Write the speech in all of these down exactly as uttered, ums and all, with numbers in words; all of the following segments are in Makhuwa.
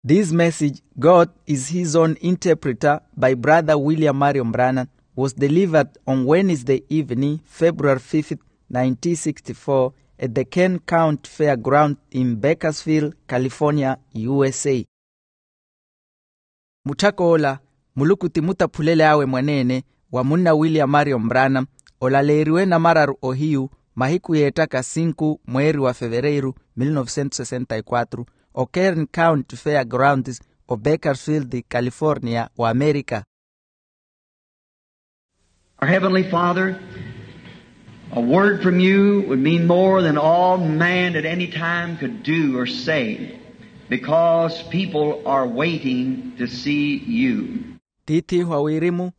This message, God is His Own Interpreter, by Brother William Marion Branham, was delivered on Wednesday evening, February fifth, nineteen sixty-four, at the Kern County Fairground in Bakersfield, California, U S A. Mutthak'ola, Muluku ti mutaphulel'awe mwaneene wa munna William Marion Branham, olaleeriwe namararu ohiyu, mahiku yeettaka sinku mweeri wa fevereiru mil novecentos sessenta y quatro, o Kern County Fairgrounds, o Bakersfield, California, wa Amerika. Our Heavenly Father, a word from you would mean more than all man at any time could do or say, because people are waiting to see you. Tiith'ihu a wirimu,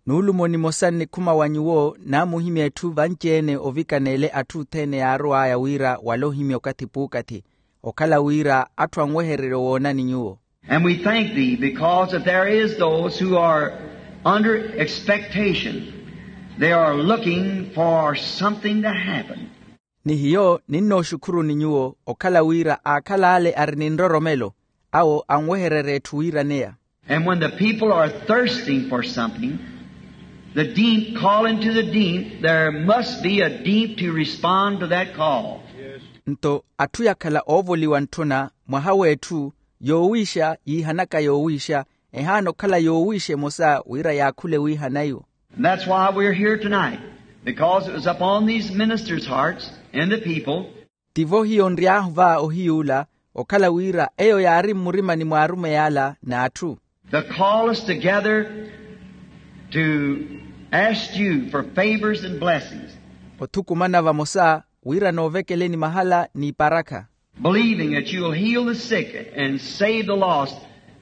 nuulumo nimosa nnikhuma wa nyuwo naamuhimya etthu vanci-ene ovikaneele atthu othene yaarow'aya wira wale ohimya okathi puukathi, okhala wira atthu anwehererye woonani nyuwo. And we thank thee because that there is those who are under expectation. They are looking for something to happen. Ni hiyo ninnooxukhuruni nyuwo okhala wira aakhala ale ari ni nroromelo, awo anwehererya etthu wiiraneya. And when the people are thirsting for something, the deep calling to the deep, there must be a deep to respond to that call. Nto atthu yakhala oovoliwa ntthuna mwaha w'etthu, yoowiixa yiihanaka yoowiixa, ehaana okhala yoowiixa emosa wira yaakhule wiihana iwo. And that's why we're here tonight, because it was upon these ministers' hearts and the people. Tivo hiyo nry'ahu va ohiy'ula, okhala wira eyo yaari mmurimani mw'arumeyi ala n'atthu. The call us together to ask you for favors and blessings. Othukumana vamosa wira noovekeleni mahala n'iparakha. Believing that you'll heal the sick and save the lost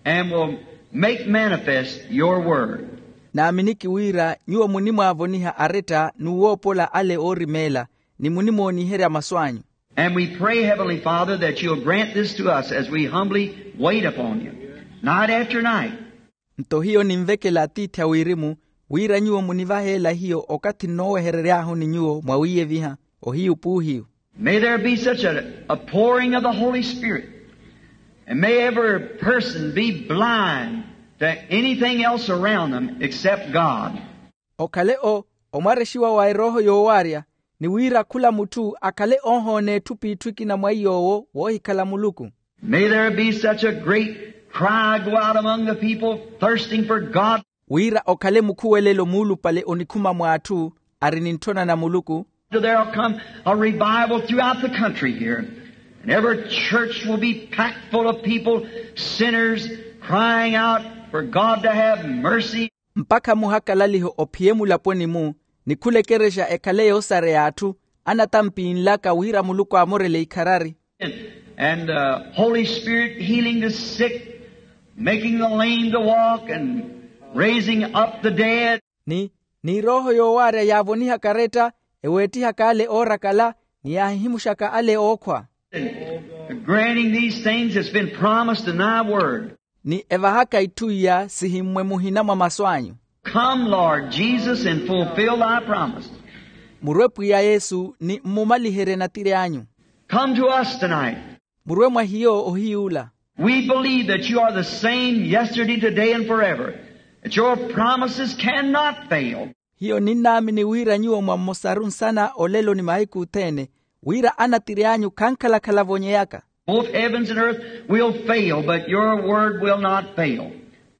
and will make manifest your word. Naaminiki wira nyuwo munimwaavoniha aretta n'uwoopola ale oorimeela, ni munimooniherya masu anyu. And we pray, Heavenly Father, that you'll grant this to us as we humbly wait upon you, night after night. Nto hiyo ninvekela atiithi a wirimu, wira nyuwo munivaheela hiyo okathi nnooweherery'ahu ni nyuwo mwawiiyeviha, ohiyu p'uhiyu. May there be such a, a pouring of the Holy Spirit, and may every person be blind to anything else around them except God. Okhale o, omwarexiwa wa erooho yoowaarya, ni wira khula mutthu akhale oohoona etthu p'itthu ekina mwa iy'owo woohikhala muluku. May there be such a great cry go out among the people thirsting for God. Wira okhale mukhuwelelo muulupale onikhuma mw'atthu ari ni ntthona na muluku. There'll come a revival throughout the country here, and every church will be packed full of people, sinners, crying out for God to have mercy. Mpakha muhakalaliho ophiye mulaponi-mu, ni khula ekerexa ekhale yoosareya atthu anatampinlaka wira muluku aamorele ikharari. And, and the Holy Spirit healing the sick, making the lame to walk, and raising up the dead. Ni, ni erooho yoowaarya yaavonihaka aretta, eweettihaka ale oorakala, ni yaahihimuxaka ale ookhwa. And granting these things that's been promised in thy word. Ni evahaka itthu iya sihimmwe muhina mwa masu anyu. Come, Lord Jesus, and fulfill thy promise. Murwe pwiya yesu ni mmumaliherye natiri anyu. Come to us tonight. Murwe mwa hiyo ohiy'ula. We believe that you are the same yesterday, today, and forever, that your promises cannot fail. Hiyo ninnaamini wira nyuwo mwa mmosaru nsana olelo ni mahiku othene, wira anatiri anyu khankhala-khala avonyeyaka. Both heavens and earth will fail, but your word will not fail.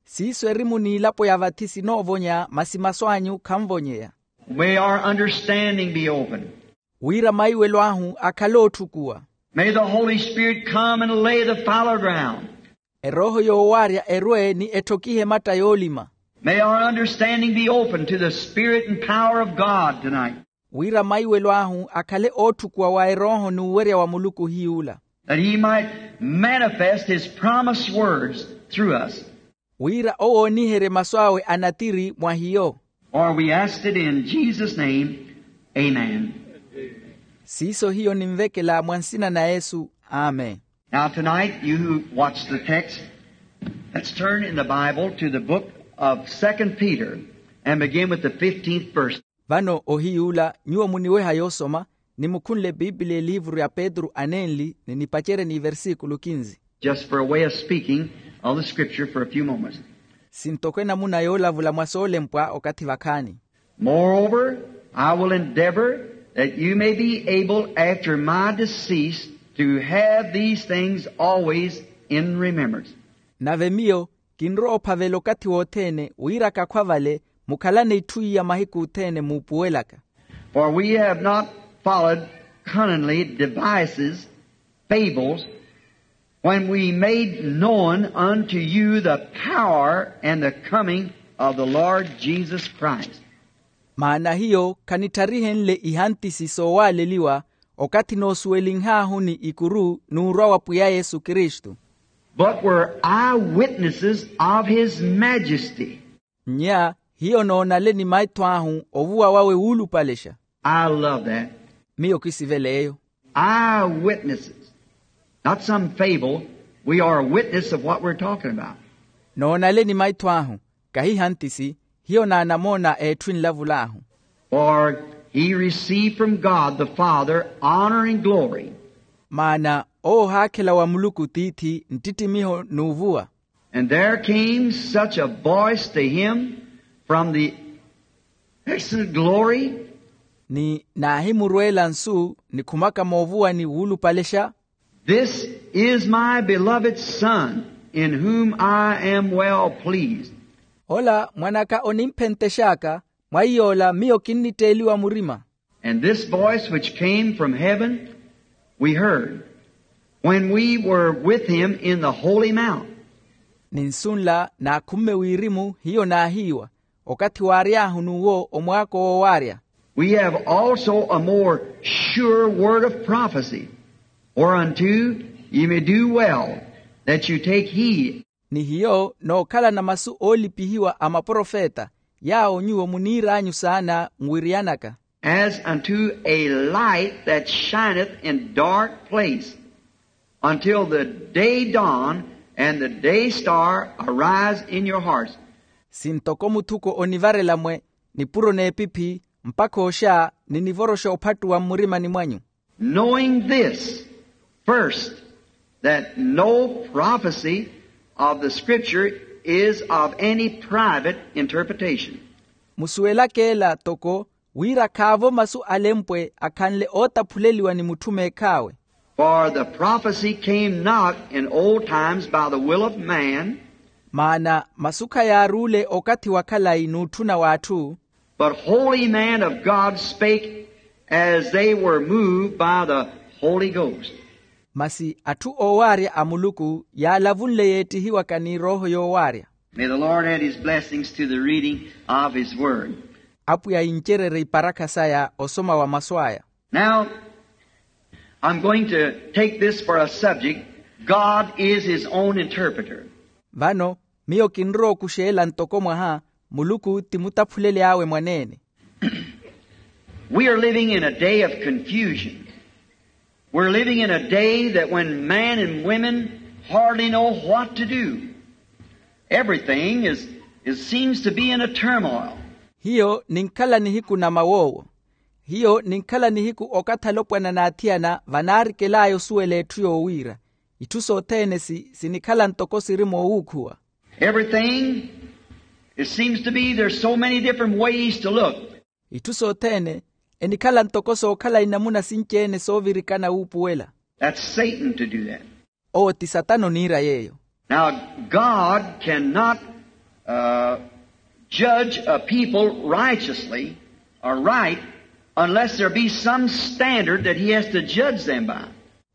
Siiso erimu n'ilapo ya vathi sinoovonya, masi masu anyu khanvonyeya. May our understanding be open. Wira maiwelo ahu akhale ootthukuwa. May the Holy Spirit come and lay the fallow ground. Erooho yoowaarya erwe ni etthokihe ematta yoolima. May our understanding be open to the Spirit and power of God tonight. Wira maiwelo ahu akhale ootthukuwa wa erooho n'uwerya wa muluku hiy'ula. That he might manifest his promised words through us. Wira owooniherye masu awe anatiri mwa hiyo. For we asked it in Jesus' name. Amen. Siiso hiyo ninvekela mwa nsina na yesu. Amen. Now tonight, you who watch the text, let's turn in the Bible to the book of Second Peter and begin with the fifteenth verse. Vano ohiy'ula nyuwo muniweha yoosoma, nimukhunle epiipiliya eliivuru ya petru anenli ni nipacerye n'iversikulu kinzi. Just for a way of speaking, of the scripture for a few moments. Sintoko enamuna yoolavula mwa soolempwa okathi vakhaani. Moreover, I will endeavor that you may be able, after my decease, to have these things always in remembrance. Nave miyo kinrowa ophavela okathi wothene wira kakhwa vale mukhalane itthu iya mahiku othene muupuwelaka. For we have not followed cunningly devices, fables, when we made known unto you the power and the coming of the Lord Jesus Christ. Maana hiyo khanittarihenle ihantisi soowaaleliwa okathi noosuwelinhaahu ni ikuru n'urwa wa pwiya yesu kristu. But were eyewitnesses of his majesty. Nnya hiyo noonale ni maitho ahu ovuwa wawe wuulupalexa. I love that. Miyo kisivela eyo. Eyewitnesses. Not some fable. We are a witness of what we're talking about. Noonale ni maitho ahu kahi hantisi hiyo naanamoona etthu enlavul'ahu. For he received from God the Father honor and glory. Maana owo ohaakhela wa muluku tiithi nttittimiho n'uvuwa. And there came such a voice to him from the excellent glory. Ni naahimurweela nsu nikhumaka moovuwani wuulupalexa. This is my beloved Son, in whom I am well pleased. Ola mwan'aka onimphentex'aka, mwa iy'ola miyo kinnitteeliwa murima. And this voice which came from heaven we heard when we were with him in the holy mount. Ni nsu nla naakhumme wirimu hiyo naahiiwa okathi waary'ahu n'uwo omwaako woowaarya. We have also a more sure word of prophecy, whereunto ye may do well that you take heed. Ni hiyo nookhalana masu oolipihiwa a maprofeta yaawo nyuwo muniir'anyu saana nwiriyanaka. As unto a light that shineth in dark place, until the day dawn and the day star arise in your hearts. Sintoko muthuko onivarela mwe nipuro n'epiphi mpakha oxa ninivoroxa ophattuwa mmurimani mwanyu. Knowing this, first, that no prophecy of the scripture is of any private interpretation. Musuwelaka ela toko wira khaavo masu alempwe akhanle ootaphuleliwa ni mutthu meekh'awe. For the prophecy came not in old times by the will of man, maana masu khayaaruule okathi wa khalayi n'utthuna w'atthu. But holy men of God spake as they were moved by the Holy Ghost. Masi atthu oowaarya a muluku yaalavunle yeettihiwaka ni erooho yoowaarya. May the Lord add his blessings to the reading of his word. Apwiya incererye iparakha saya osoma wa masu aya. Now, I'm going to take this for a subject. God is his own interpreter. Vano miyo kinrowa okuxeela ntoko mwaha muluku ti mutaphuleli awe mwaneene. We are living in a day of confusion. We're living in a day that when men and women hardly know what to do. Everything is, is seems to be in a turmoil. Hiyo ninkhala nihiku na mawoowo. Hiyo ninkhala nihiku okathi alopwana n'athiyana vanaarikel'aya osuwela etthu yoowiira. Itthu sothene si sinikhala ntoko siri moowuukhuwa. Everything, it seems to be there's so many different ways to look. Itthu sothene enikhala ntoko sookhala inamuna sinci-ene soovirikana wuupuwela. That's Satan to do that. Owo ti satana oniira yeeyo. Now, God cannot uh, judge a people righteously or right unless there be some standard that he has to judge them by.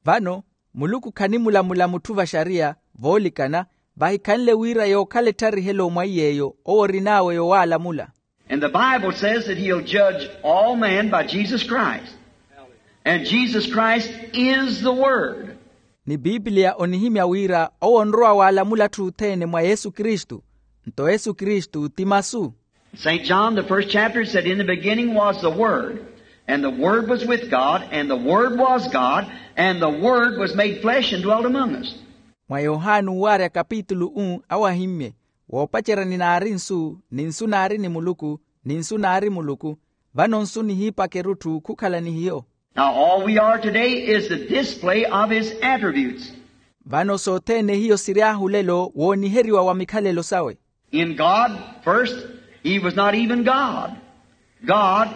Vano muluku khanimulamula mutthu vaxariya voolikana vahikhanle wira yookhala ettarihelo mwa iy'eyo owo orin'awe yowaalamula. And the Bible says that he'll judge all men by Jesus Christ. And Jesus Christ is the Word. Ni pipiliya onihimya wira owo onrowa waalamula atthu othene mwa yesu kristu. Nto yesu kristu ti masu. Saint John, the first chapter, said, "In the beginning was the Word, and the Word was with God, and the Word was God, and the Word was made flesh and dwelt among us." Mwa yohani owaarya kapitulu u awahimmye, woopacerya ninaari nsu, ni nsu naari ni muluku, ni nsu naari muluku. Vano nsu nihiipaka erutthu khukhala ni hiyo. Now, all we are today is the display of his attributes. Vano sothene hiyo siry'ahu olelo wooniheriwa wa mikhalelo sawe. In God first, he was not even God. God,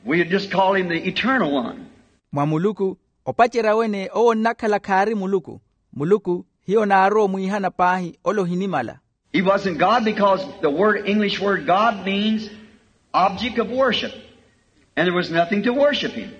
we just call him the eternal one. Mwa muluku, opacerya wene owo onnakhala khaari muluku. Muluku hiyo naarowa omwiihana paahi ole ohinimala. He wasn't God because the word, English word God means object of worship, and there was nothing to worship him.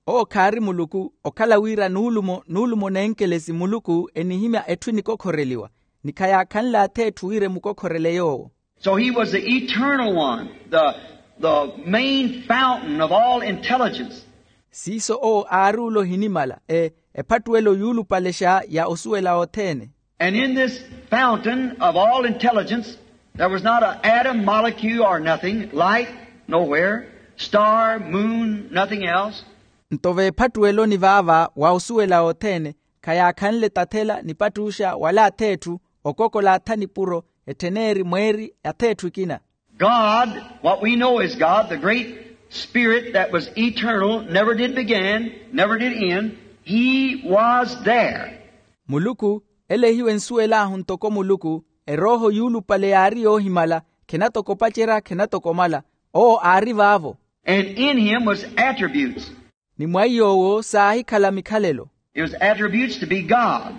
Owo khaari muluku okhala wira nuulumo nuulumo nenkelesi muluku enihimya etthu enikokhoreliwa, ni khayaakhanle ath'etthu wira emukokhorele yoowo. So he was the eternal one, the, the main fountain of all intelligence. Siiso owo aari ole ohinimala, e ephattuwelo yuulupalexa ya osuwela othene. And in this fountain of all intelligence, there was not an atom, molecule, or nothing, light, nowhere, star, moon, nothing else. Nto veephattuweloni vaava wa osuwela othene, khayaakhanle tathela nipattuxa wala ath'etthu, okokola atha nipuro, etthen'eri mweeri ath'etthu ekina. God, what we know is God, the great Spirit that was eternal, never did begin, never did end, he was there. Muluku, ele ehiwe ensuwel'ahu ntoko muluku, erooho yuulupale yaari yoohimala, khenatoko opacerya khenatoko omala, owo aari vaavo. And in him was attributes. Ni mwa iy'owo saahikhala mikhalelo. It was attributes to be God,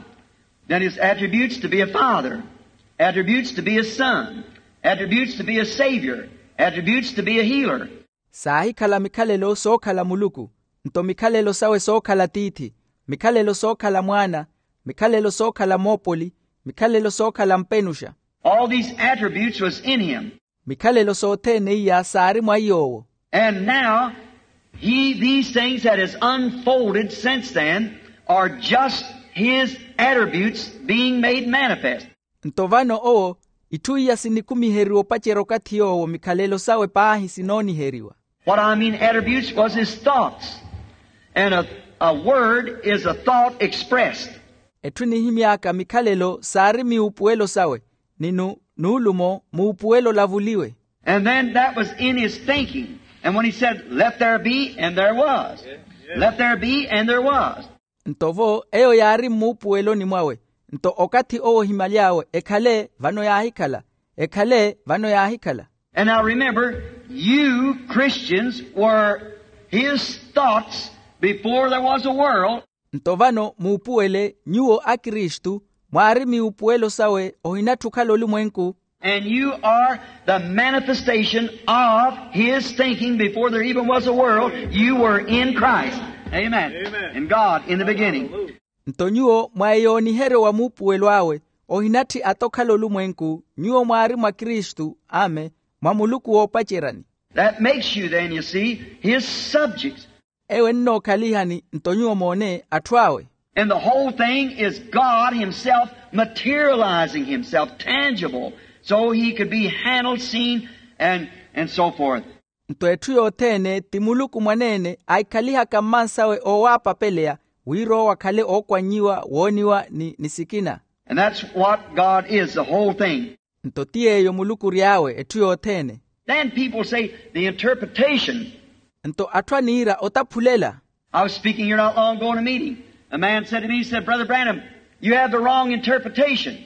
then it's attributes to be a father, attributes to be a son, attributes to be a savior, attributes to be a healer. Saahikhala mikhalelo sookhala muluku, nto mikhalelo sawe sookhala tiithi, mikhalelo sookhala mwaana, mikhalelo sookhala moopoli, mikhalelo sookhala mpenuxa. All these attributes was in him. Mikhalelo sothene iya saari mwa iy'owo. And now, he, these things that has unfolded since then are just his attributes being made manifest. Nto vano owo, itthu iya sinikumiheriwa opacerya okathi yoowo mikhalelo sawe paahi sinooniheriwa. What I mean attributes was his thoughts. And a, a word is a thought expressed. Etthu enihimy'aka mikhalelo saari miupuwelo sawe, ni nu nuulumo muupuwelo olavuliwe. And then that was in his thinking. And when he said, "Let there be," and there was. "Let there be," and there was. Nto vo eyo yaari mmuupuweloni mwawe, nto okathi owo ohimaly'awe ekhale vano yaahikhala, ekhale vano yaahikhala. And now remember, you Christians were his thoughts before there was a world. Nto vano muupuwele nyuwo akristu, mwaari miupuwelo sawe ohinatthi okhala olumwenku. And you are the manifestation of his thinking before there even was a world. You were in Christ. Amen. In God in the beginning. Nto nyuwo mwa eyooniheryo wa muupuwelo awe, ohinatthi ata okhala olumwenku, nyuwo mwaari mwa kristu, ame, mwa muluku woopaceryani. That makes you then, you see, his subjects. Eyo ennookhalihani nto nyuwo moone atthu awe. And the whole thing is God himself materializing himself, tangible, so he could be handled, seen, and, and so forth. Nto etthu yothene ti muluku mwaneene aikhalihaka mmansawe oowaapapeleya, wira owo akhale ookwannyiwa wooniwa ni, ni sikina. And that's what God is, the whole thing. Nto ti yeeyo muluku ory'awe etthu yothene. Then people say the interpretation. Nto atthu aniira otaphulela. I was speaking here not long ago in a meeting. A man said to me, he said, "Brother Branham, you have the wrong interpretation.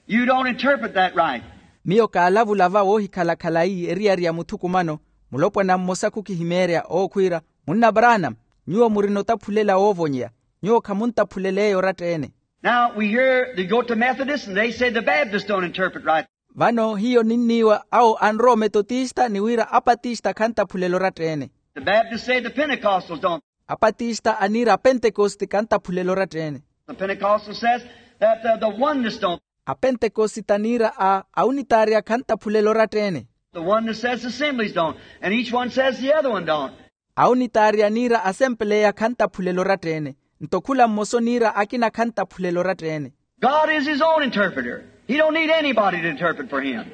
You don't interpret that right." Miyo kaalavula va woohikhala khalayi eriyari ya muthukumano, mulopwana mmosa khukihimeerya ookhwiira, "Munna Branham, nyuwo murina otaphulela woovonyeya, nyuwo khamuntaphulel'eyo oratta-ene." Now we hear they go to Methodists and they say the Baptists don't interpret right. Vano hiyo ninniiwa awo anrowa ometotista ni wira apatista khantaphulela oratta-ene. The Baptists say the Pentecostals don't. Apatista aniira apentekosti khantaphulela oratta-ene. The Pentecostal says that uh, the oneness don't. Apentekosita aniira a aunitaariya khantaphulela oratta-ene. The oneness says the assemblies don't, and each one says the other one don't. Aunitaariya aniira asempeleya khantaphulela oratta-ene, nto khula mmosa oniira akina khantaphulela oratta-ene. God is his own interpreter. He don't need anybody to interpret for him.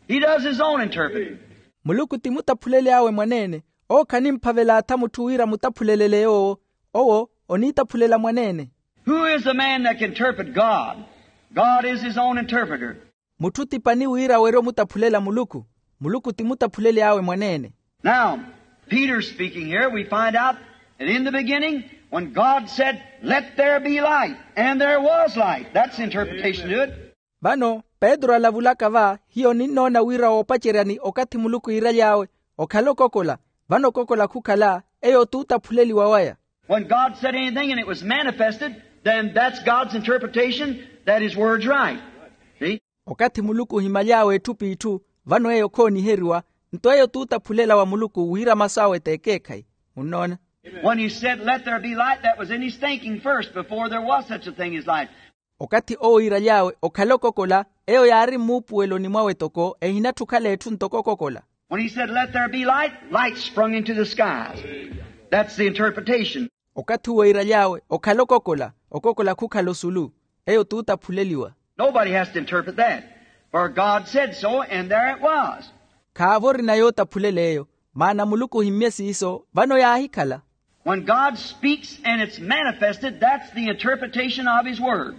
He does his own interpreting. Muluku ti mutaphuleli awe mwaneene, owo khanimphavela atha mutthu wira mutaphulelele yoowo. Owo oniitaphulela mwaneene. Who is the man that can interpret God? God is his own interpreter. Mutthu ti pani wira awerye omutaphulela muluku? Muluku ti mutaphuleli awe mwaneene. Now, Peter speaking here, we find out that in the beginning When God said, "Let there be light," and there was light. That's the interpretation to it. Vano petro alavulaka va hiyo ninnoona wira woopaceryani okathi muluku yiiraly'awe, okhala okokola. Vano okokola khukhala, eyo t'utaphuleliwa waya. When God said anything and it was manifested, then that's God's interpretation that his word's right. See? Okathi muluku ohimaly'awe etthu p'itthu, vano eyo khooniheriwa. Nto eyo t'utaphulela wa muluku wira masu awe t'ekeekhayi. Munnoona? When he said, "Let there be light," that was in his thinking first before there was such a thing as light. Okathi owo yiiraly'awe okhala okokola, eyo yaari mmuupuweloni mwawe toko ehinatthi okhala etthu ntoko okokola. When he said, "Let there be light," light sprung into the skies. That's the interpretation. Okathi uwo yiiraly'awe okhala okokola, okokola khukhala osulu. Eyo t'utaphuleliwa. Nobody has to interpret that. For God said so, and there it was. Khaavo orina yootaphulela eyo, maana muluku ohimmye siiso, vano yaahikhala. When God speaks and it's manifested, that's the interpretation of his word.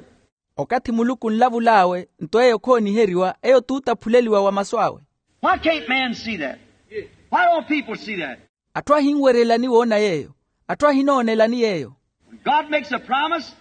Okathi muluku onlavul'awe nto eyo khooniheriwa, eyo t'utaphuleliwa wa masu awe. Why can't man see that? Why don't people see that? Atthu ahinweryelani woona yeeyo? Atthu ahinoonelani yeeyo? God makes a promise,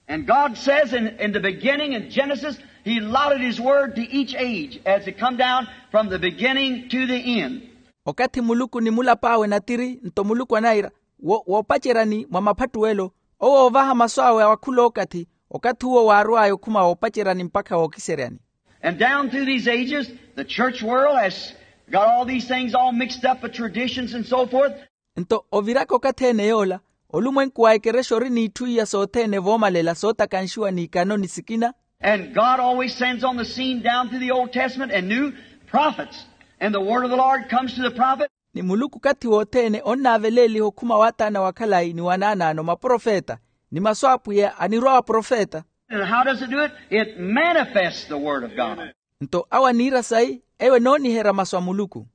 and God says in, in the beginning in Genesis, he allotted his word to each age as it come down from the beginning to the end. Okathi muluku ni mulap'awe natiri nto muluku anayira, wo woopaceryani mwa maphattuwelo, owo oovaha masu awe wa khul'okathi, okathi uwo waarw'aya okhuma woopaceryani mpakha wookiseryani. And down through these ages, the church world has got all these things all mixed up with traditions and so forth. Nto oviraka okathi-ene yoola, olumwenku wa ekerexa ori n'itthu iya sothene voomalela sootakanxiwa n'ikano ni sikina. And God always sends on the scene down through the Old Testament and New prophets. And the word of the Lord comes to the prophet. Ni muluku okathi wothene onnaaveleeliha okhuma w'ataana wa khalayi ni wa naanaano maprofeta, ni masu a apwiya anirwa wa profeta. And how does it do it? It manifests the word of God. Nto awo aniira sayi, eyo enooniherya masu a muluku.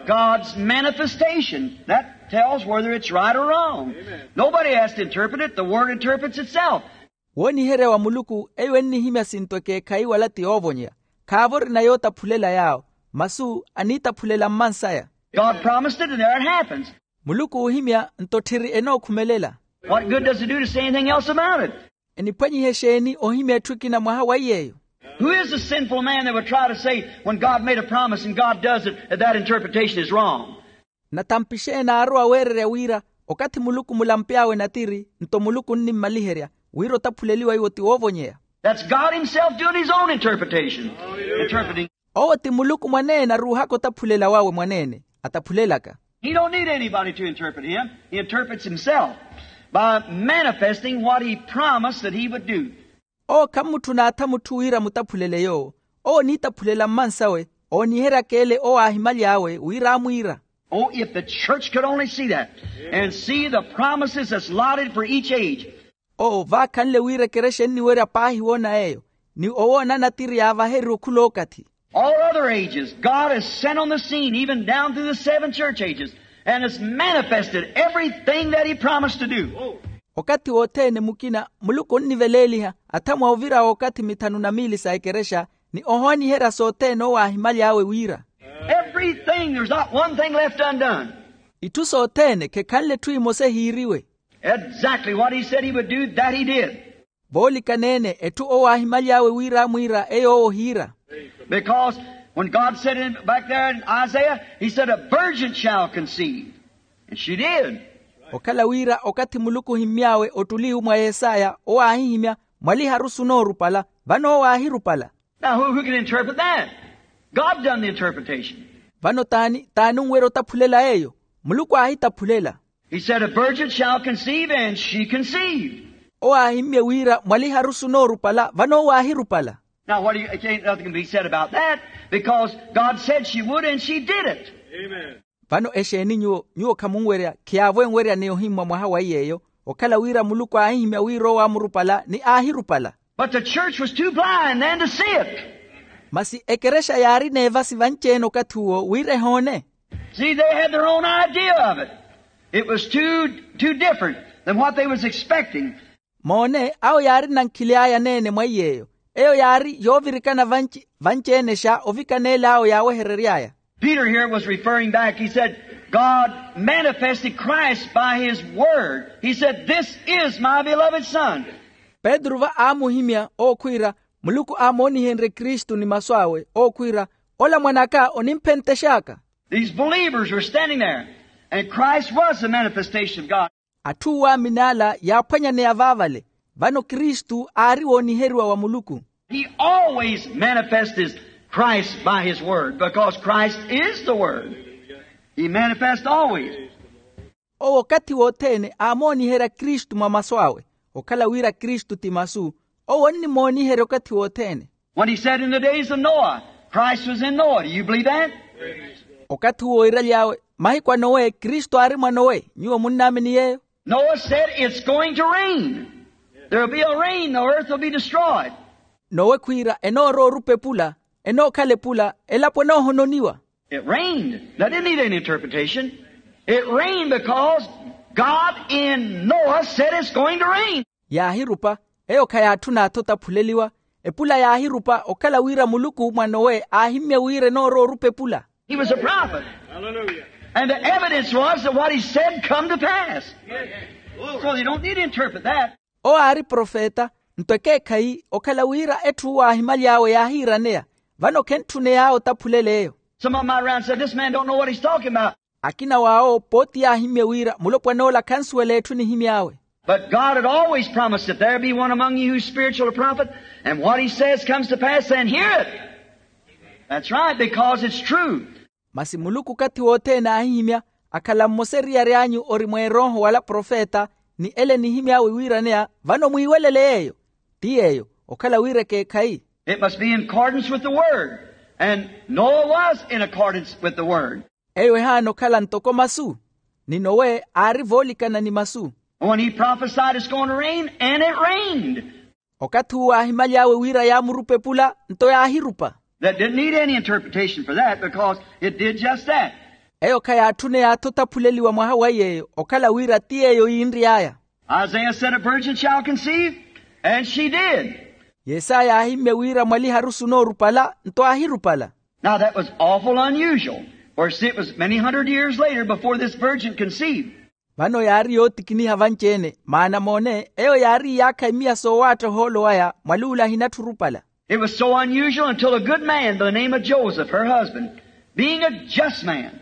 God's manifestation, that tells whether it's right or wrong. Nobody has to interpret it. The word interprets itself. Wooniherya wa muluku eyo ennihimya sinto ekeekhayi wala ti yoovonyeya. Khaavo orina yootaphulela yaawo, masu aniitaphulela mmansaya. God promised it, and there it happens. Muluku oohimya nto tthiri enookhumelela. What good does it do to say anything else about it? Eniphwanyiha exeeni ohimya etthu ekina mwaha wa iy'eyo? Who is the sinful man that would try to say, when God made a promise and God does it, that that interpretation is wrong? Nathampi xeeni aarowa weererya wira, okathi muluku mulamp'awe natiri nto muluku onnimmaliherya, wira otaphuleliwa iwo ti woovonyeya? That's God himself doing his own interpretation. Interpreting. Owo ti muluku mwaneene aruuhaka otaphulela wawe mwaneene, ataphulelaka. He don't need anybody to interpret him. He interprets himself by manifesting what he promised that he would do. Owo khammutthuna atha mutthu wira amutaphulele yoowo. Owo oniitaphulela mmansawe, ooniheryaka ele owo aahimaly'awe wira aamwiira. Oh, if the church could only see that and see the promises that's allotted for each age. Owo vaakhanle wira ekerexa enniwerya paahi woona yeeyo, ni owoona natiri yaavaheriwe okhula okathi. All other ages, God has sent on the scene, even down through the seven church ages, and has manifested everything that he promised to do. Okathi wothene mukina muluku onniveleeliha athamwa ovira w'okathi mithanu na miili sa ekerexa, ni ohooniherya sothene owo aahimaly'awe wira. Everything, there's not one thing left undone. Itthu sothene khekhanle etthu emosa ehiiriwe. Exactly what he said he would do, that he did. Voolikaneene etthu owo aahimaly'awe wira aamwiira eyo owo ohiira. Because when God said in, back there in Isaiah, he said, "A virgin shall conceive." And she did. Okhala wira okathi muluku ohimmy'awe ottuli mwa yesaya owo aahihimya, mwaliharusu onoorupala, vano owo aahirupala. Now, who, who can interpret that? God done the interpretation. Vano t'ani t'ani onwerya otaphulela eyo? Muluku aahitaphulela. He said, "A virgin shall conceive," and she conceived. Owo aahimmye wira mwaliharusu onoorupala, vano owo aahirupala. Now, what do you, can't, nothing can be said about that, because God said she would, and she did it. Vano exeeni nyuwo, nyuwo khamunwerya, khiyaavo enwerya ni ohimmwa mwaha wa iy'eyo, okhala wira muluku aahihimya wira owo aamurupala ni aahirupala. But the church was too blind then to see it. Masi ekerexa yaari n'evasi vanci-ene okathi uwo wira ehoone. See, they had their own idea of it. It was too, too different than what they was expecting. Moone, awo yaari nankhili aya aneene mwa iy'eyo. Eyo yaari yoovirikana vanci, vanci-ene xa ovikaneela awo yaaweherery'aya. Peter here was referring back. He said, God manifested Christ by his word. He said, "This is my beloved Son." Petru va aamuhimya owo khwiira, muluku aamoonihenrye kristu ni masu awe owo khwiira, ola mwan'aka onimphentex'aka. These believers were standing there, and Christ was the manifestation of God. Atthu oowaamini ala yaaphwanyaneya vaavale, vano kristu aari wooniheriwa wa muluku. He always manifested Christ by his word, because Christ is the word. He manifests always. Owo okathi wothene aamooniherya kristu mwa masu awe, okhala wira kristu ti masu. Owo onnimooniherya okathi wothene. When he said, "In the days of Noah, Christ was in Noah." Do you believe that? Okathi uwo iiraly'awe, mahiku a nowe kristu aari mwa nowe. Nyuwo munnaamini yeeyo? Noah said, "It's going to rain. There'll be a rain. The earth will be destroyed." Nowe khwiira enoorowa orupa epula, enookhala epula, elapo enoohononiwa. It rained. That didn't need any interpretation. It rained because God in Noah said it's going to rain. Yaahirupa, eyo khayaatthuna atho otaphuleliwa. Epula yaahirupa okhala wira muluku mwa nowe aahimmye wira enoorowa orupa epula. He was a prophet. Hallelujah. And the evidence was that what he said come to pass. So you don't need to interpret that. Owo aari profeta, nto ekeekhayi okhala wira etthu uwo aahimaly'awe yaahiiraneya. Vano khentthuney'awe otaphulel'eyo. Some of them might around said, "This man don't know what he's talking about." Akina w'awo pooti yaahimmye wira mulopwan'ola khansuwela etthu enihimy'awe. But God had always promised, "If there be one among you who's spiritual or prophet, and what he says comes to pass, then hear it." That's right, because it's true. Masi muluku okathi wothene aahihimya, akhala mmosa eriyari anyu ori mweerooho wala profeta, ni ele enihimy'awe wiiraneya, vano mwiiwelele yeeyo. Ti yeeyo okhala wira ekeekhayi. It must be in accordance with the word. And Noah was in accordance with the word. Eyo ehaana okhala ntoko masu, ni nowe aari voolikana ni masu. When he prophesied it's going to rain, and it rained. Okathi uwo aahimaly'awe wira yaamurupa epula, nto yaahirupa. That didn't need any interpretation for that, because it did just that. Eyo khayaatthuney'atho otaphuleliwa mwaha wa yeeyo okhala wira ti yeeyo yiinry'aya. Isaiah said, "A virgin shall conceive," and she did. Yesaya aahimmye wira mwaliharusi onoorupala, nto aahirupala. Now that was awful unusual, for see, it was many hundred years later before this virgin conceived. Vano yaari yootikiniha vanci-ene, maana moone eyo yaari iyaakha imiya soowaatta ohoolo waya mwali ule ahinatthu orupala. It was so unusual until a good man by the name of Joseph, her husband, being a just man,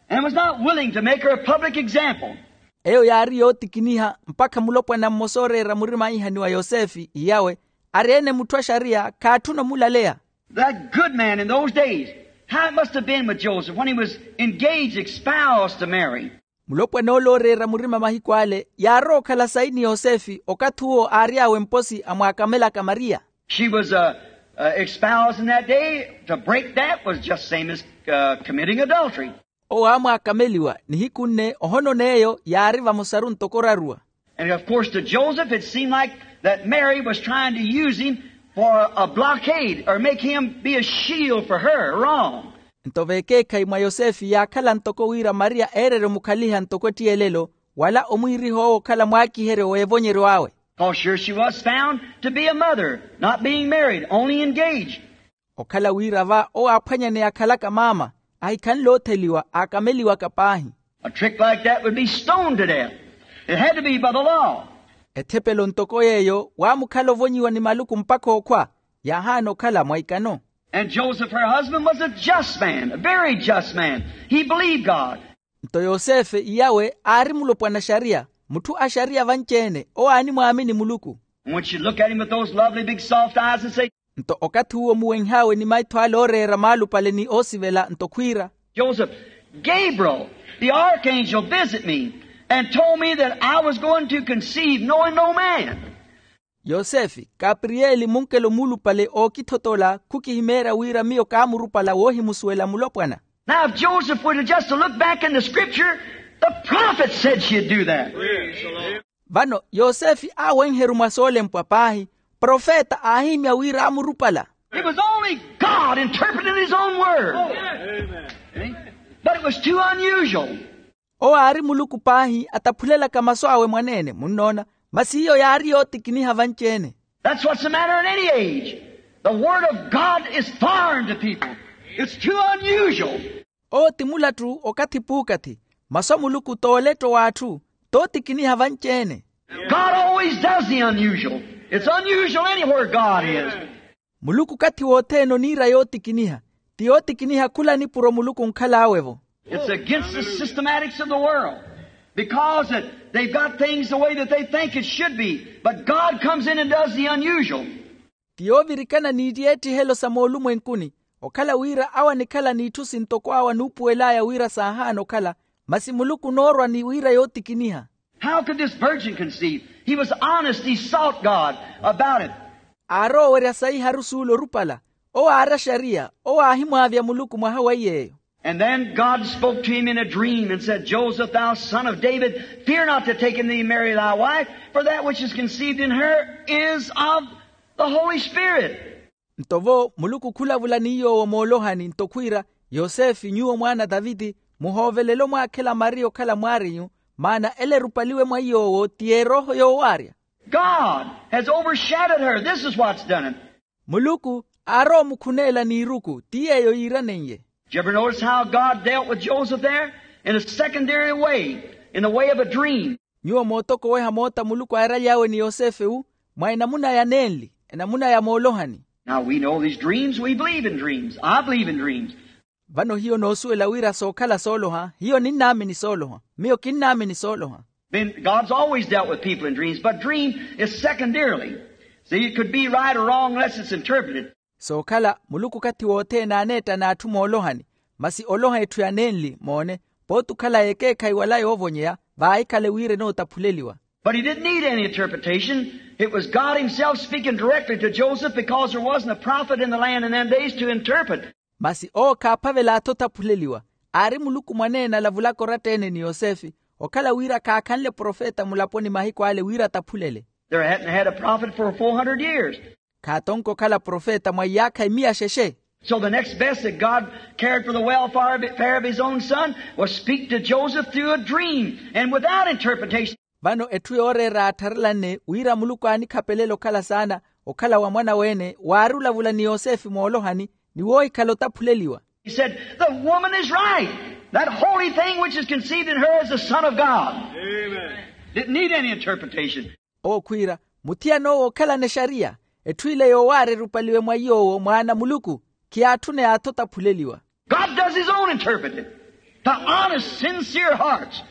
and was not willing to make her a public example. Eyo yaari yootikiniha mpakha mulopwana mmosa ooreera murima aihaniwa yosefe iyawe, ari-ene mutthu a xariya khaatthuna omulaleya. That good man in those days, how it must have been with Joseph when he was engaged, espoused to Mary. Mulopwana ole ooreera murima mahiku ale yaarowa okhala sayi ni yosefe okathi uwo aary'awe mposi amwaakamelaka mariya. She was uh, uh, espoused in that day. To break that was just same as uh, committing adultery. Owo aamwaakameliwa nihiku nne ohonona eyo yaari vamosaru ntoko oraruwa. And of course to Joseph it seemed like that Mary was trying to use him for a blockade or make him be a shield for her wrong. Nto vekeekhayi mwa yosefe yaakhala ntoko wira mariya eererye omukhaliha ntoko ettiyelelo, wala omwiiriha owo okhala mwaakiheryo w'evonyeryo awe. Because sure she was found to be a mother, not being married, only engaged. Okhala wira va owo aaphwanyaneya akhalaka maama, ahikhanle otheliwa aakameliwaka paahi. A trick like that would be stoned to death. It had to be by the law. Ethepelo ntoko yeeyo waamukhala ovonyiwa ni maluku mpakha okhwa, yaahaana okhala mwa ikano. And Joseph, her husband, was a just man, a very just man. He believed God. Nto yosefe iyawe aari mulopwana a xariya, mutthu a xariya vanci-ene owo aanimwaamini muluku. And when she looked at him with those lovely big soft eyes and said, Nto okathi uwo omuwenh'awe ni maitho ale ooreera maalupale ni oosivela nto khwiira, Joseph, Gabriel, the archangel, visit me and told me that I was going to conceive knowing no man. Yosefe, kapriyeli munkelo muulupale ookithotola khukihimeerya wira miyo kaamurupala woohimusuwela mulopwana. Now if Joseph would have just looked back in the scripture, the prophet said she'd do that. Vano yosefe aawenheru mwa soolempwa paahi, profeta aahihimya wira aamurupala. It was only God interpreting his own word. But it was too unusual. Owo aari muluku paahi ataphulelaka masu awe mwaneene munnoona, masi iyo yaari yootikiniha vanci-ene. That's what's the matter in any age. The word of God is foreign to people. It's too unusual. Owo ti mulattu okathi puukathi, Masu a muluku t'oletto w'atthu, t'otikiniha vanci-ene. God always does the unusual. It's unusual anywhere God is. Muluku okathi wothene oniira yootikiniha. Ti yootikiniha khula nipuro muluku onkhal'awe-vo. It's against the systematics of the world, because that they've got things the way that they think it should be. But God comes in and does the unusual. Ti yoovirikana n'ittiyeetthihelo sa moolumwenkuni, okhala wira awo anikhala n'itthu sintoko awo anuupuwel'aya wira saahaana okhala, masi muluku onoorwa ni wira yootikiniha. How could this virgin conceive? He was honest, he sought God about it. Aaroowerya saiharu suula orupala. Owo aari axariya. Owo aahimwaavya muluku mwaha wa iy'eyo. And then God spoke to him in a dream and said, Joseph, thou son of David, fear not to take unto thee Mary thy wife, for that which is conceived in her is of the Holy Spirit. Nto vo muluku khulavula ni yoowo moolohani nto khwiira, yosefe nyuwo mwaana a taviti, muhoovelele omwaakhela mariya okhala mwaarinyu, maana ela erupaliwe mwa yoowo ti erooho yoowaarya. God has overshadowed her. This is what's done it. Muluku aaroomukhuneela n'iruku ti yeeyo yiiranenye. Did you ever notice how God dealt with Joseph there? In a secondary way, in the way of a dream. Nyuwo mootokoweha moota muluku aaraly'awe ni yosefe-wu, mwa enamuna ya nenli, enamuna ya moolohani. Now we know these dreams, we believe in dreams. I believe in dreams. Vano hiyo noosuwela wira sookhala sooloha, hiyo ninnaamini sooloha. Miyo kinnaamini sooloha. Then God's always dealt with people in dreams, but dream is secondarily. See, it could be right or wrong unless it's interpreted. Sookhala muluku okathi wothene aaneetta n'atthu moolohani, masi oloha etthu ya nenli moone, pooti okhala yekeekhayi wala yoovonyeya vaahikhale wira enootaphuleliwa. But he didn't need any interpretation. It was God himself speaking directly to Joseph, because there wasn't a prophet in the land in them days to interpret. Masi owo khaaphavela-tho otaphuleliwa. Aari muluku mwaneene alavulaka oratta-ene ni yosefe, okhala wira khaakhanle profeta mulaponi mahiku ale wira ataphulele. There hadn't had a prophet for four hundred years. Khaatonka okhala profeta mwa iyaakha emiya xexe. So the next best that God cared for the welfare of, fare of his own son was speak to Joseph through a dream and without interpretation. Vano etthu yooreera yaattharelanne wira muluku aanikhapelela okhala saana, okhala wa mwana-we-ene waari olavula ni yosefe moolohani, ni woohikhala otaphuleliwa. He said, the woman is right. That holy thing which is conceived in her is the Son of God. Amen. Didn't need any interpretation. Owo khwiira, muthiyan'owo ookhalana exariya, etthu ile yoowaara erupaliwe mwa iy'owo mwaana a muluku, khiyaatthuney'atthu otaphuleliwa. God does his own interpreting. The honest, sincere hearts.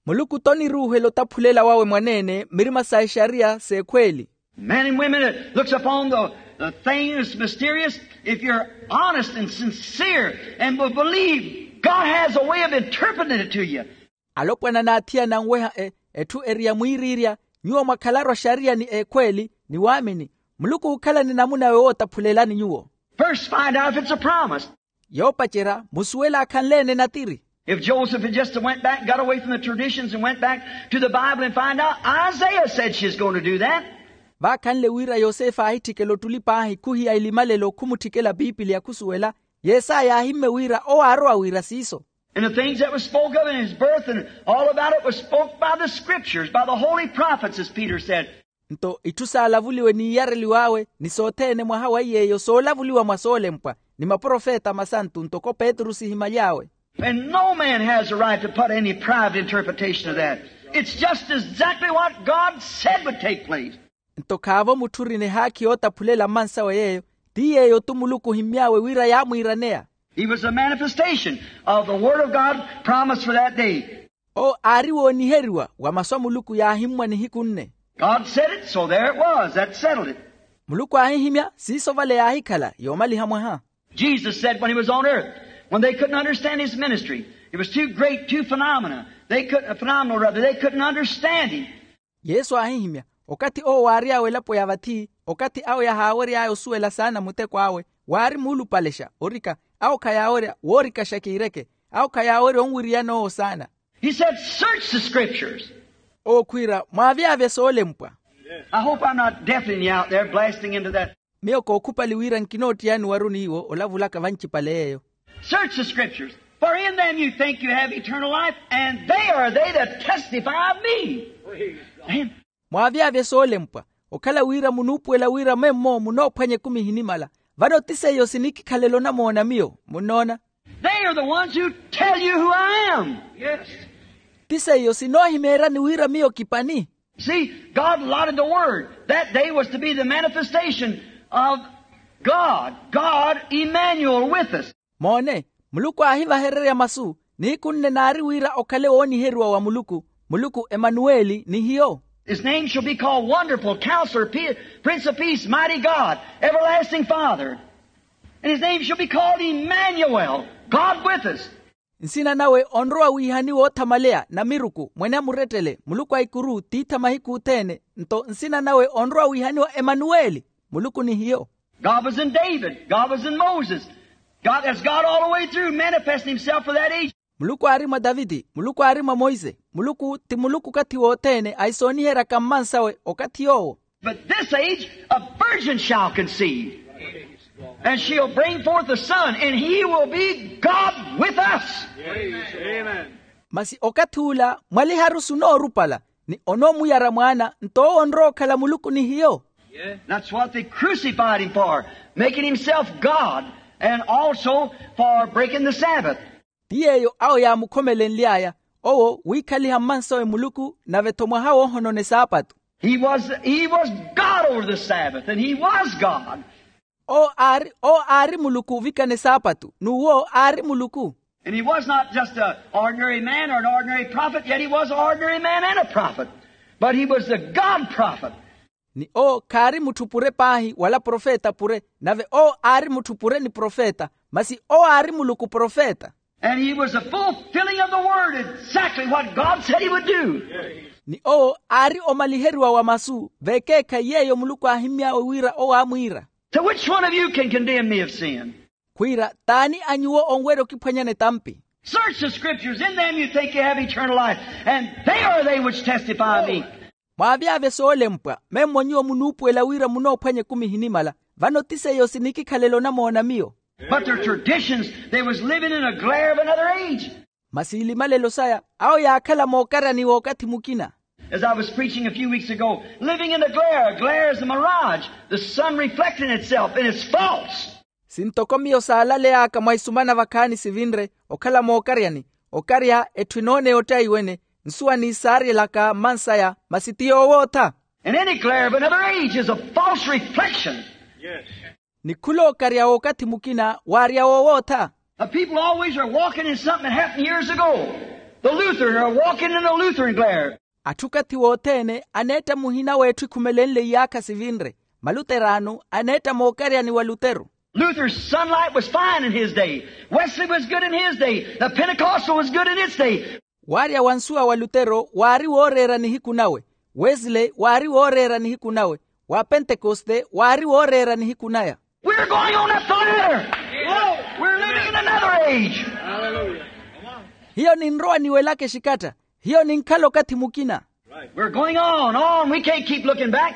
Muluku t'oniruuhela otaphulela wawe mwaneene mirima sa exariya s'ekhweeli. Men and women that looks upon the, the thing that's mysterious, if you're honest and sincere and will believe, God has a way of interpreting it to you. Alopwana n'athiyana anweha e etthu eri ya mwiiriirya, nyuwo mwakhalaru axariya ni ekhweeli ni waamini, muluku ookhalani namun'awe wootaphulelani nyuwo. First find out if it's a promise. Yoopacerya musuwele akhanle-ene natiri. If Joseph had just went back, got away from the traditions and went back to the Bible and find out, Isaiah said she's going to do that. Vaakhanle wira yosefe aahitthikela ottuli paahi khuhiya elimalelo khumutthikela piipiliya khusuwela, yesaya aahimmye wira owo aarowa wira siiso. And the things that was spoke of in his birth and all about it was spoke by the scriptures, by the holy prophets, as Peter said. Nto itthu saalavuliwe n'iiyareliw'awe ni sothene mwaha wa iy'eyo soolavuliwa mwa soolempwa ni maprofeta masantu ntoko petru sihimaly'awe. And no man has a right to put any private interpretation of that. It's just exactly what God said would take place. Nto khaavo mutthu orina ehaakhi yootaphulela mmansawe yeeyo, ti yeeyo-tu muluku ohimmy'awe wira yaamwiiraneya. He was a manifestation of the word of God promised for that day. Owo aari wooniheriwa wa masu a muluku yaahimmwa nihiku nne. God said it, so there it was. That settled it. Muluku aahihimya, siiso vale yaahikhala yoomaliha mwaha. Jesus said when he was on earth, when they couldn't understand his ministry, it was too great, too phenomena. They couldn't, phenomenal rather, they couldn't understand him. Yesu aahihimya, okathi owo waary'awe elapo ya vathi, okathi awo yahaawery'aya osuwela saana muteko awe, waari muulupalexa orika, awo khayaawerya woorikaxa kiireke, awo khayaawerya onwiriyana owo saana. He said, search the scriptures. Owo khwiira, mwaavyavye soolempwa. I hope I'm not deafening you out there, blasting into that. Miyo kookhupali wira nkinoottiyani waruni iwo olavulaka vancipale yeeyo. Search the scriptures, for in them you think you have eternal life, and they are they that testify of me. Amen. Mwaavyavye soolempwa, okhala wira munuupuwela wira memmo munoophwanya ekumi ehinimala, vano ti seiyo sinikikhalela onamoona miyo. Munnoona? They are the ones who tell you who I am. Yes. ti seiyo sinoohimeeryani wira miyo kipani. See, God allotted the word. That day was to be the manifestation of God, God Emmanuel with us. Moone, muluku aahivahererya masu, nihiku nne naari wira okhale wooniheriwa wa muluku, muluku emanuweli ni hiyo. His name shall be called Wonderful Counselor, Prince of Peace, Mighty God, Everlasting Father. And his name shall be called Emmanuel, God with us. Nsina nawe onrowa wiihaniwa othamaleya namiruku mwene amurettele muluku a ikuru tiitha mahiku othene. Nto nsina nawe onrowa wiihaniwa emanuweli, muluku ni hiyo. God was in David, God was in Moses. God, that's God all the way through, manifesting himself for that age. Muluku aari mwa taviti, muluku aari mwa monse, muluku ti muluku okathi wothene ahisooniheryaka mmansawe okathi yoowo. But this age, a virgin shall conceive, and she'll bring forth a son, and he will be God with us. Masi okathi ula mwaliharusu onoorupala, ni onoomuyara mwaana nto owo onrowa okhala muluku ni hiyo. That's what they crucified him for, making himself God, and also for breaking the Sabbath. Ti yeeyo awo yaamukhomelenly'aya, owo wiikhaliha mmansawe muluku nave-tho mwaha woohonona esaapatu. He was, he was God over the Sabbath, and he was God. Owo aari owo aari muluku ovikana esaapatu n'uwo aari muluku. And he was not just an ordinary man or an ordinary prophet, yet he was an ordinary man and a prophet. But he was the God prophet. Ni owo khaari mutthu pure paahi wala profeta pure, nave owo aari mutthu pure ni profeta, masi owo aari muluku profeta. And he was the fulfilling of the word, exactly what God said he would do. Ni owo aari omaliheriwa wa masu veekeekhayi yeeyo muluku aahimmy'awe wira owo aamwiira. So which one of you can condemn me of sin? Khwiira t'ani a nyuwo onwerya okiphwanyani etampi? Search the scriptures, in them you think you have eternal life, and they are they which testify of me. Mwaavyavye soolempwa memmo nyuwo munuupuwela wira munoophwanya ekumi ehinimala, vano ti seiyo sinikikhalela onamoona miyo. But their traditions, they was living in a glare of another age. Masi ilimalelo saya awo yaakhala mookaryani w'okathi mukina. As I was preaching a few weeks ago, living in the glare, a glare is a mirage, the sun reflecting itself, and it's false. Sintoko miyo saalaley'aka mwa isumana vakhaani sivinre, okhala mookaryani, okarya etthu enoona eyoottaiwene, nsuwa niisaaryelaka mmansaya masi ti yoowootha. And any glare of another age is a false reflection. Ni khulookarya w'okathi mukina waarya woowootha. The people always are walking in something that happened years ago. The Lutheran are walking in the Lutheran glare. Atthu okathi wothene aneetta muhina w'etthu ekhumelenle iyaakha sivinre. Maluterano aneetta mookaryani wa lutero. Luther's sunlight was fine in his day. Wesley was good in his day. The Pentecostal was good in its day. Waarya wa nsuwa wa lutero waari wooreera nihiku nawe. Wesley waari wooreera nihiku nawe. Wa pentekoste waari wooreera nihiku naya. We're going on up the ladder. We're living in another age. Hiyo ninrowa niwelaka exikatta. Hiyo ninkhala okathi mukina. We're going on, on. We can't keep looking back.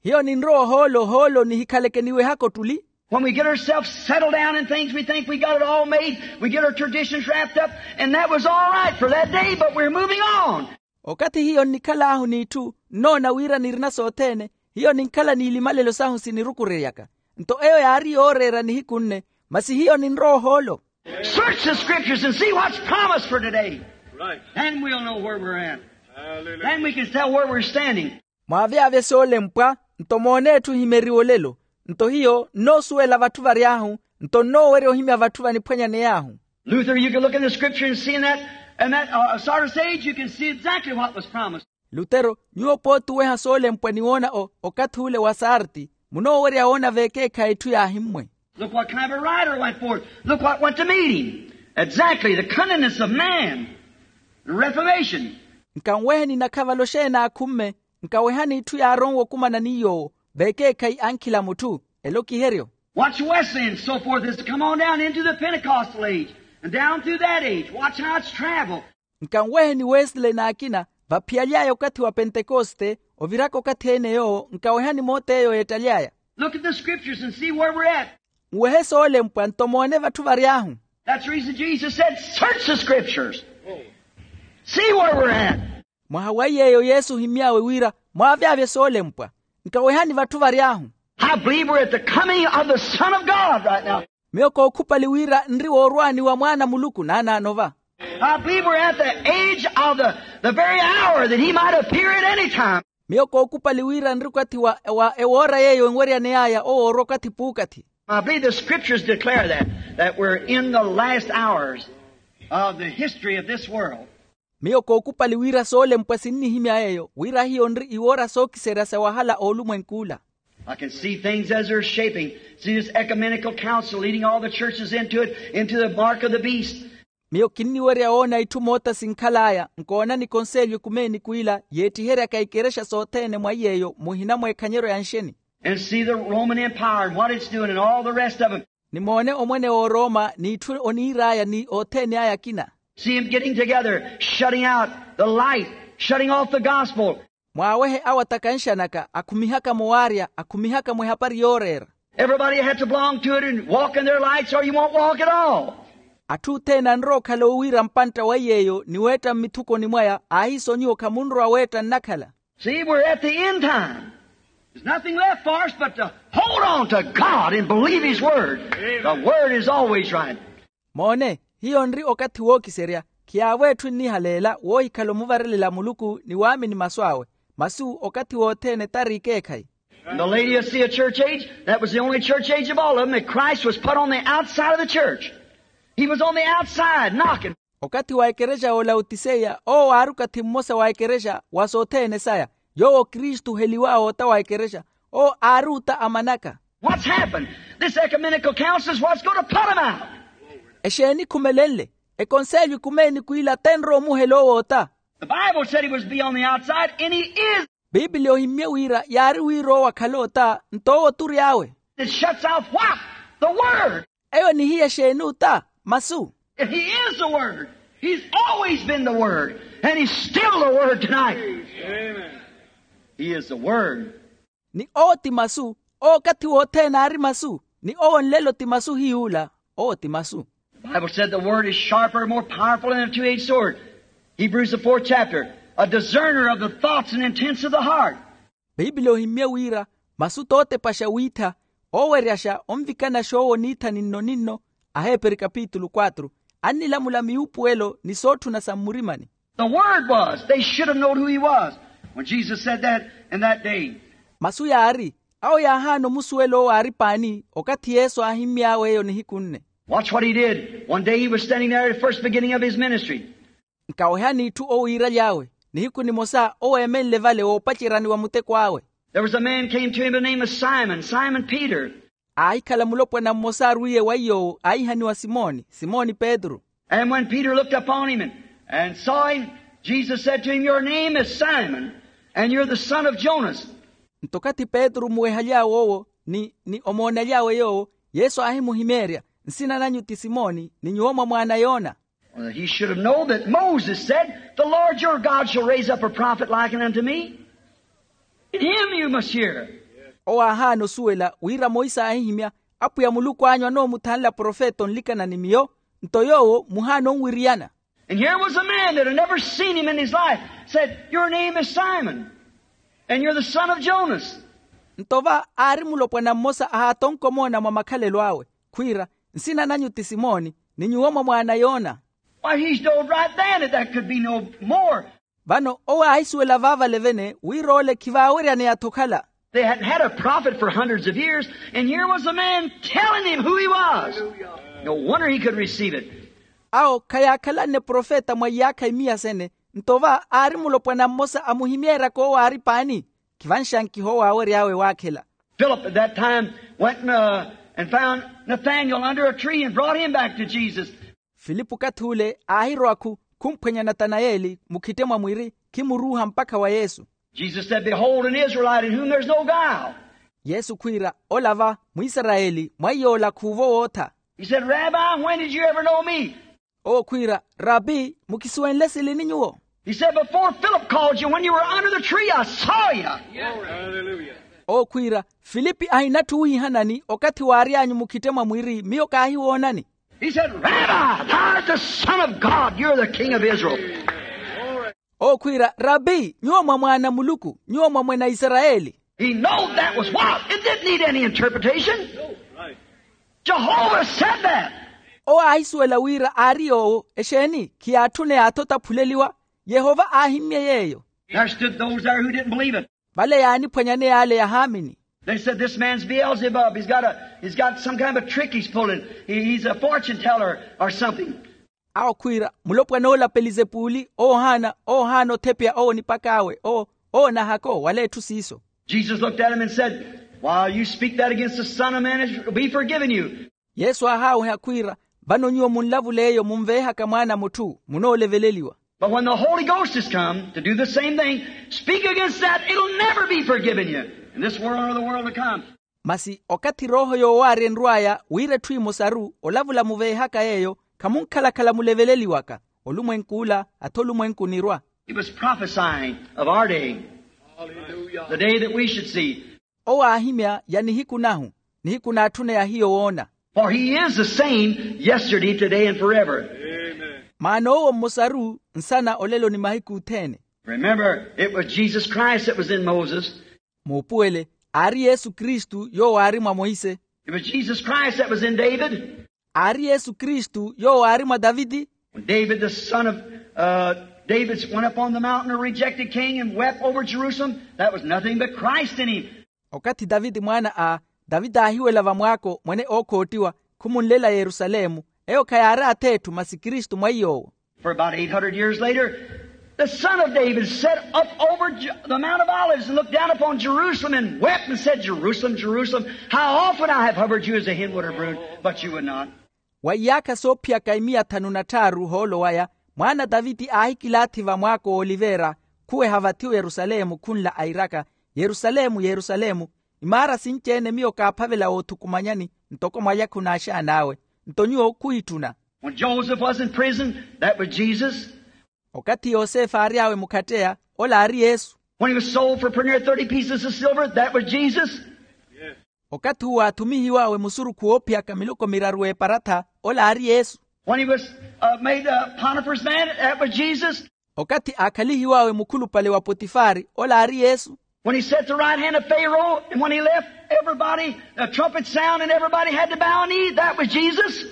Hiyo ninrowa ohoolo ohoolo nihikhaleke niwehaka ottuli. When we get ourselves settled down in things, we think we got it all made. We get our traditions wrapped up, and that was all right for that day, but we're moving on. Okathi hiyo nnikhal'ahu n'itthu nnoona wira nirina sothene. Hiyo ninkhala n'ilimalelo sahu sinirukureryaka. Nto eyo yaari yooreera nihiku nne. Masi hiyo ninrowa ohoolo. Search the scriptures and see what's promised for today. Then we'll know where we're at. Then we can tell where we're standing. Mwaavyavye soolempwa nto moone etthu ehimeriwa olelo. Nto hiyo nnoosuwela vatthu vary'ahu. Nto nnoowerya ohimya vatthu vaniphwanyaney'ahu. Luther, you can look in the scripture and see in that, in that uh, sort of sage, you can see exactly what was promised. Lutero, nyuwo pooti oweha soolempwa ni woona o okathi ule wa sarti. Munoowerya woona veekeekhayi etthu yaahimmwe. Look what kind of a rider went forth. Look what went to meet him. Exactly the cunningness of man. The reformation. Nkanweheni nakhavalo xeeni aakhumme. Nkawehani etthu yaaronwe okumana ni yoowo. Veekeekhayi ankhila mutthu. Elokiheryo. Watch Wesley and so forth has come on down into the Pentecostal age and down through that age. Watch how it's traveled. Nkanweheni wesley n'akina vaphiyaly'aya okathi wa pentekoste. Oviraka okathi ene yoowo nkawehani moot'eyo yeettaly'aya. Look at the scriptures and see where we're at. Nwehe soolempwa nto moone vatthu vary'ahu. That's the reason Jesus said, search the scriptures. See where we're at. Mwaha wa iy'eyo yesu ohimmy'awe wira mwaavyavye soolempwa. Nkawehani vatthu vary'ahu. I believe we're at the coming of the Son of God right now. Miyo kookhupali wira nri woorwaani wa mwaana a muluku naanaano va. I believe we're at the age of the, the very hour that he might appear at any time. Miyo kookupali wira nri okathi wa, wa ewoora yeeyo enweryane aya owoorwa okathi puukathi. I believe the scriptures declare that, that we're in the last hours of the history of this world. Miyo kookupali wira soolempwa sinnihimya yeeyo wira hiyo nri iwoora sookiserya sa wahala oolumwenk'ula. I can see things as they're shaping. See this ecumenical council leading all the churches into it, into the mark of the beast. Miyo kinniwerya woona itthu moota sinkhal'aya nkoona ni konselyo ekumeeni kw'ila yeettiheryaka ikerexa sothene mwa iy'eyo muhina mweekhanyeryo ya nxeni. And see the Roman Empire and what it's doing and all the rest of them. Nimoone omwene w'oroma n'itthu oniir'aya ni othene aya akina. See him getting together, shutting out the light, shutting off the gospel. Mwaawehe awo atakanxanaka akhumihaka-mo waarya akhumihaka-mo ehapari yooreera. Everybody had to belong to it and walk in their lights or you won't walk at all. Atthu othene anrowa okhala owiira mpantta wa iy'eyo ni weetta mmitthukoni mwaya aahiiso nyuwo khamunrowa weetta nnakhala. See, we're at the end time. There's nothing left for us but to hold on to God and believe his word. The word is always right. Moone, hiyo nri okathi wookiserya. Khiyaavo etthu ennihaleela woohikhala omuvarelela muluku ni waamini masu awe. Masu okathi wothene tari ikeekhayi. In the Laodicea church age, that was the only church age of all of them that Christ was put on the outside of the church. He was on the outside knocking. Okathi wa ekerexa y'olaotiseya owo aari okathi mmosa wa ekerexa wa sothene saya. Yoowo kristu oheliw'awe ota wa ekerexa. Owo aari ota amanaka. What's happened? This ecumenical council is what's going to put him out. Exeeni ekhumelenle? Ekonselyo ekumeeni kw'ila tenrowa omuhela owo ota. The Bible said he was be on the outside and he is. Piipili ohimmye wira yaari wira owo akhala ota nto owo tury'awe. It shuts out what? The word. Eyo nihiya exeeni ota? Masu. He is the word. He's always been the word. And he's still the word tonight. He is the word. Ni owo ti masu. Owo okathi wothene aari masu. Ni owo nlelo ti masu hiy'ula. Owo ti masu. The Bible said the word is sharper and more powerful than a two-edged sword. Hebrews the fourth chapter, a discerner of the thoughts and intents of the heart. Piipili ohimmye wira masu tootepaxa wiitha, ooweryaxa onvikanaxa owo niitha ninno-ninno. Aheperi kapitulu quatro. Annilamula miwuupuwelo ni sootthuna sa mmurimani. The word was they should have known who he was. When Jesus said that in that day. Masu yaari awo yaahaana omusuwela owo aari paani okathi yesu aahimmy'awe eyo nihiku nne. Watch what he did. One day he was standing there at the first beginning of his ministry. Nkawehani itthu owiiraly'awe. Nihiku nimosa owo eemenle vale woopaceryani wa muteko awe. There was a man came to him by the name of Simon, Simon Peter. Aahikhala mulopwana mmosa arwiiye wa iy'owo aihaniwa simoni simoni petru. And when Peter looked upon him and, and saw him, Jesus said to him, your name is Simon, and you're the son of Jonas. Nto okathi petru omuwehaly'awe owo ni ni omoonaly'awe yoowo, yesu aahimuhimeerya, nsina nanyu ti simoni ni nyuwo mwa mwaana a yona. He should have known that Moses said, the Lord your God shall raise up a prophet like unto me. In him you must hear. Owo aahaana osuwela wira monse aahihimya, apwiya muluku anyu anoomuthanla profeta onlikana ni miyo. Nto yoowo muhaana onwiriyana. And here was a man that had never seen him in his life, said, your name is Simon, and you're the son of Jonas. Nto va aari mulopwana mmosa ahaatonka omoona mwa makhalelo awe, khwiira, nsina nanyu ti simoni ni nyuwo mwa mwaana a yona. Why, he showed right then that that could be no more. Vano owo aahisuwela vaavale vene wira ole khivaaweryaneya-tho okhala. They hadn't had a prophet for hundreds of years, and here was a man telling him who he was. No wonder he could receive it. Awo khayaakhalanne profeta mwa iyaakha imiya sene. Nto va aari mulopwana mmosa amuhimeeryaka owo aari paani. Khivanxankiha owo aawery'awe waakhela. Philip at that time went and, uh, and found Nathanael under a tree and brought him back to Jesus. Filipu okathi ule aahirowa-khu khumphwenya natanayeli mukhitte mwa mwiri, khimuruuha mpakha wa yesu. Jesus said, behold an Israelite in whom there's no guile. Yesu khwiira, ola va mwisarayeli mwa iy'ola khuuvo wootha. He said, rabbi, when did you ever know me? Owo khwiira, rabi, mukisuwenle silini nyuwo? He said, before Philip called you, when you were under the tree, I saw you. Owo khwiira, filipi ahinatthu wiihanani okathi waary'anyu mukhitte mwa mwiri miyo kaahiwoonani. He said, rabbi, thou art the son of God, you're the king of Israel. Owo khwiira, rabi, nyuwo mwa mwaana a muluku, nyuwo mwa mwene a isarayeli. He knowed that was what? It didn't need any interpretation. Jehovah said that. Owo aahisuwela wira aari yoowo exeeni khiyaatthune yaathi otaphuleliwa. Yehova aahimmye yeeyo. There stood those there who didn't believe it. Vale yaaniphwanyaneya ale yahaamini. They said this man's beelzebub, he's got a he's got some kind of a trick he's pulling. He, he's a fortune teller or something. Awo khwiira mulopwana ola pelizepuli oohaana oohaana othepya owo nipak'awe owo owo nahako wala etthu siiso. Jesus looked at him and said, while you speak that against the Son of Man, it will be forgiven you. Yesu aahaaweha khwiira, vano nyuwo munlavula eyo munveehaka mwaana a mutthu munooleveleliwa. But when the Holy Ghost has come to do the same thing, speak against that, it'll never be forgiven you in this world or the world to come. Masi okathi rooho yoowaarya enrw'aya wira etthu emosaru olavula muveehaka yeeyo, khamunkhalakhala muleveleliwaka. Olumwenk'ula athi olumwenku onirwa. He was prophesying of our day, the day that we should see. Owo aahimya ya nihiku nahu, nihiku naatthuneya hiyo woona. For he is the same yesterday, today, and forever. Maana owo mmosaru nsana olelo ni mahiku othene. Remember, it was Jesus Christ that was in Moses. Muupuwele, aari yesu kristu yoowo aari mwa monse. It was Jesus Christ that was in David. Aari yesu kristu yoowo aari mwa taviti. When David, the son of uh, David, went up on the mountain, a rejected king, and wept over Jerusalem, that was nothing but Christ in him. Okathi taviti mwaana a taviti aahiwela vamwaako mwene ookhootiwa, khumunlela yerusalemu. Eyo khayaari ath'etthu masi kristu mwa iy'owo. For about eight hundred years later, the son of David sat up over the Mount of Olives and looked down upon Jerusalem and wept and said, Jerusalem, Jerusalem, how often I have hovered you as a hen would her brood, but you would not. Wa iyaakha soophiyaka imiya thanu na tthaaru ohoolo waya, mwaana a taviti aahikilaathi vamwaako wooliveera, khuweha vathi oyerusalemu khunla airaka, yerusalemu, yerusalemu, imaara sinci-ene miyo kaaphavela woothukumanyani ntoko mwalya khunaaxaan'awe, nto nyuwo khuhitthuna. When Joseph was in prison, that was Jesus. Okathi yosefe aary'awe mukhatteya, ola aari yesu. When he was sold for pretty near thirty pieces of silver, that was Jesus. Okathi uwo aathumihiw'awe musurukhu woophiyaka miloko miraru w'eparatha, ola aari yesu. When he was uh, made a Potiphar's man, that was Jesus. Okathi aakhalihiw'awe mukhulupale wa potifari, ola aari yesu. When he sat at the right hand of Pharaoh, and when he left, everybody, the trumpet sound, and everybody had to bow a knee, that was Jesus.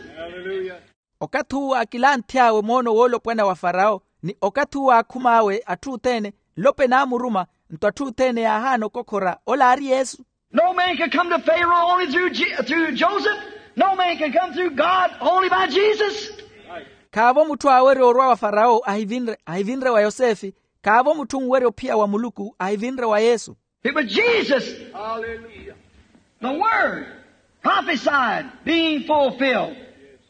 Okathi uwo aakilanth'awe moono woolopwana wa farawo, ni okathi uwo aakhum'awe atthu othene, nlope naamuruma, nto atthu othene yaahaana okokhora, ola aari yesu. No man can come to Pharaoh only through, Je- through Joseph. No man can come through God only by Jesus. Khaavo mutthu aawerya orwa wa farawo ahivinre ahivinre wa yosefe. Khaavo mutthu onwerya ophiya wa muluku ahivinre wa yesu. It was Jesus. Hallelujah. The Word prophesied, being fulfilled,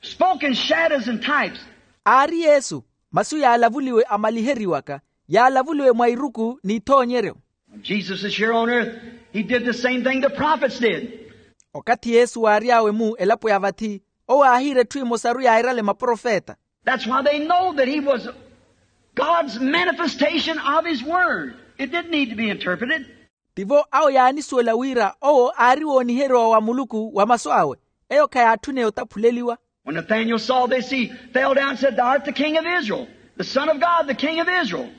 spoke in shadows and types. Aari yesu, masu yaalavuliwe amaliheriwaka, yaalavuliwe mwa iruku n'ithoonyeryo. When Jesus was here on earth, he did the same thing the prophets did. Okathi yesu waary'awe-mu elapo ya vathi, owo aahiira etthu emosaru yaairale maprofeta. That's why they know that he was God's manifestation of his word. It didn't need to be interpreted. Tivo awo yaanisuwela wira owo aari wooniheriwa wa muluku wa masu awe. Eyo khayaatthune otaphuleliwa. When Nathanael saw this, he fell down and said, thou art the king of Israel, the son of God, the king of Israel.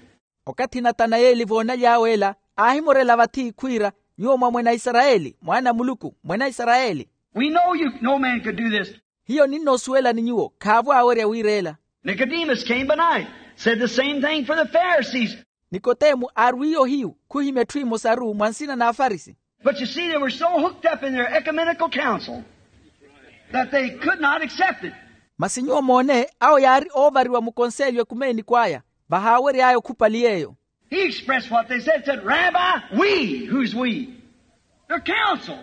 Okathi natanayeli voonaly'awe ela, aahimorela vathi khwiira, nyuwo mwa mwene a isarayeli, mwaana a muluku mwene a isarayeli. We know you, no man could do this. Hiyo ninnoosuwelani nyuwo khaavo aawerya wiireela. Nicodemus came by night, said the same thing for the Pharisees. Nikotemu aarwiye ohiyu khuhimya etthu emosaru mwa nsina n'afarisi. But you see, they were so hooked up in their ecumenical council that they could not accept it. Masi nyuwo moone awo yaari oovariwa mukonselyo ekumeeniko aya, vahaawery'aya okhupali yeeyo. He expressed what they said, said, rabbi, we, who's we? Their council.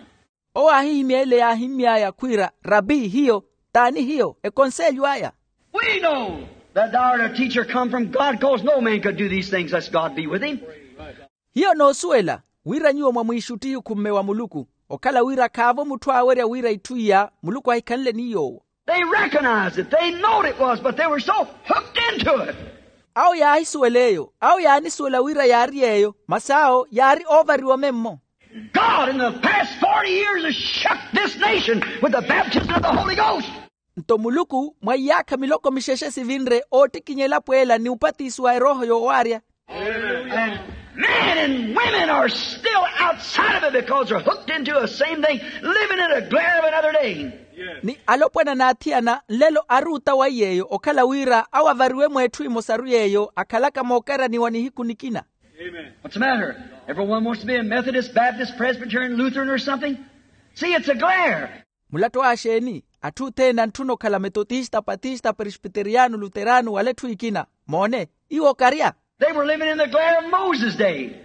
Owo aahihimya ele yaahimmy'aya khwiira, rabi hiyo, t'ani hiyo ekonselyo aya? We know that thou art a teacher come from God, cause no man could do these things lest God be with him. Hiyo noosuwela wira nyuwo mwamwiixuttihi okhumme wa muluku, okhala wira khaavo mutthu aawerya wira itthu iya muluku ahikhanle ni yoowo. They recognized it, they knowed it was, but they were so hooked into it. Awo yaahisuwela eyo, awo yaanisuwela wira yaari yeeyo, masi awo yaari oovariwa memmo. God in the past forty years has shook this nation with the baptism of the Holy Ghost. Nto muluku mwa iyaakha miloko mixexe sivinre oottikinya elapo ela ni upatisi wa erooho yoowaarya. And Men and women are still outside of it because they're hooked into the same thing, living in a glare of another day. Ni alopwana n'athiyana nlelo ari otawaiya eyo okhala wira awo avariwe mweetthu emosaru yeeyo akhalaka mookaraniwa nihiku nikina. What's the matter? Everyone wants to be a Methodist, Baptist, Presbyterian, Lutheran or something. See, it's a glare. Mulatto axeeni? Atthu othene antthuna okhala metotista, patista, presbiteriyano, luterano wala etthu ekina. Moone, iwo okarya. They were living in the glare of Moses' day.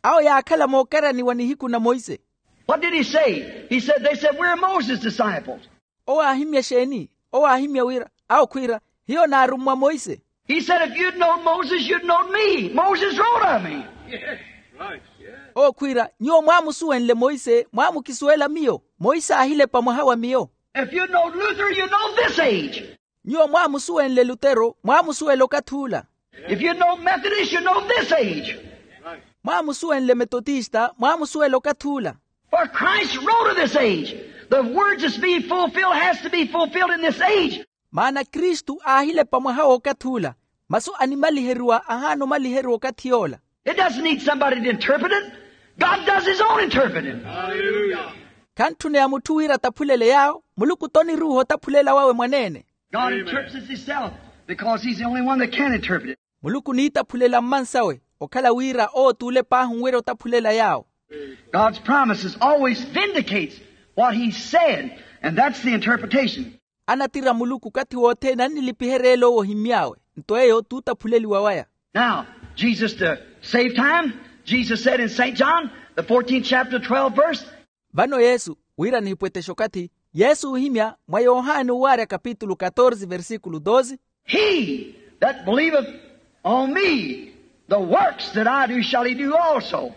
Awo yaakhala mookaraniwa nihiku na monse. What did he say? He said, they said, we're Moses' disciples. Owo aahimya exeeni? Owo aahimya wira, awo khwiira, hiyo naarummwa monse. He said, if you'd known Moses, you'd known me. Moses wrote of me. Owo khwiira, nyuwo mwaamusuwenle monse mwaamukisuwela miyo. Monse aahilepa mwaha wa miyo. If you'd known Luther, you'd known this age. Nyuwo mwaamusuwenle lutero mwaamusuwela okathi ula. If you'd known Methodist, you'd known this age. Mwaamusuwenle metotista mwaamusuwela okathi ula. For Christ wrote of this age. The words that's being fulfilled has to be fulfilled in this age. Maana kristu aahilepa mwaha w'okathi ula. Masu animaliheriwa ahaana omaliheriwa okathi yoola. It doesn't need somebody to interpret it. God does his own interpreting. Khantthuneya mutthu wira ataphulele yaawo. Muluku t'oniruuha otaphulela wawe mwaneene. God interprets himself because he's the only one that can interpret it. Muluku oniitaphulela mmansawe okhala wira owo t'ule paahi onwerya otaphulela yaawo. God's promises always vindicates what he said, and that's the interpretation. Anatira muluku okathi wothene annilipiherya ele owo ohimmy'awe. Nto eyo t'utaphuleliwa waya. Now, Jesus, to save time, Jesus said in Saint John, the fourteenth chapter, twelve verse. Vano yesu, wira nihipweteshe okathi, yesu oohimya mwa yohani owaarya kapitulu katorze versikulu doze. He that believeth on me, the works that I do shall he do also.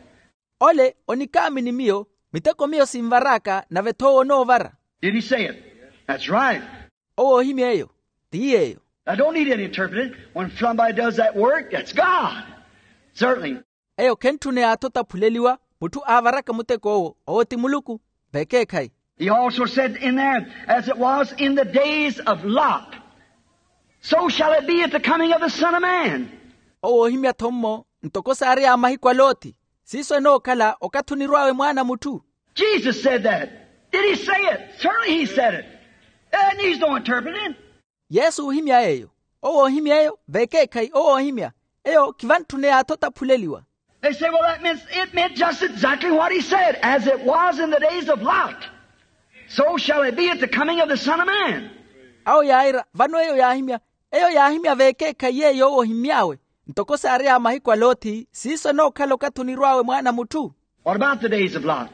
Ole onikaamini miyo, miteko miyo sinvar'aka nave-tho owo onoovara. Did he say it? That's right. Owo oohimya eyo. Ti yeeyo. I don't need any interpreting. When somebody does that work, that's God. Certainly. Eyo khentthuneya-tho otaphuleliwa. Mutthu aavaraka muteko owo, owo ti muluku. Vekeekhayi. He also said in there, as it was in the days of Lot, so shall it be at the coming of the Son of Man. Owo oohimya-tho mmo, ntoko saary'aya mahiku a loti, siiso enookhala okathi onirw'awe mwaana a mutthu. Jesus said that. Did he say it? Certainly he said it. It needs no interpreting. Yesu oohimya eyo. Owo oohimya eyo vekeekhayi owo oohimya. Eyo khivantthuneya-tho otaphuleliwa. They say, well, that means, it meant just exactly what he said, as it was in the days of Lot, so shall it be at the coming of the Son of Man. Awo yaira vano eyo yaahimya. Eyo yaahimya vekeekhayi yeeyo owo ohimmy'awe. Ntoko saary'aya mahiku a loti siiso enookhala okathi onirw'awe mwaana a mutthu. What about the days of Lot?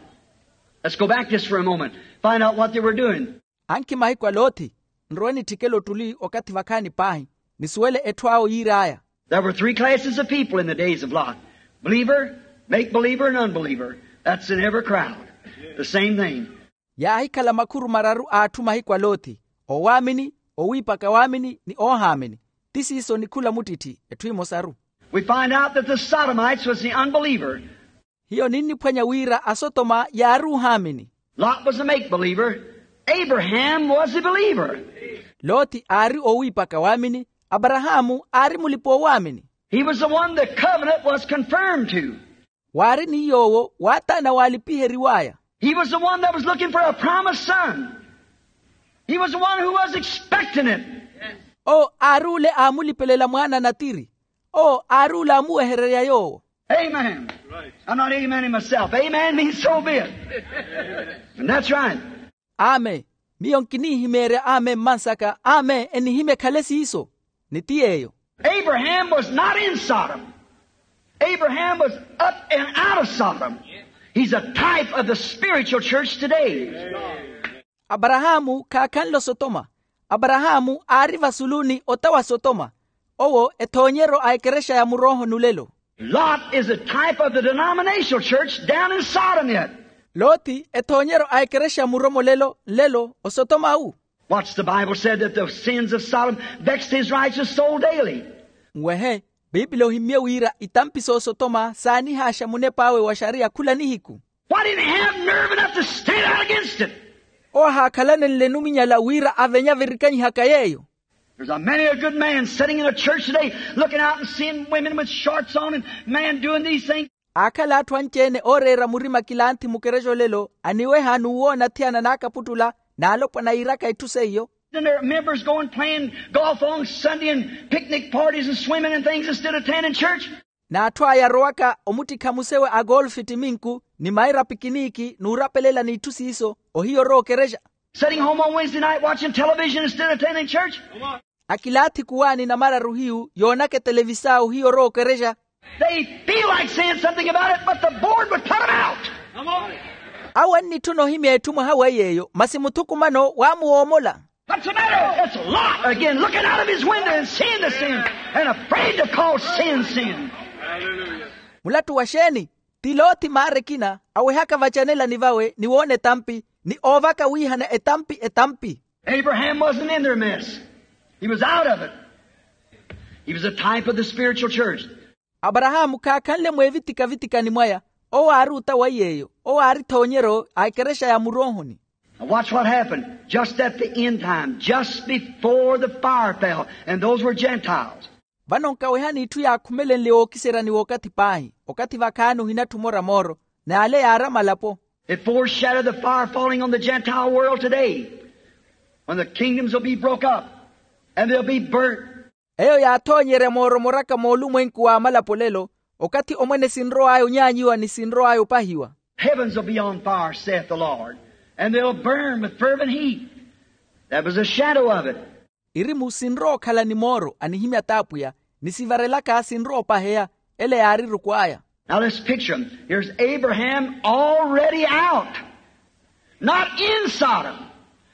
Let's go back just for a moment, find out what they were doing. Ankhi mahiku a loti. Nrowe nitthikele ottuli okathi vakhaani paahi, nisuwele etthu awo yiir'aya. There were three classes of people in the days of Lot: believer, make believer, and unbeliever. That's in every crowd. The same thing. Yaahikhala makhuru mararu a atthu mahiku a loti, oowaamini, oowiipaka waamini ni oohaamini. Ti siiso ni khula muttitthi etthu emosaru. We find out that the Sodomites was the unbeliever. Hiyo ninniphwanya wira asotoma yaari oohaamini. Lot was a make believer. Abraham was a believer. Loti aari oowiipaka waamini. Aparahaamu aari mulipa-oowaamini. He was the one the covenant was confirmed to. Waari ni yoowo waataana waalipiheriw'aya. He was the one that was looking for a promised son. He was the one who was expecting it. Owo aari ole aamulipelela mwaana natiri. Owo aari ole aamuwehererya yoowo. Amen. I'm not amening myself. Amen means so be it. And that's right. Amen. Miyo nkinihimeerya amen mmansaka amen enihimya ekhale siiso. Ni ti yeeyo. Abraham was not in Sodom. Abraham was up and out of Sodom. He's a type of the spiritual church today. Aparahaamu khaakhanle osotoma. Aparahaamu aari vasulu ni ota wa sotoma. Owo ethoonyeryo a ekerexa ya murooho nulelo. Lot is a type of the denominational church down in Sodom yet. Loti ethoonyeryo a ekerexa ya muromolelo nlelo osotoma awu. What's the Bible said that the sins of Sodom vexed his righteous soul daily? Nwehe, piipili ohimmye wira itampi s'osotoma saanihaaxa munep'awe wa xariya khula nihiku. Why didn't he have nerve enough to stand out against it? Owo ahaakhalanenle numinyala wira avenye avirikanyihaka yeeyo. There's a many a good man sitting in a church today looking out and seeing women with shorts on and man doing these things. Aakhala atthu anci-ene ooreera murima kilanthi mukerexa olelo aniweha n'uwoona athiyana n'akaputtula n'alopwana yiiraka itthu seiyo. And their members going playing golf on Sunday and picnic parties and swimming and things instead of attending church. N'atthu aya arowaka omuttikha musewe a golfi ttiminku ni maira pikiniiki n'urapelela n'itthu siiso ohiya orowa okerexa. Sitting home on Wednesday night watching television instead of attending church. Akilaathi kuwaani namararu hiyu yoonaka etelevisa ohiya orowa okerexa. They feel like saying something about it but the board would put them out. Awo annitthuna ohimya etthu mwaha wa yeeyo masi muthukumano waamuwoomola. What's the matter? It's Lot again looking out of his window and seeing the sin and afraid to call sin sin. Mulattu wa xeeni? Ti loti maara ekina awehaka vacanelani vawe ni woona etampi ni oovaka wiihana etampi etampi. Abraham wasn't in their mess. He was out of it. He was a type of the spiritual church. Aparahaamu khaakhanle mweevitika-vitikani mwaya. Owo aari ota wa yeeyo. Owo aari ethoonyeryo a ekerexa ya muroohoni. Now watch what happened just at the end time, just before the fire fell, and those were Gentiles. Vano nkawehani itthu yaakhumelenle wookiseryani w'okathi paahi. Okathi vakhaani ohinatthu mora mooro n'ale yaari amalapo. It foreshadowed the fire falling on the Gentile world today, when the kingdoms will be broke up and they'll be burnt. Eyo yaathoonyerya mooromoraka moolumwenku w'amalapo olelo, okathi omwene sinrow'aya onyaanyiwa ni sinrow'aya opahiwa. Heavens will be on fire, saith the Lord, and they'll burn with fervent heat. That was a shadow of it. Irimu sinrowa okhala ni mooro anihimya t'apwiya, ni sivarelaka sinrowa opaheya. Ele yaari eruku aya. Now let's picture him. Here's Abraham already out. Not in Sodom.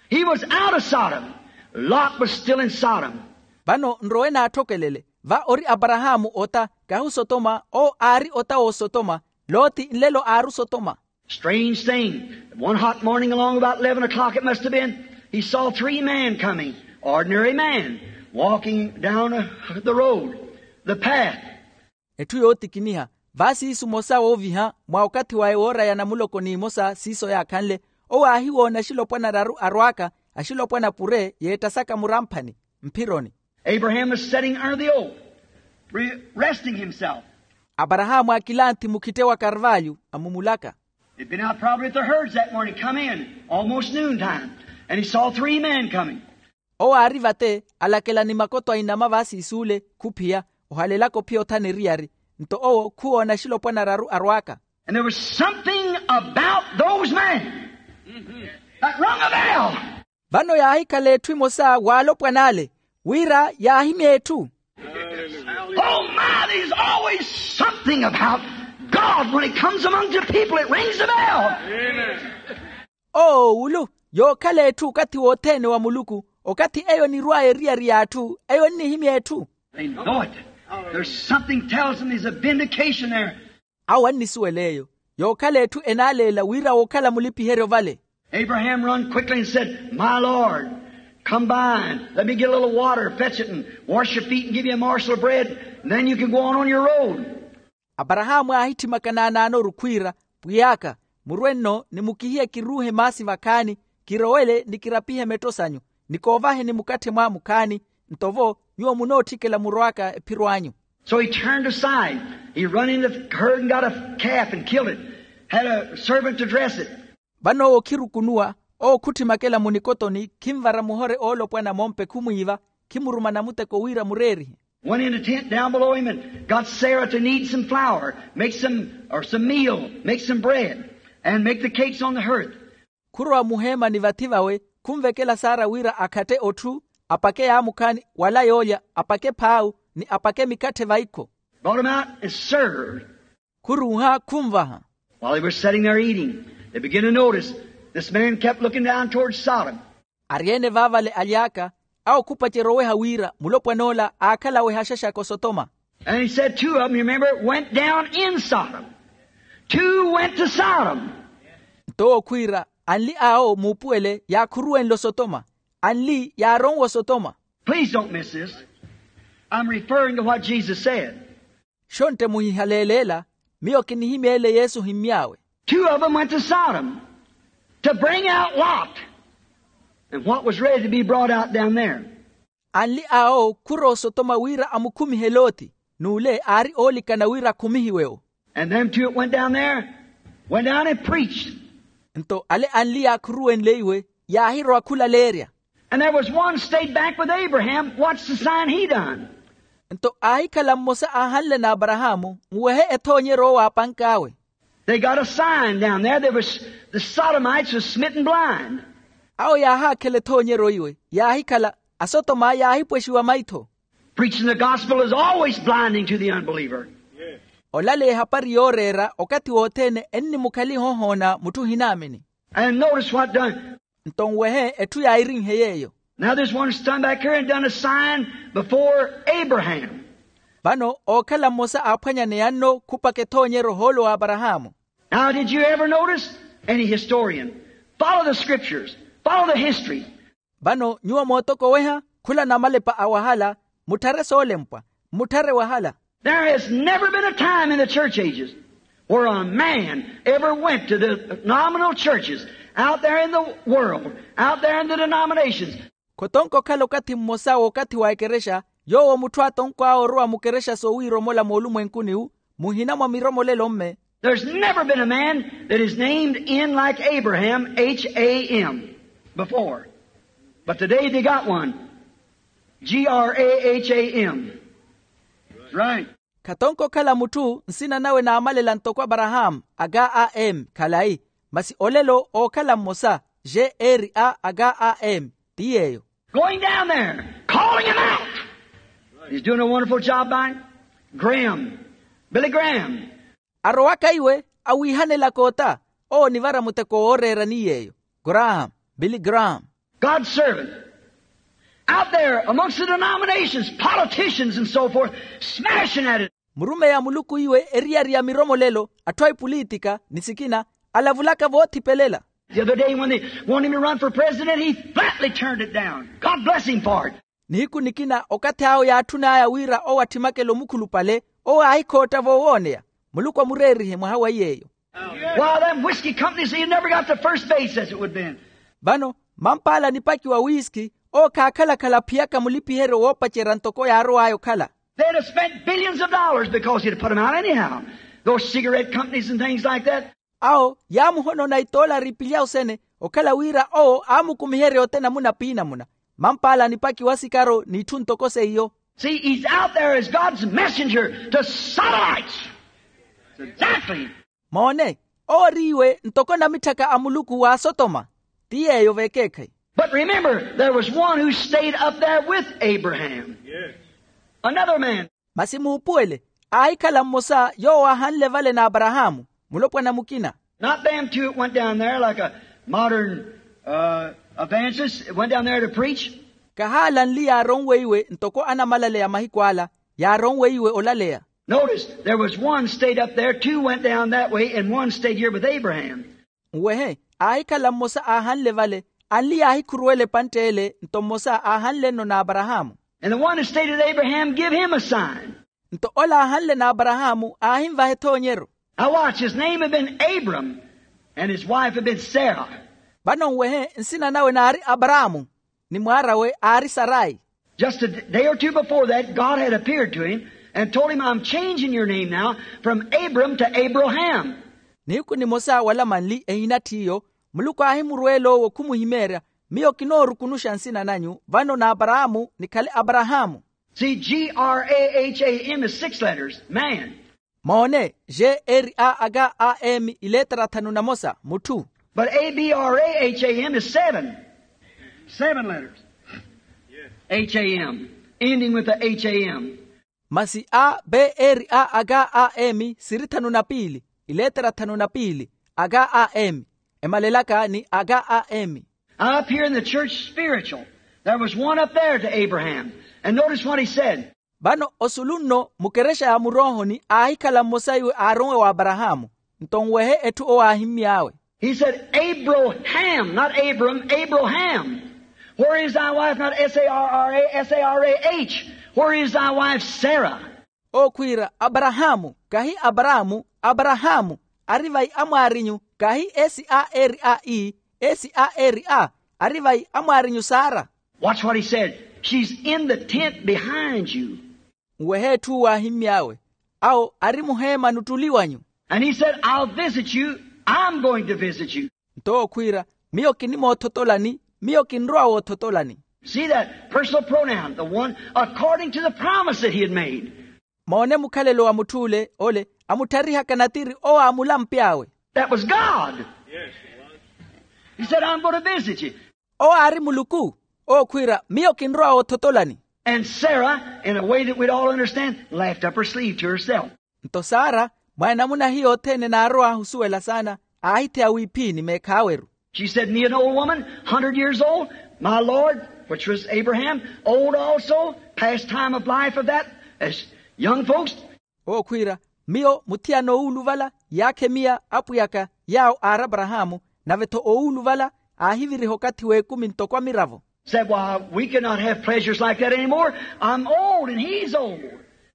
He was out of Sodom. Lot was still in Sodom. Vano nrowe n'atthokelele. Va ori aparahaamu ota, kahi osotoma. Owo aari ota w'osotoma. Loti nlelo aari osotoma. Strange thing. One hot morning along about eleven o'clock it must have been, he saw three men coming, ordinary men, walking down uh, the road, the path. Etthu yootikiniha. Vaasiisu mosa wooviha mwa okathi waye wooraya namuloko n'imosa siiso yaakhanle, owo aahiwoona axilopwana araru arwaaka, axilopwana pure yeettasaka muramphani mphironi. Abraham was sitting under the oak, re- resting himself. Aparahaamu aakilanthi mukhitte wa karvalyu amumulaka. They'd been out probably at the herds that morning, come in almost noontime, and he saw three men coming. Owo aari vate, alakela ni makoto a inama vaasiis'ule khuphiya, ohalelaka ophiya othana eriyari. Nto owo khuwoona axilopwana araru arwaaka. And there was something about those men that rung a bell. Vano yaahikhala etthu emosa w'alopwan'ale, wira yaahimya etthu. Oh my, there's always something about God when it comes among the people, it rings a bell. Oowulu, yookhala etthu okathi wothene wa muluku, okathi eyo enirw'aya eriyari y'atthu eyo ennihimya etthu. They know it. There's something tells them there's a vindication there. Awo annisuwela eyo. Yookhala etthu enaaleela wira wookhala mulipiheryo vale. Abraham run quickly and said, my lord, come by and let me get a little water, fetch it and wash your feet and give you a morsel of bread, and then you can go on on your road. Aparahaamu aahitthimaka naanaanoru khwiira, pwiy'aka, murwe-nno ni mukihiye kiruuhe maasi vakhaani, kirowele ni kirapihe metto sanyu, ni koovaheni mukatthe mwaamu khaani, nto vo nyuwo munootthikela murowaka ephiro anyu. So he turned aside. He run into the herd and got a calf and killed it. Had a servant to dress it. Vano owo khirukunuwa, owo khuttimakela munikotoni, khinvara muhore oolopwana mompe khumwiiva, khimuruma namuteko wira mureerihe. Went in a tent down below him and got Sarah to knead some flour, make some, or some meal, make some bread, and make the cakes on the hearth. Khurowa muheemani vathi vawe, khunvekela sara wira akhatte otthu, apake yaamukhaani, wala yoolya, apake phaawu, ni apake mikatthe vaikho. Brought him out and served. Khuruuha khunvaha. While they were sitting there eating, they began to notice this man kept looking down toward Sodom. Ari-ene vaavale aly'aka, awo khupacerya oweha wira mulopwan'ola aakhala aweha axaxaka osotoma. And he said two of them, you remember, went down in Sodom. Two went to Sodom. Nto owo khwiira, anli awo muupuwele yaakhuruwenle osotoma, anli yaaronwe osotoma. Please don't miss this. I'm referring to what Jesus said. Xontte muhihaleeleela, miyo kinihimyeele yesu ohimmy'awe. Two of them went to Sodom to bring out Lot and what was ready to be brought out down there. Anli awo khurowa osotoma wira amukhumihe loti, n'ule aari oolikana wira akhumihiwe-wo. And them two that went down there went down and preached. Nto ale anli yaakhuruwenleiwe yaahirowa khulaleerya. And there was one stayed back with Abraham, watched the sign he done. Nto aahikhala mmosa aahanle n'aparahaamu, nwehe ethoonyeryo owo aapank'awe. They got a sign down there. There was, the Sodomites was smitten blind. Awo yaahaakhela ethoonyeryo iwe yaahikhala asotoma yaahipwexiwa maitho. Preaching the gospel is always blinding to the unbeliever. Olaleya ehapari yooreera okathi wothene ennimukhaliha ohoona mutthu ohinaamini. And notice what done. Nto nwehe etthu yaayirinhe yeeyo. Now there's one stand back here and done a sign before Abraham. Vano ookhala mmosa aaphwanyaneya nno khupaka ethoonyeryo ohoolo w'aparahaamu. Now did you ever notice? Any historian, follow the scriptures, follow the history. Vano nyuwo mootokoweha khula namalepa a wahala, mutthare soolempwa, mutthare wahala. There has never been a time in the church ages where a man ever went to the nominal churches out there in the world, out there in the denominations. Khotonka okhala okathi mmosa w'okathi wa ekerexa yoowo mutthu atonkw'awe orowa mukerexa soowiiromola moolumwenkuni-wu, muhina mwa miromolelo mme. There's never been a man that is named in like Abraham, H A M, before. But today they got one. G R A H A M. Right. Khatonka okhala mutthu nsina nawe naamalela ntoko aparahaamu, aga a m khalayi. Masi olelo ookhala mmosa, g r a aga a m, ti yeeyo. Going down there, calling him out. He's doing a wonderful job by him. Graham, Billy Graham. Arowaka iwe awiihanelaka ota, owo onivara muteko wooreerani yeeyo. Graham, Billy Graham. God's servant, out there amongst the denominations, politicians and so forth, smashing at it. Murumeyi a muluku iwe eriyari ya miromolelo, atthu a ipulitika ni sikina, alavulaka voothipelela. The other day when they wanted him to run for president, he flatly turned it down. God bless him for it. Nihiku nikina okathi awo yaatthun'aya wira owo atthimakele omukhulupale, owo aahikhootta voowooneya. Muluku amureerihe mwaha wa yeeyo. Why, them whiskey companies, you never got the first base as it would been. Vano mampaala nipaki wa wiiski, owo khaakhala-khala aphiyaka mulipiheryo woopacerya ntoko yaarow'aya okhala. They'd have spent billions of dollars because he'd have put 'em out anyhow. Those cigarette companies and things like that. Awo yaamuhonona itoolari ipilya osene, okhala wira owo aamukumiherya ote namuna piinamuna. Mampaala nipaki wa sikaro n'itthu ntoko seiyo. See, he's out there as God's messenger to sodomites. Exactly. Moone, owo ori iwe ntoko namitthaka a muluku w'asotoma. Ti yeeyo vekeekhayi. But remember, there was one who stayed up there with Abraham. Another man. Masi muupuwele, aahikhala mmosa yoowo aahanle vale n'aparahaamu, mulopwana mukina. Not them two that went down there like a modern, uh, evangelist, went down there to preach. Kahaala anli yaaronweiwe ntoko anamalaleya mahiku ala, yaaronweiwe olaleya. Notice, there was one stayed up there, two went down that way, and one stayed here with Abraham. Nwehe, aahikhala mmosa aahanle vale, anli yaahikhuruwela epantte ele, nto mmosa aahanle-no n'aparahaamu. And the one that stayed with Abraham give him a sign. Nto ola aahanle n'aparahaamu aahinvaha ethoonyeryo. Now watch, his name had been Abram, and his wife had been Sarah. Vano nwehe, nsina nawe naari aparaamu, ni mwaar'awe aari sarayi. Just a d- day or two before that, God had appeared to him and told him, "I'm changing your name now from Abram to Abraham." Nihiku nimosa wala manli ehina ttiyo, muluku aahimurweela owo khumuhimeerya, miyo kinoorukunuxa nsina nanyu vano n'aparaamu nikhale aparahaamu. See, G R A H A M is six letters, man. Moone, g r a g a m ileetera thanu na mosa mutthu. But A B R A H A M is seven. Seven letters. H A M, ending with the H A M. Masi a b r a g a m siri thanu na piili, ileetera thanu na piili, g a m, emalelaka ni g a m. Up here in the church spiritual, there was one up there to Abraham. And notice what he said. Vano osulu nno mukerexa ya muroohoni aahikhala mmosa iwe aaronwe w'aparahaamu. Nto nwehe etthu owo aahimmy'awe. He said, "Abraham," not Abram, "Abraham. Where is thy wife?" Not S A R R A, S A R A H. "Where is thy wife Sarah?" Owo khwiira, "Aparahaamu, kahi aparaamu, aparahaamu. Ari vai amwaarinyu? Kahi s a r a e, s a r a. Ari vai amwaarinyu sara?" Watch what he said. "She's in the tent behind you." Nwehe etthu owo aahimmy'awe, Awo ari muheema nuttuliwanyu. And he said, I'll visit you. I'm going to visit you. Nto owo khwiira, miyo kinimoothotolani. Miyo kinrowa woothotolani. See that personal pronoun, the one according to the promise that he had made. Moone mukhalelo wa mutth'ule ole amutthariha kanatiri owo aamulampe awe. That was God. He said, I'm going to visit you. Owo aari muluku. Owo khwiira, miyo kinrowa woothotolani. And Sarah, in a way that we'd all understand, laughed up her sleeve to herself. Nto sara, mwa enamuna hiyo othene naarowa ahusuwela saana, aahitheya wiiphini meekhaaweru. She said, me an old woman, hundred years old, my lord, which was Abraham, old also, past time of life of that, as young folks. Owo khwiira, miyo muthiyana owuuluvala, yaakha emiya apwiyaka yaawo aari aparahaamu, nave-tho owuuluvala aahiviriha okathi w'ekumi ntoko amiravo. Said, why, we cannot have pleasures like that anymore. I'm old and he's old.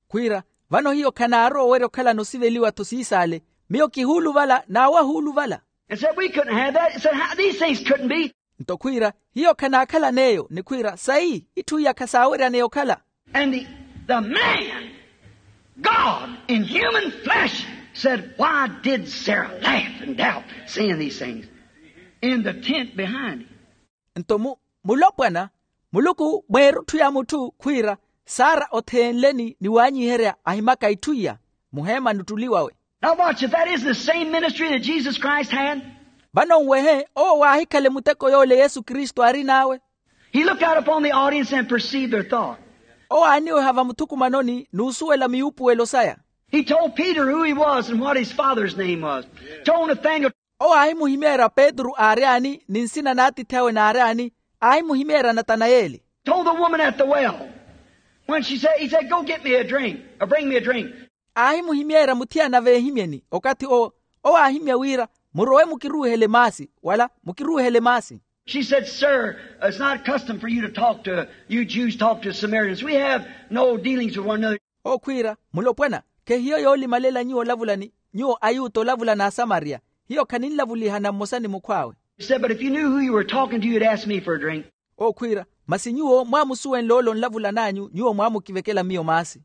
Khwiira, vano hiyo khanaarowa owerya okhalana osiveliwa-tho siisaale. Miyo kihuuluvala n'awe ahuuluvala. And said, we couldn't have that. He said, how, these things couldn't be. Nto khwiira, hiyo khanaakhalan'eyo ni khwiira sayi itthu iya khasaaweryaneya okhala. And the, the man, God in human flesh, said, why did Sarah laugh and doubt seeing these things in the tent behind him? Nto mu- mulopwana, muluku mweerutthu ya mutthu khwiira, sara otheenleni ni waanyiherya ahimaka itthu iya muheema nuttuliwawe. Now watch, if that isn't the same ministry that Jesus Christ had. Vano nwehe owo waahikhale muteko yoole yesu kristu aarin'awe. He looked out upon the audience and perceived their thought. Owo aaniweha vamuthukumanoni n'usuwela miyuupuwelo saya. He told Peter who he was and what his father's name was. Told Nathaniel. Owo aahimuhimeerya petru aari ani ni nsina n'atiithi awe naari ani. Aahimuhimeerya natanayeli. Told the woman at the well. When she said, he said, go get me a drink, or bring me a drink. Aahimuhimeerya muthiyana veehimyeni okathi owo. Owo aahimya wira, murowe mukiruuhele maasi wala mukiruuhele maasi. She said, sir, it's not custom for you to talk to, you Jews talk to Samaritans. We have no dealings with one another. Owo khwiira, mulopwana, khehiyo yoolimalela nyuwo olavula ni nyuwo ayuta olavula n'asamariya. Hiyo khaninlavulihana mmosa ni mukhw'awe. He said, but if you knew who you were talking to, you'd ask me for a drink. Owo khwiira, masi nyuwo mwaamusuwenle ole onlavulan'anyu nyuwo mwaamukivekela miyo maasi.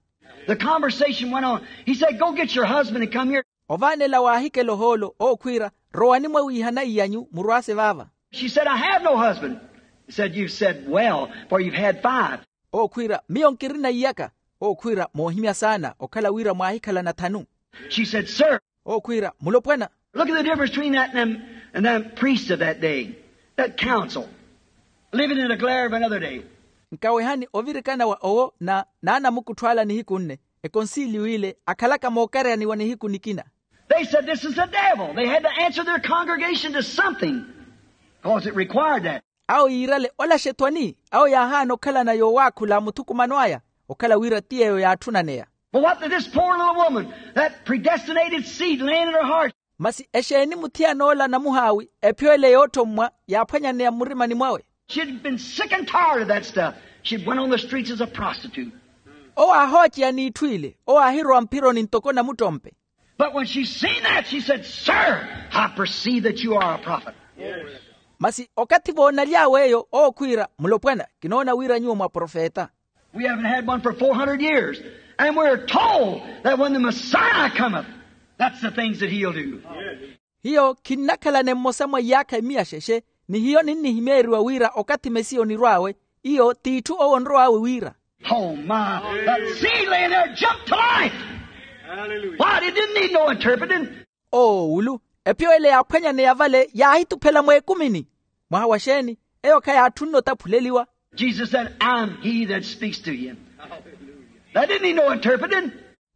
The conversation went on. He said, go get your husband and come here. Ovaanela waahikela ohoolo owo khwiira, rowani mwawiihana iy'anyu murwaase vaava. She said, I have no husband. He said, you've said well, for you've had five. Owo khwiira, miyo nkirina iyaka. Owo khwiira, moohimya saana okhala wira mwaahikhalana thanu. She said, sir. Owo khwiira, mulopwana. Look at the difference between that and them, and them priests of that day, that council, living in the glare of another day. Nkawehani ovirikana wa owo na n'anamukuttho ala nihiku nne, ekonsiliyo ile akhalaka mookareyaniwa nihiku nikina. They said this is the devil. They had to answer their congregation to something, because it required that. Awo yiirale ola xethwani. Awo yaahaana okhalana yoowaakhula muthukumano aya, okhala wira ti yeeyo yaatthunaneya. But what did this poor little woman, that predestinated seed laying in her heart? Masi exeeni muthiyana ola namuhaawi, ephiyo ele yoottommwa yaaphwanyaneya mmurimani mwawe? She'd been sick and tired of that stuff. She went on the streets as a prostitute. Owo aahooceya n'itthu ile. Owo aahirowa mphironi ntoko namuttompe. But when she seen that, she said, sir, I perceive that you are a prophet. Masi okathi voonaly'awe eyo owo khwiira, mulopwana, kinoona wira nyuwo mwaprofeta. We haven't had one for four hundred years, and we're told that when the Messiah cometh, that's the things that he'll do. Hiyo khinnakhalane mmosa mwa iyaakha emiya xexe, ni hiyo ninnihimeeriwa wira okathi mesiya onirw'awe. Iyo t'itthu owo onrow'awe wira. Oh my, that seed laying there jumped to life. Why, it didn't need no interpreting. Oowulu, ephiyo ele yaaphwanyaneya vale yaahituphela mweekumini. Mwaha wa xeeni? Eyo khayaatthunne otaphuleliwa. Jesus said, I'm he that speaks to you. That didn't need no interpreting.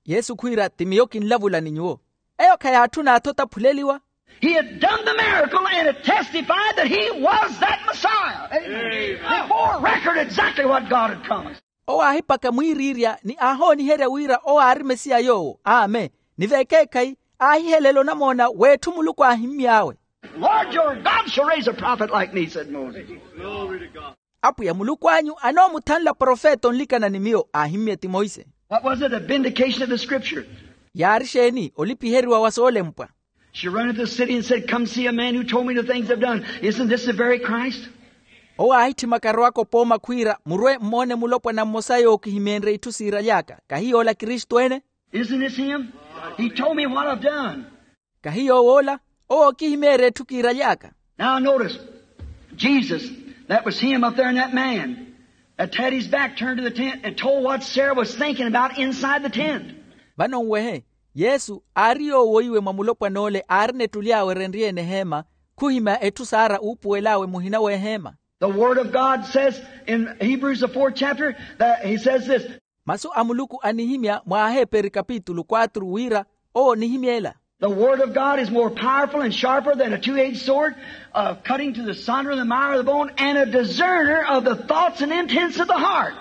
Yesu khwiira, ti miyo kinlavula ni nyuwo. Eyo khayaatthuna athu otaphuleliwa. He had done the miracle and it testified that he was that Messiah. Amen. It bore record exactly what God had promised. Owo aahipaka mwiiriirya ni aahooniherya wira owo aari mesiya yoowo. Amen. Ni vekeekhayi aahihelela onamoona w'etthu muluku aahimmy'awe. Lord your God shall raise a prophet like me, said Moses. Apwiya muluku anyu anoomuthanla profeta onlikana ni miyo, aahimmye ti monse. What was it? A vindication of the scripture. Yaari xeeni? Olipiheriwa wa soolempwa. She run into the city and said, come see a man who told me the things I've done. Isn't this the very Christ? Owo aahitthimaka arowaka opooma khwiira, murwe mmoone mulopwana mmosa yookihimeenrye itthu siiraly'aka, kahi yoola kristu ene? Isn't this him? He told me what I've done. Kahi yow'ola? Owo okihimeerya etthu kiiraly'aka. Now notice, Jesus, that was him up there in that man that had his back turned to the tent and told what Sarah was thinking about inside the tent. Vano nwehe, yesu aari yoowoiwe mwa mulopwan'ole aarina etthu ly'awe erenrye-ene eheema, khuhimya etthu sara uupuwel'awe muhina w'eheema. The word of God says in Hebrews, the fourth chapter, that he says this. Masu a muluku anihimya mwa aheperi kapitulu quatro wira, owo onihimy'ela. The word of God is more powerful and sharper than a two-edged sword, uh, cutting to the sunder of the marrow of the bone, and a discerner of the thoughts and intents of the heart.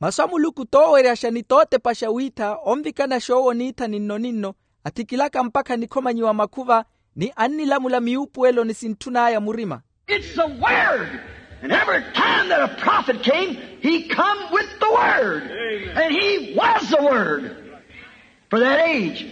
Masu a muluku tooweryaxa ni tootepaxa wiitha onvikanaxa owo niitha ninno-ninno, athikilaka mpakha nikhomanyiwa makhuva, ni annilamula miupuwelo ni sintthun'aya murima. It's the word. And every time that a prophet came, he come with the word. And he was the word for that age.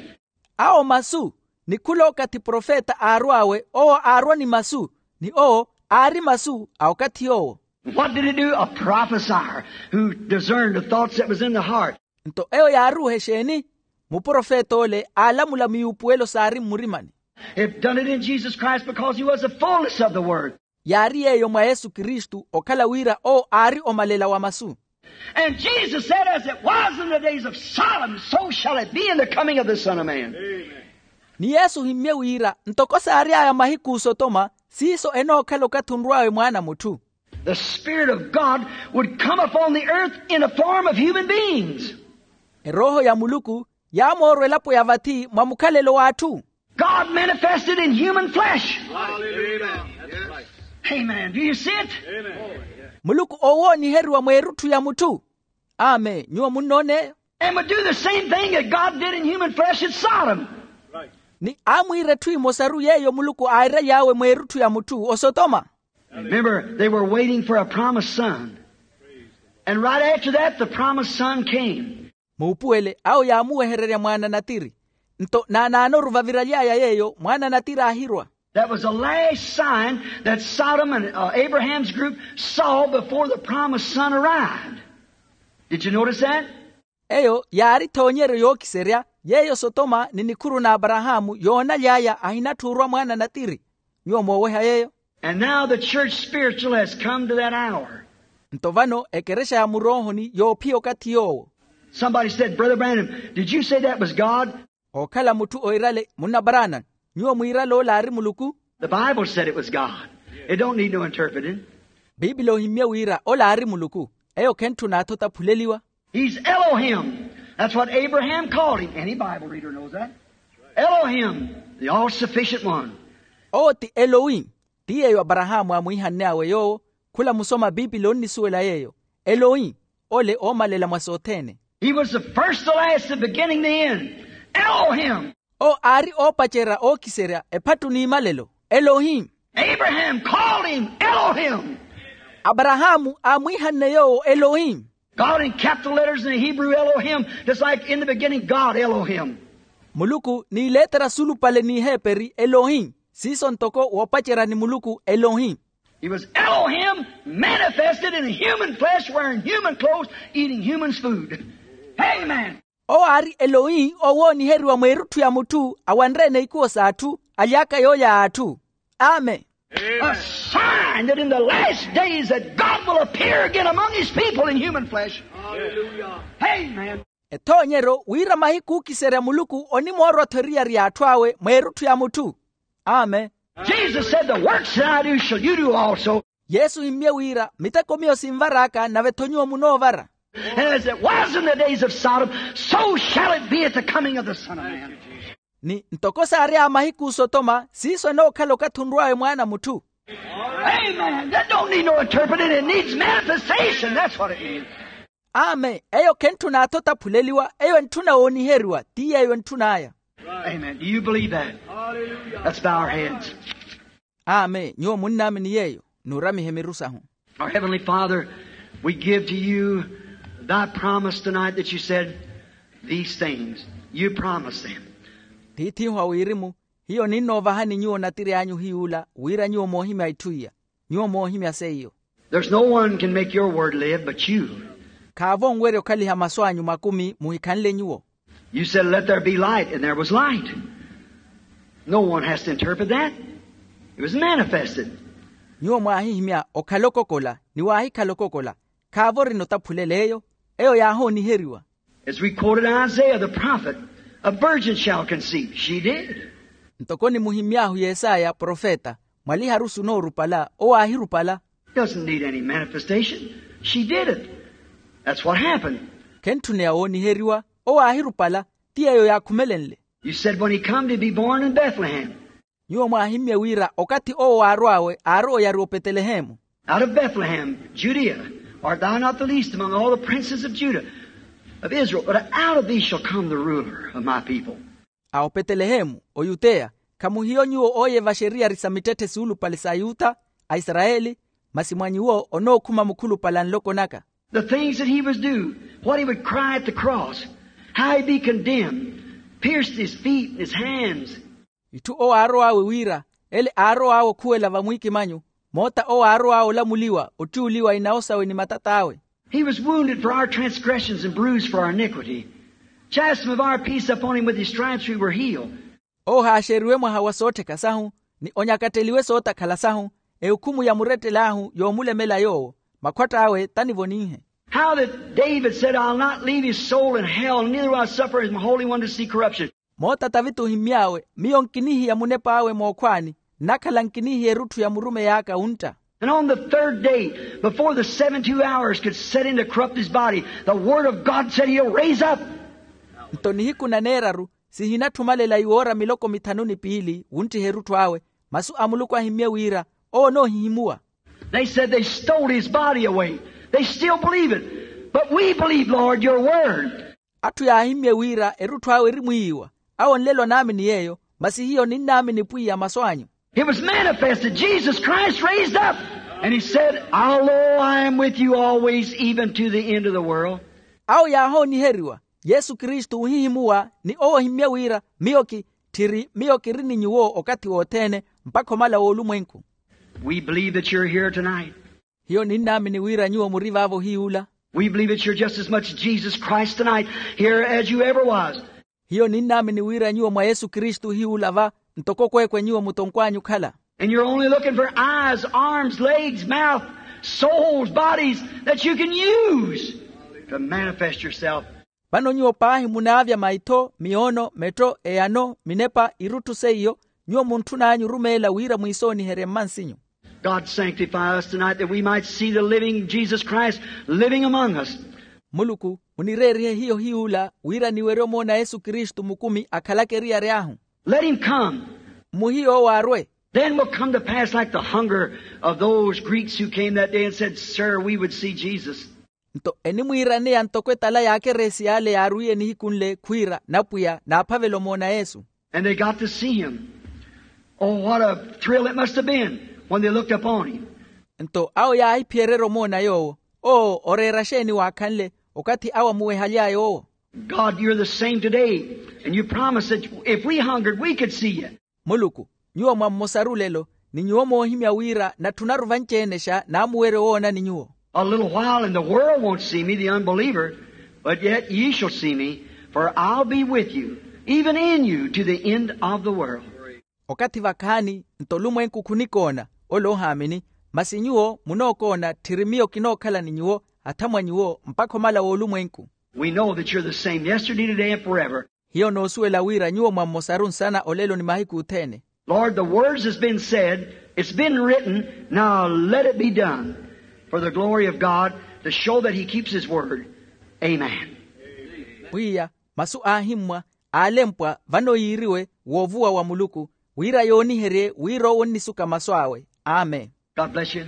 Awo masu, ni khula okathi profeta aarw'awe owo aarwa ni masu, ni owo aari masu a okathi yoowo. What did he do? A prophesier who discerned the thoughts that was in the heart. Nto eyo yaaruuha exeeni? Muprofet'ole aalamula miyuupuwelo saari mmurimani. If done it in Jesus Christ, because he was the fullness of the word. Yaari yeeyo mwa yesu kristu okhala wira owo aari omalela wa masu. And Jesus said, as it was in the days of Sodom, so shall it be in the coming of the Son of Man. Ni yesu ohimmye wira ntoko saary'aya mahiku osotoma, siiso enookhala okathi onrw'awe mwaana a mutthu. The Spirit of God would come upon the earth in a form of human beings. Erooho ya muluku yaamoorwa elapo ya vathi mwa mukhalelo w'atthu. God manifested in human flesh. Amen. Do you see it? Muluku oowooniheriwa mweerutthu ya mutthu. Amen. Nyuwo munnoon'eyo? And would do the same thing that God did in human flesh at Sodom. Ni aamwiira etthu emosaru yeeyo muluku aaraly'awe mweerutthu ya mutthu osotoma. Remember, they were waiting for a promised son. And right after that, the promised son came. Muupuwele awo yaamuwehererya mwaana natiri. Nto naanaanoru vaviraly'aya yeeyo mwaana natiri aahirwa. That was the last sign that Sodom and, uh, Abraham's group saw before the promised son arrived. Did you notice that? Eyo yaari ethoonyeryo yookiserya yeeyo sotoma ni nikhuru n'aparahaamu yoonaly'aya ahinatthu orwa mwaana natiri. Nyuwo mooweha yeeyo. And now the church spiritual has come to that hour. Nto vano ekerexa ya muroohoni yoophiya okathi yoowo. Somebody said, brother Branham, did you say that was God? Ookhala mutthu oirale, munna parana, nyuwo mwiirale ola aari muluku? The Bible said it was God. It don't need no interpreting. Biipili ohimmye wira ola aari muluku. Eyo khentthuna athu otaphuleliwa. He's Elohim. That's what Abraham called him. Any Bible reader knows that. Elohim, the all-sufficient one. Owo ti elohim. Ti yeeyo aparahaamu aamwiihanne awe yoowo. Khula musoma biipili onnisuwela yeeyo. Elohim. Ole oomalela mwa sothene. He was the first, the last, the beginning, the end. Elohim. Owo aari oopacerya ookiserya ephattu n'imalelo. Elohim. Abraham called him Elohim. Aparahaamu aamwiihanne yoowo elohim. God in capital letters in the Hebrew, Elohim, just like in the beginning, God Elohim. Muluku n'iletera sulupale n'iheeperi elohim. Siiso ntoko woopacerya ni muluku elohim. He was Elohim manifested in human flesh, wearing human clothes, eating human's food. Amen. Owo aari elohim owooniheriwa mweerutthu ya mutthu awanre-ene ikuwo s'atthu aly'aka yoolya a atthu. Amen. A sign that in the last days that God will appear again among his people in human flesh. Amen. Ethoonyeryo wira mahiku ookiserya muluku onimoorwa-tho eriyari y'atthu awe mweerutthu ya mutthu. Amen. Jesus said, the works that I do shall you do also. Yesu ohimmye wira miteko miyo sinvar'aka nave-tho nyuwo munoovara. And as it was in the days of Sodom, so shall it be at the coming of the Son of Man. Ni ntoko saary'aya mahiku osotoma siiso enookhala okathi onrw'awe mwaana a mutthu. Amen. That don't need no interpreting. It needs manifestation. That's what it needs. Amen. Eyo khentthuna athu otaphuleliwa, eyo entthuna wooniheriwa ti yeeyo entthun'aya. Amen. Do you believe that? Let's bow our heads. Amen. Nyuwo munnaamini yeeyo? Nuuramihe miru sahu. Our Heavenly Father, we give to you thy promise tonight that you said these things. You promised them. Tiith'ihu a wirimu, hiyo ninnoovahani nyuwo natiri anyu hiy'ula wira nyuwo moohimya itthu iya. Nyuwo moohimya seiyo. There's no one can make your word live but you. Khaavo onwerya okhaliha masu anyu makumi muhikhanle nyuwo. You said, "Let there be light," and there was light. No one has to interpret that. It was manifested. Nyuwo mwaahihimya okhala okokola ni waahikhala okokola. Khaavo orina otaphulele eyo. Eyo yaahooniheriwa. As we quoted Isaiah the prophet, "A virgin shall conceive." She did. Ntoko nimuhimmy'ahu yesaya profeta, mwaliharusu onoorupala owo aahirupala. Doesn't need any manifestation. She did it. That's what happened. Khentthuneya wooniheriwa. Owo aahirupala. Ti yeeyo yaakhumelenle. You said, "When he come to be born in Bethlehem." Nyuwo mwaahimmye wira okathi owo waarw'awe aari oyariwa opetelehemu. "Out of Bethlehem, Judea, art thou not the least among all the princes of Judah, of Israel, but out of thee shall come the ruler of my people." A opetelehemu oyuteya, khamuhiyo nyuwo ooye vaxeriyari sa mittetthe suulupale sa yuta, aisarayeli, masi mwa nyuwo onookhuma mukhulupale a nloko naka. The things that he was due, what he would cry at the cross, how he'd be condemned, pierced his feet and his hands. Itthu owo aarow'awe wira, ele aarow'awe okhuwela vamwiikimanyu, moota owo aarow'awe olamuliwa ottiuliwa inawo sawe ni matat'awe. He was wounded for our transgressions and bruised for our iniquity. Chastisement of our peace upon him, with his stripes we were healed. Owo haaxeriwe mwaha wa soottheka sahu, ni onyakatteliwe sootakhala sahu, ehukhumu ya murettel'ahu yoomulemela yoowo, makhwatt'awe tanivoninhe. How that David said, "I'll not leave his soul in hell, neither will I suffer his Holy One to see corruption." Moota taviti ohimmy'awe, miyo nkinihiya munep'awe mookhwaani, nnakhala nkinihiya erutthu ya murumeyi aka wuntta. And on the third day, before the seventy-two hours could set in to corrupt his body, the word of God said, "He'll raise up." Nto nihiku na neeraru, sihinatthumalela iwoora miloko mithanu ni piili wunttiha erutthu awe, masu a muluku ahimmye wira owo onoohihimuwa. They said they stole his body away. They still believe it. But we believe, Lord, your word. Atthu yaahimmye wira erutthu awe erimwiiwa. Awo nlelo anaamini yeeyo, masi hiyo ninnaamini pwiya masu anyu. It was manifested, Jesus Christ raised up. And he said, "Although I am with you always, even to the end of the world." Awo yaahooniheriwa, yesu kristu ohihimuwa ni owo ohimmye wira, miyo ki, tthiri miyo kiri ni nyuwo okathi wothene, mpakha omala w'olumwenku. We believe that you're here tonight. Hiyo ninnaamini wira nyuwo muri vaavo hiy'ula. We believe that you're just as much Jesus Christ tonight here as you ever was. Hiyo ninnaamini wira nyuwo mwa yesu kristu hiy'ula va, ntoko kweekwe nyuwo mutonkw'anyu okhala. And you're only looking for eyes, arms, legs, mouth, souls, bodies that you can use to manifest yourself. Vano nyuwo paahi munaavya maitho, miyoono, metto, eyano, minepa, irutthu seiyo, nyuwo muntthun'anyu orumeela wira mwiisooniherye mmansinyu. God, sanctify us tonight that we might see the living Jesus Christ living among us. Muluku, munireerihe hiyo hiy'ula wira niwerye omoona yesu kristu mukumi akhalaka eriyari ahu. Let him come. Mmuhiye owo arwe. Then will come to pass like the hunger of those Greeks who came that day and said, "Sir, we would see Jesus." Nto enimwiiraneya ntoko etala y'akereesi yaale yaarwiye nihiku nle khwiira, napwiya naaphavela omoona yesu. And they got to see him. Oh, what a thrill it must have been when they looked upon him. Nto awo yaahiphiyererya omoona yoowo. Oo, oreera xeeni waakhanle okathi awo amuwehaly'aya owo. God, you're the same today, and you promised that if we hungered, we could see you. Muluku, nyuwo mwa mmosaru lelo, ni nyuwo moohimya wira natthunaru vanci-enexa naamuwerye owoonani nyuwo. A little while and the world won't see me, the unbeliever, but yet ye shall see me, for I'll be with you, even in you, to the end of the world. Okathi vakhaani, nto olumwenku khunikoona, ole ohaamini, masi nyuwo munookoona tthiri miyo kinookhala ni nyuwo, atha mwa nyuwo mpakha omala w'olumwenku. We know that you're the same yesterday, today, and forever. Hiyo noosuwela wira nyuwo mwa mmosaru nsana olelo ni mahiku othene. Lord, the words has been said, it's been written, now let it be done for the glory of God, to show that he keeps his word. Amen. Pwiya, masu aahimmwa, aalempwa vano yiiriwe woovuwa wa muluku, wira yooniherye wira owo onnisuka masu awe. Amen. God bless you.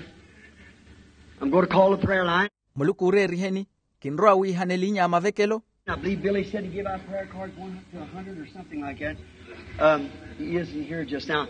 I'm going to call the prayer line. Muluku ooreeriheni. Kinrowa wiihana elinya ya mavekelo. I believe Billy said to give out prayer cards one to a hundred or something like that. Um, he isn't here just now.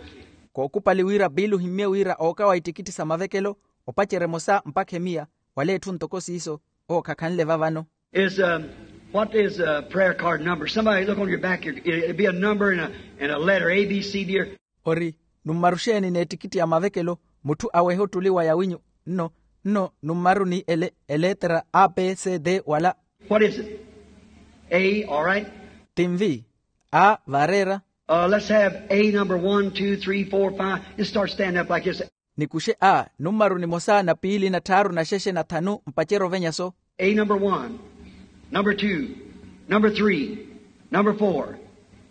Kookupali wira biili ohimmye wira ookawa ittikitti sa mavekelo, opacerya emosa mpakha emiya, wala etthu ntoko siiso. Owo khakhanle va vano. Is, um, what is a prayer card number? Somebody look on your back here. It, it'd be a number and a, and a letter, A, B, C, D, or... Ori, nummaru xeeni n'ettikitti ya mavekelo? Mutthu awehe ottuli wa yawinyu. Nno, nno nummaru ni ele, eleetera a b c d wala... What is it? A, all right. Tinvi. A vareera. Let's have a number one two three four five. Just start standing up like this. Nikuxe a numaru nimosa na piili na tthaaru na xexe na thanu mpacerya ovenya so. A number one, number two, number three, number four.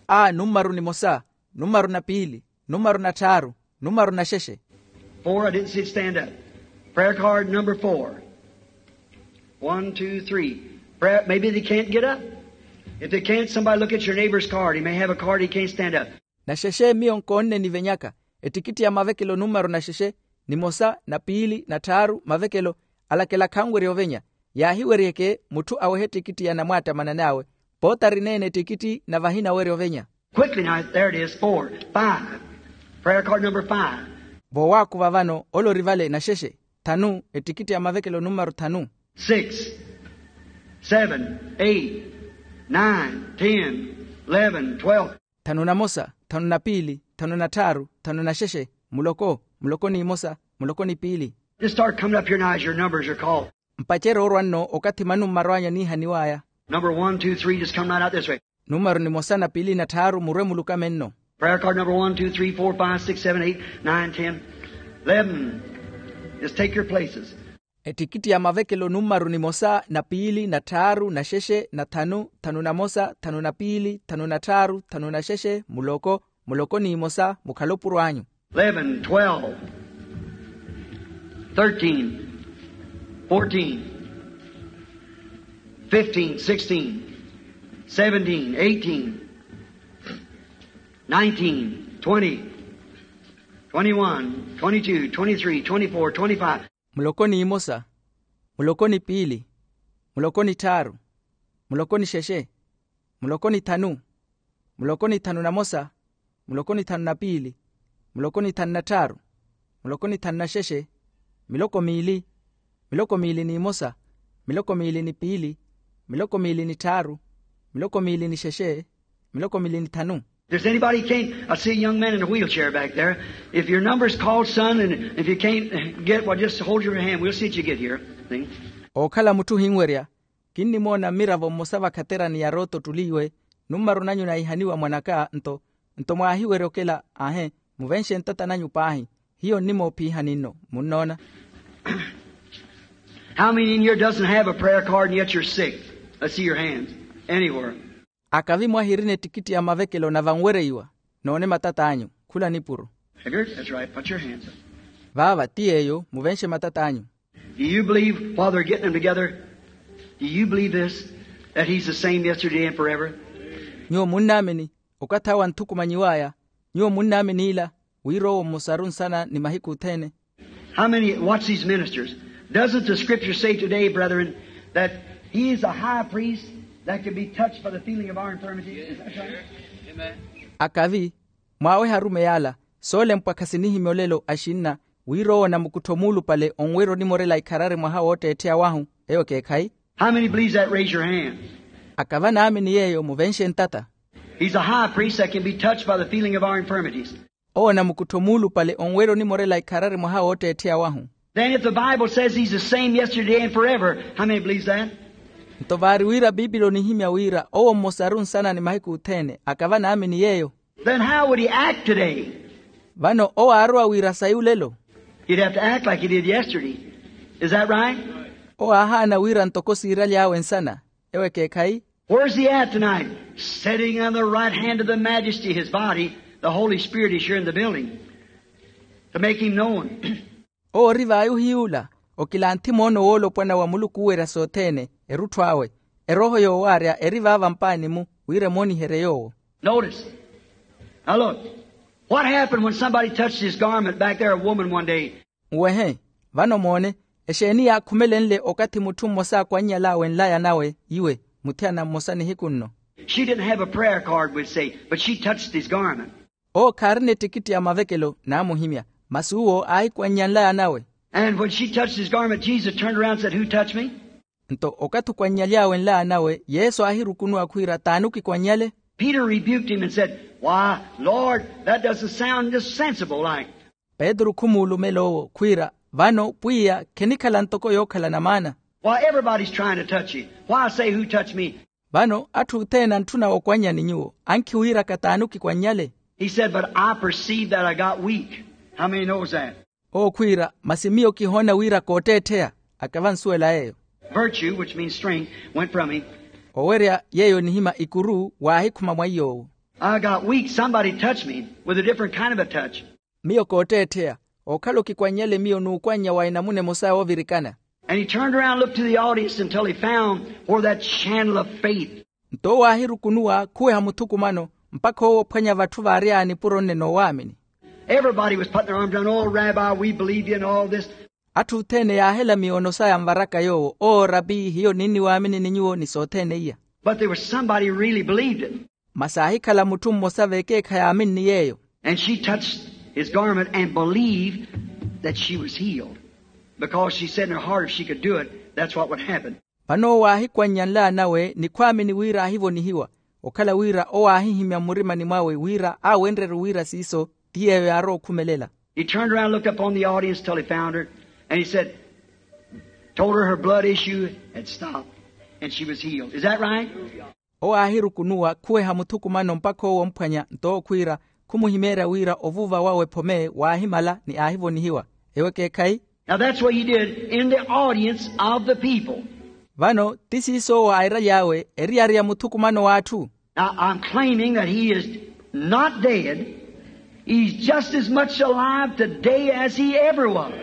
A numaru nimosa, numaru na piili, numaru na tthaaru, numaru na xexe. Four. I didn't see it stand up. Prayer card number four. One two three. Prayer, maybe they can't get up. If they can't, somebody look at your neighbor's card. He may have a card, he can't stand up. Na xexe miyo nkoonne nivenyaka ettikitti ya mavekelo numaru na xexe, nimosa na piili na tthaaru mavekelo. Alakela khanwerya ovenya. Yaahiweryeke mutthu awehe ettikitti ya namwaattamanani awe. Poota arineene ettikitti na vahina awerya ovenya. Quickly now, there it is, four, five. Prayer card number five. Voowaakuva vano ole ori vale na xexe, thanu ettikitti ya mavekelo numaru thanu. Six, seven, eight, nine, ten, eleven, twelve. Thanu na mosa, thanu na piili, thanu na tthaaru, thanu na xexe, muloko, muloko n'imosa, muloko ni piili. Just start coming up here now as your numbers are called. Mpacerya orwa nno okathi manumaru anyu aniihaniw'aya. Number one two three, just come right out this way. Numaru nimosa na piili na tthaaru murwe mulukame nno. Prayer card number one two three four five six seven eight nine ten eleven. Just take your places. Ettikitti ya mavekelo numaru nimosa na piili na tthaaru na xexe na thanu, thanu na mosa, thanu na piili, thanu na tthaaru, thanu na xexe, muloko, muloko n'imosa, mukhale opuro anyu. Eleven, twelve, thirteen, fourteen, fifteen, sixteen, seventeen, eighteen, nineteen, twenty, twenty-one, twenty-two, twenty-three, twenty-four, twenty-five. Muloko n'imosa, muloko ni piili, muloko ni tthaaru, muloko ni xexe, muloko ni thanu, muloko ni thanu na mosa, muloko ni thanu na piili, muloko ni thanu na tthaaru, muloko ni thanu na xexe, miloko miili, miloko miili n'imosa, miloko miili ni piili, miloko miili ni tthaaru, miloko miili ni xexe, miloko miili ni thanu. If there's anybody can't, I see a young man in a wheelchair back there. If your number's called, son, and if you can't get, well, just hold your hand. We'll see that you get here. See? Ookhala mutthu ohinwerya. Kinnimoona mmiravo mmosa vakhaterani ya rooto ottuliiwe. Numaru nanyu naihaniwa mwanaka nto, nto mwaahiwerya okela. Ahe, muvenxe ntata nanyu paahi. Hiyo nnimoophiihani nno. Munnoona? How many in here doesn't have a prayer card and yet you're sick? Let's see your hands. Anywhere. Akavi mwahirina ettikitti ya mavekelo na vanwereiwa? Noone matat'anyu. Khula nipuro. Figured? That's right. Put your hands up. Vaava ti yeeyo, muvenxe matat'anyu. Do you believe while they're getting them together? Do you believe this? That he's the same yesterday and forever? Nyuwo munnaamini okathi awo anthukumanyiw'aya? Nyuwo munnaamini ila wira owo mmosaru nsana ni mahiku othene? How many, watch these ministers. Doesn't the scripture say today, brethren, that he is a high priest that can be touched by the feeling of our infirmities? Is that right? Akavi, mwaaweha arumeyi ala, soolempwa khasinihimya olelo axinna, wira owo namukuttho muulupale onwerya onimorela ikharari mwaha wootteettheya wahu. Eyo ekeekhayi? How many believes that? Raise your hand. Akava naamini yeeyo muvenxe ntata. He's a high priest that can be touched by the feeling of our infirmities. Owo namukuttho muulupale onwerya onimorela ikharari mwaha wootteettheya wahu. Then if the Bible says he's the same yesterday and forever, how many believes that? Nto vaari wira piipili onihimya wira owo mmosaru nsana ni mahiku othene, akava naamini yeeyo? Then how would he act today? Vano owo aarowa wira sayi olelo? He'd have to act like he did yesterday. Is that right? Owo aahaana wira ntoko siiraly'awe nsana. Ewo ekeekhayi? Where's he at tonight? Sitting on the right hand of the Majesty, his body, the Holy Spirit is here in the building to make him known. Owo ori vaayi ohiy'ula, okilanthi moono woolopwana wa muluku owerya sothene, erutthu awe. Erooho yoowaarya eri vaava mpaani-mu, wira emooniherye yoowo. Notice. Now look. What happened when somebody touched his garment back there, a woman one day? Nwehe. Vano moone, exeeni yaakhumelenle okathi mutthu mmosa akwannyal'awe nlaya nawe iwe, muthiyana mmosa nihiku nno? She didn't have a prayer card, we'd say, but she touched his garment. Owo khaarina ettikitti ya mavekelo naamuhimya, masi uwo aahikwannya nlaya nawe. And when she touched his garment, Jesus turned around and said, "Who touched me?" Nto okathi okwannyaly'awe nlaya nawe, yesu aahirukunuwa khwiira, taani okikwannyale? Peter rebuked him and said, "Why, Lord, that doesn't sound just sensible like." Petru khumuulumela owo khwiira, vano pwiya, khenikhala ntoko yookhalana maana. Why, everybody's trying to touch you. Why say, "Who touched me?" Vano atthu othene antthuna okwannyani nyuwo ankhi wiiraka t'ani okikwannyale? He said, but I perceive that I got weak. How many knows that? Owo khwiira, masi miyo kihoona wira kootteettheya. Akava nsuwela yeeyo. Virtue, which means strength, went from me. Owerya yeeyo nihima ikuru waahikhuma mwa iy'owo. I got weak. Somebody touched me with a different kind of a touch. Miyo kootteettheya, okhala okikwannyale miyo n'ukwannya wa enamuna emosa yoovirikana. And he turned around and looked to the audience until he found where that channel of faith. Nto owo aahirukunuwa khuweha muthukumano mpakha owo ophwanya vatthu vaary'aya nipuro nne n'owaamini. Everybody was putting their arms around, oh, Rabbi, we believe you and all this. Atthu othene yaahela miyono saya nvaraka yoowo, oo rapi hiyo ninniwaamini ni nyuwo ni sothene iya. But there was somebody really believed it. Masi aahikhala mutthu mmosa vekeekhayi aaminni yeeyo. And she touched his garment and believed that she was healed, because she said in her heart if she could do it, that's what would happen. Vano owo aahikwannya nlaanawe ni khwaamini wira aahivonihiwa, okhala wira owo aahihimya mmurimani mwawe wira aawenrerye wira siiso ti yeeyo yaarowa okhumelela. He turned around and looked upon the audience till he found her, and he said, told her her blood issue had stopped and she was healed. Is that right? Owo aahirukunuwa khuweha muthukumano mpakha owo omphwanya nto okhwiira khumuhimeerya wira ovuuva wawe phome waahimala ni aahivonihiwa. Eyo ekeekhayi? Now that's what he did in the audience of the people. Vano ti siiso owo airaly'awe eriyari ya muthukumano w'atthu. Now I'm claiming that he is not dead. He's just as much alive today as he ever was.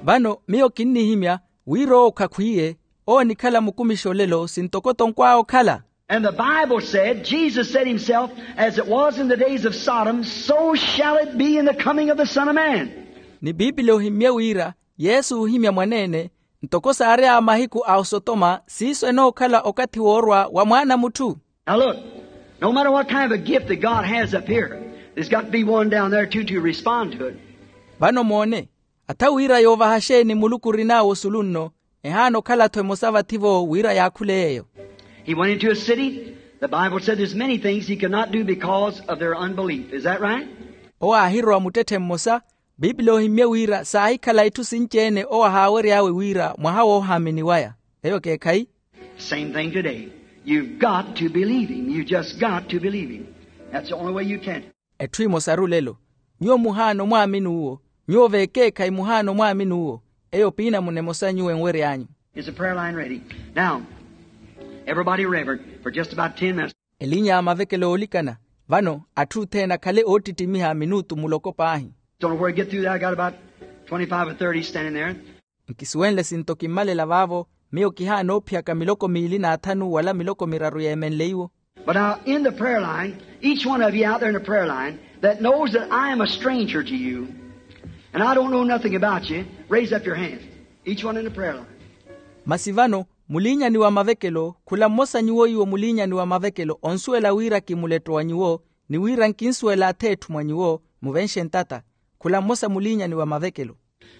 Vano miyo kinnihimya wira owo khakhwiiye, owo onikhala mukumixa olelo sintoko-toko awe okhala. And the Bible said, Jesus said himself, as it was in the days of Sodom, so shall it be in the coming of the Son of Man. Ni piipili ohimmye wira yesu oohimya mwaneene, ntoko saary'aya mahiku a osotoma siiso enookhala okathi woorwa wa mwaana a mutthu. Now look, no matter what kind of a gift that God has up here, there's got to be one down there too to respond to it. Vano moone, atha wira yoovaha xeeni muluku orin'awe osulu nno, ehaana okhala-tho emosa vathi-vo wira yaakhule yeeyo. He went into a city. The Bible said there's many things he could not do because of their unbelief. Is that right? Owo aahirowa muttetthe mmosa. Piipili oohimmye wira saahikhala itthu sinci-ene owo ahaawery'awe wira mwaha woohaamini waya. Eyo ekeekhayi? Same thing today. You've got to believe him. You just got to believe him. That's the only way you can. Etthu emosaru lelo, nyuwo muhaana omwaamini uwo. Nyuwo vekeekhayi muhaana omwaamini uwo. Eyo piinamuna emosa nyuwo enwery'anyu. Is the prayer line ready? Now, everybody reverent for just about ten minutes. Elinya ya mavekelo oolikana. Vano atthu othene akhale oottittimiha minutu muloko paahi. Don't know where to get through that. I got about twenty-five or thirty standing there. Nkisuwenle sinto kimmalela vaavo, miyo kihaana oophiyaka miloko miili n'athanu wala miloko miraru yeemenleiwo. But now in the prayer line, each one of you out there in the prayer line that knows that I am a stranger to you and I don't know nothing about you, raise up your hands. Each one in the prayer line. Masi vano muliinyani wa mavekelo khula mmosa nyuwo iwo muliinyani wa mavekelo onsuwela wira kimuletto wa nyuwo, ni wira nkinsuwela atheetthu mwa nyuwo, muvenxe ntata. Khula mmosa muliinyani wa mavekelo.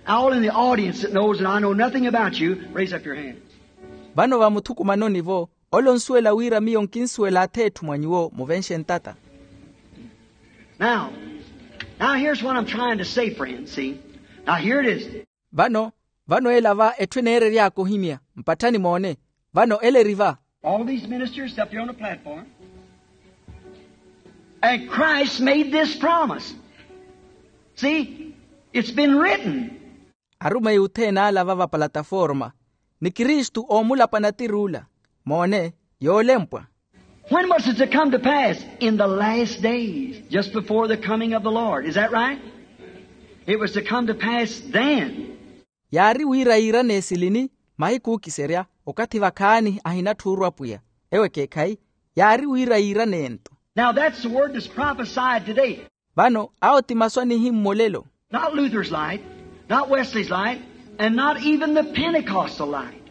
All in the audience that knows that I know nothing about you, raise up your hand. Vano vamuthukumanoni-vo, ole onsuwela wira miyo nkinsuwela atheetthu mwa nyuwo muvenxe ntata. Now, now here's what I'm trying to say, friends. See? Now here it is. Vano, vano ela va etthu eneerery'aka ohimya. Mpatthani moone. Vano ela eri va. All these ministers up here on the platform. And Christ made this promise. See, it's been written. Arumeyi othene ala va vapalataforma, ni kristu oomulapa natir'ula. Moone, yoolempwa. When was it to come to pass? In the last days, just before the coming of the Lord. Is that right? It was to come to pass then. Yaari wira yiirane esilini? Mahiku ookiserya, okathi vakhaani ahinatthu orwa pwiya. Ewo ekeekhayi, yaari wira yiirane ento. Now that's the word that's prophesied today. Vano awo ti masu anihimmolelo. Not Luther's light, not Wesley's light, and not even the Pentecostal light.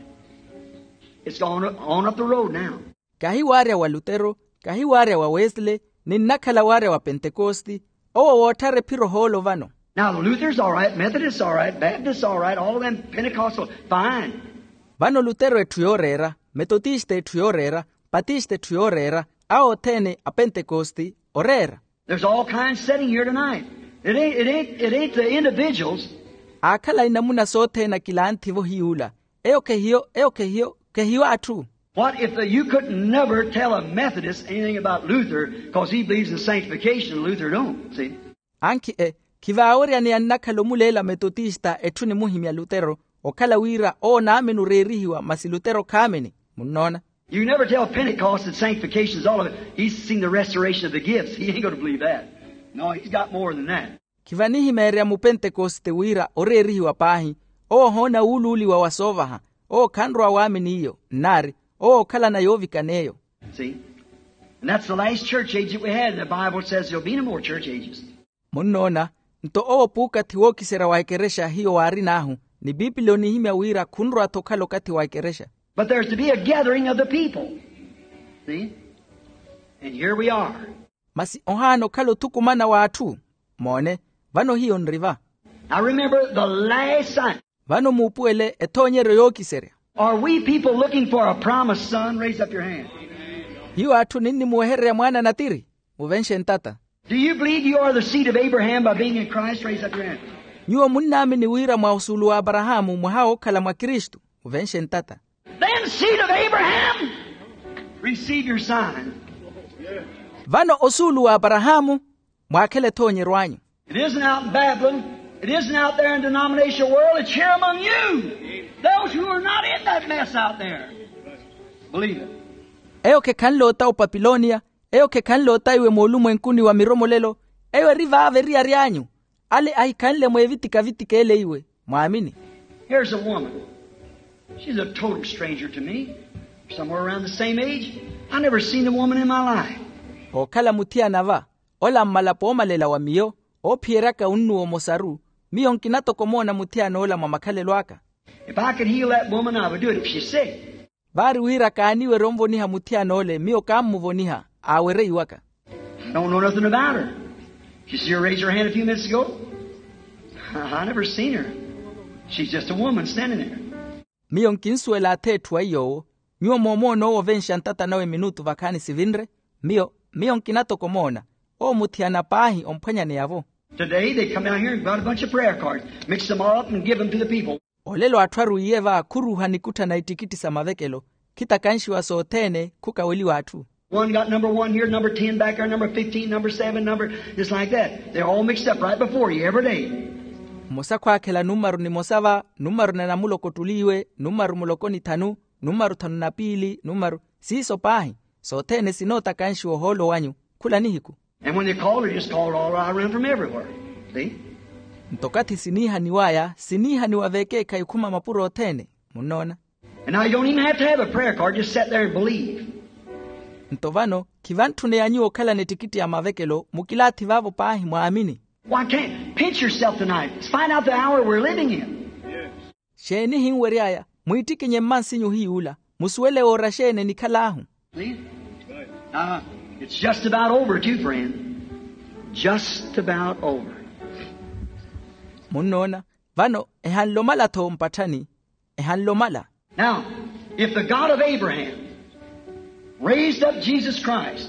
It's gone on up the road now. Kahi waarya wa lutero, kahi waarya wa wesley, ni nnakhala waarya wa pentekosti. Owo wootthara ephiro hoolo vano. Now the Luther's all right, Methodist's all right, Baptist's all right, all them Pentecostal, fine. Vano lutero etthu yooreera, metotista etthu yooreera, patista etthu yooreera, awo othene apentekosti, oreera. There's all kinds sitting here tonight. It ain't, it ain't, it ain't the individuals. Aakhala inamuna sothene akilantthi-vo hiy'ula. Eyo khehiyo, eyo khehiyo, khehiyo atthu. What if the, you could never tell a Methodist anything about Luther, because he believes in sanctification and Luther don't, see? Ankhi e, khivaaweryaneya nnakhala omuleela metotista etthu nimuhimya lutero, okhala wira owo naamini oreerihiwa masi lutero khaamini. Munnoona? You never tell Pentecost that sanctification is all of it. He's seen the restoration of the gifts. He ain't going to believe that. No, he's got more than that. Khivanihimeerya mupentekoste wira oreerihiwa paahi, owo ohoona wuuluuliwa wa soovaha, owo khanrowa waamini iyo nnaari, owo okhalana yoovikana eyo. See? And that's the last church age that we had, and the Bible says there'll be no more church ages. Munnoona? Nto owo puukathi wookiserya wa ekerexa hiyo waarin'ahu, ni piipili onihimya wira khunrowa-tho okhala okathi wa ekerexa. But there's to be a gathering of the people. See? And here we are. Masi ohaana okhala othukumana w'atthu. Moone, vano hiyo nri va. Now remember the last sign. Vano muupuwele ethoonyeryo yookiserya. Are we people looking for a promised son? Raise up your hand. Hiyo atthu ninnimuwehererya mwaana natiri? Muvenxe ntata. Do you believe you are the seed of Abraham by being in Christ? Raise up your hand. Nyuwo munnaamini wira mwa osuulu w'aparahaamu mwaha wookhala mwa kristu? Muvenxe ntata. Then, seed of Abraham, receive your sign. Vano osuulu w'aparahaamu, mwaakhele ethoonyeryo anyu. It isn't out in Babylon. It isn't out there in denominational world. It's here among you. Those who are not in that mess out there. Believe it. Eyo khekhanle ota opapiloniya, eyo khekhanle ota iwe moolumwenkuni wa miromolelo, eyo eri vaavo eriyari anyu, ale ahikhanle mweevitika-vitika ele iwe, mwaamini. Here's a woman. She's a total stranger to me. Somewhere around the same age. I never seen a woman in my life. Ookhala muthiyana va, ola mmalapo oomalela wa miyo, oophiyeryaka unnuwa omosaru, miyo nkina-tho komoona muthiyana ola mwa makhalelo aka. If I could heal that woman, I would do it if she's sick. Vaari wira kaaniwerya onvoniha muthiyana ole miyo kaammuvoniha, aawereiwaka. I don't know nothing about her. She see her raise her hand a few minutes ago. I never seen her. She's just a woman standing there. Miyo nkinsuwela ath'etthu a iy'owo. Nyuwo moomoona owo ovenxa ntata nawe minutu vakhaani sivinre. Miyo miyo nkina-tho komoona. Owo muthiyana paahi omphwanyaneya-vo. Today they come down here and got a bunch of prayer cards, mix them all up and give them to the people. Olelo atthu arwiiye va khuruuha nikutthana ittikitti sa mavekelo, khitakanxiwa sothene khukaweliwa atthu. One got number one here, number ten back there, number fifteen, number seven, number, just like that. They're all mixed up right before you every day. Mmosa khwaakhela numaru nimosa va, numaru na namuloko ottuliiwe, numaru muloko ni thanu, numaru thanu na piili, numaru, siiso paahi. Sothene sinootakanxiwa ohoolo wanyu khula nihiku. And when they called, they just called all around from everywhere. See? Nto okathi siniihaniw'aya siniihaniwa veekeekhayi okhuma mapuro othene. Munnoona? And now you don't even have to have a prayer card, just sit there and believe. Nto vano khivantthune ya nyuwo okhalana ettikitti ya mavekelo mukilaathi vaavo paahi mwaamini. Why can't pinch yourself tonight? Find out the hour we're living in. Xeeni ehinwery'aya? Mwiittikinye mmansinyu hiy'ula, musuwele woora xeeni enikhal'ahu. See? Now, it's just about over too, friend. Just about over. Munnoona? Vano ehanle omala-tho mpatthani. Ehanle omala. Now, if the God of Abraham raised up Jesus Christ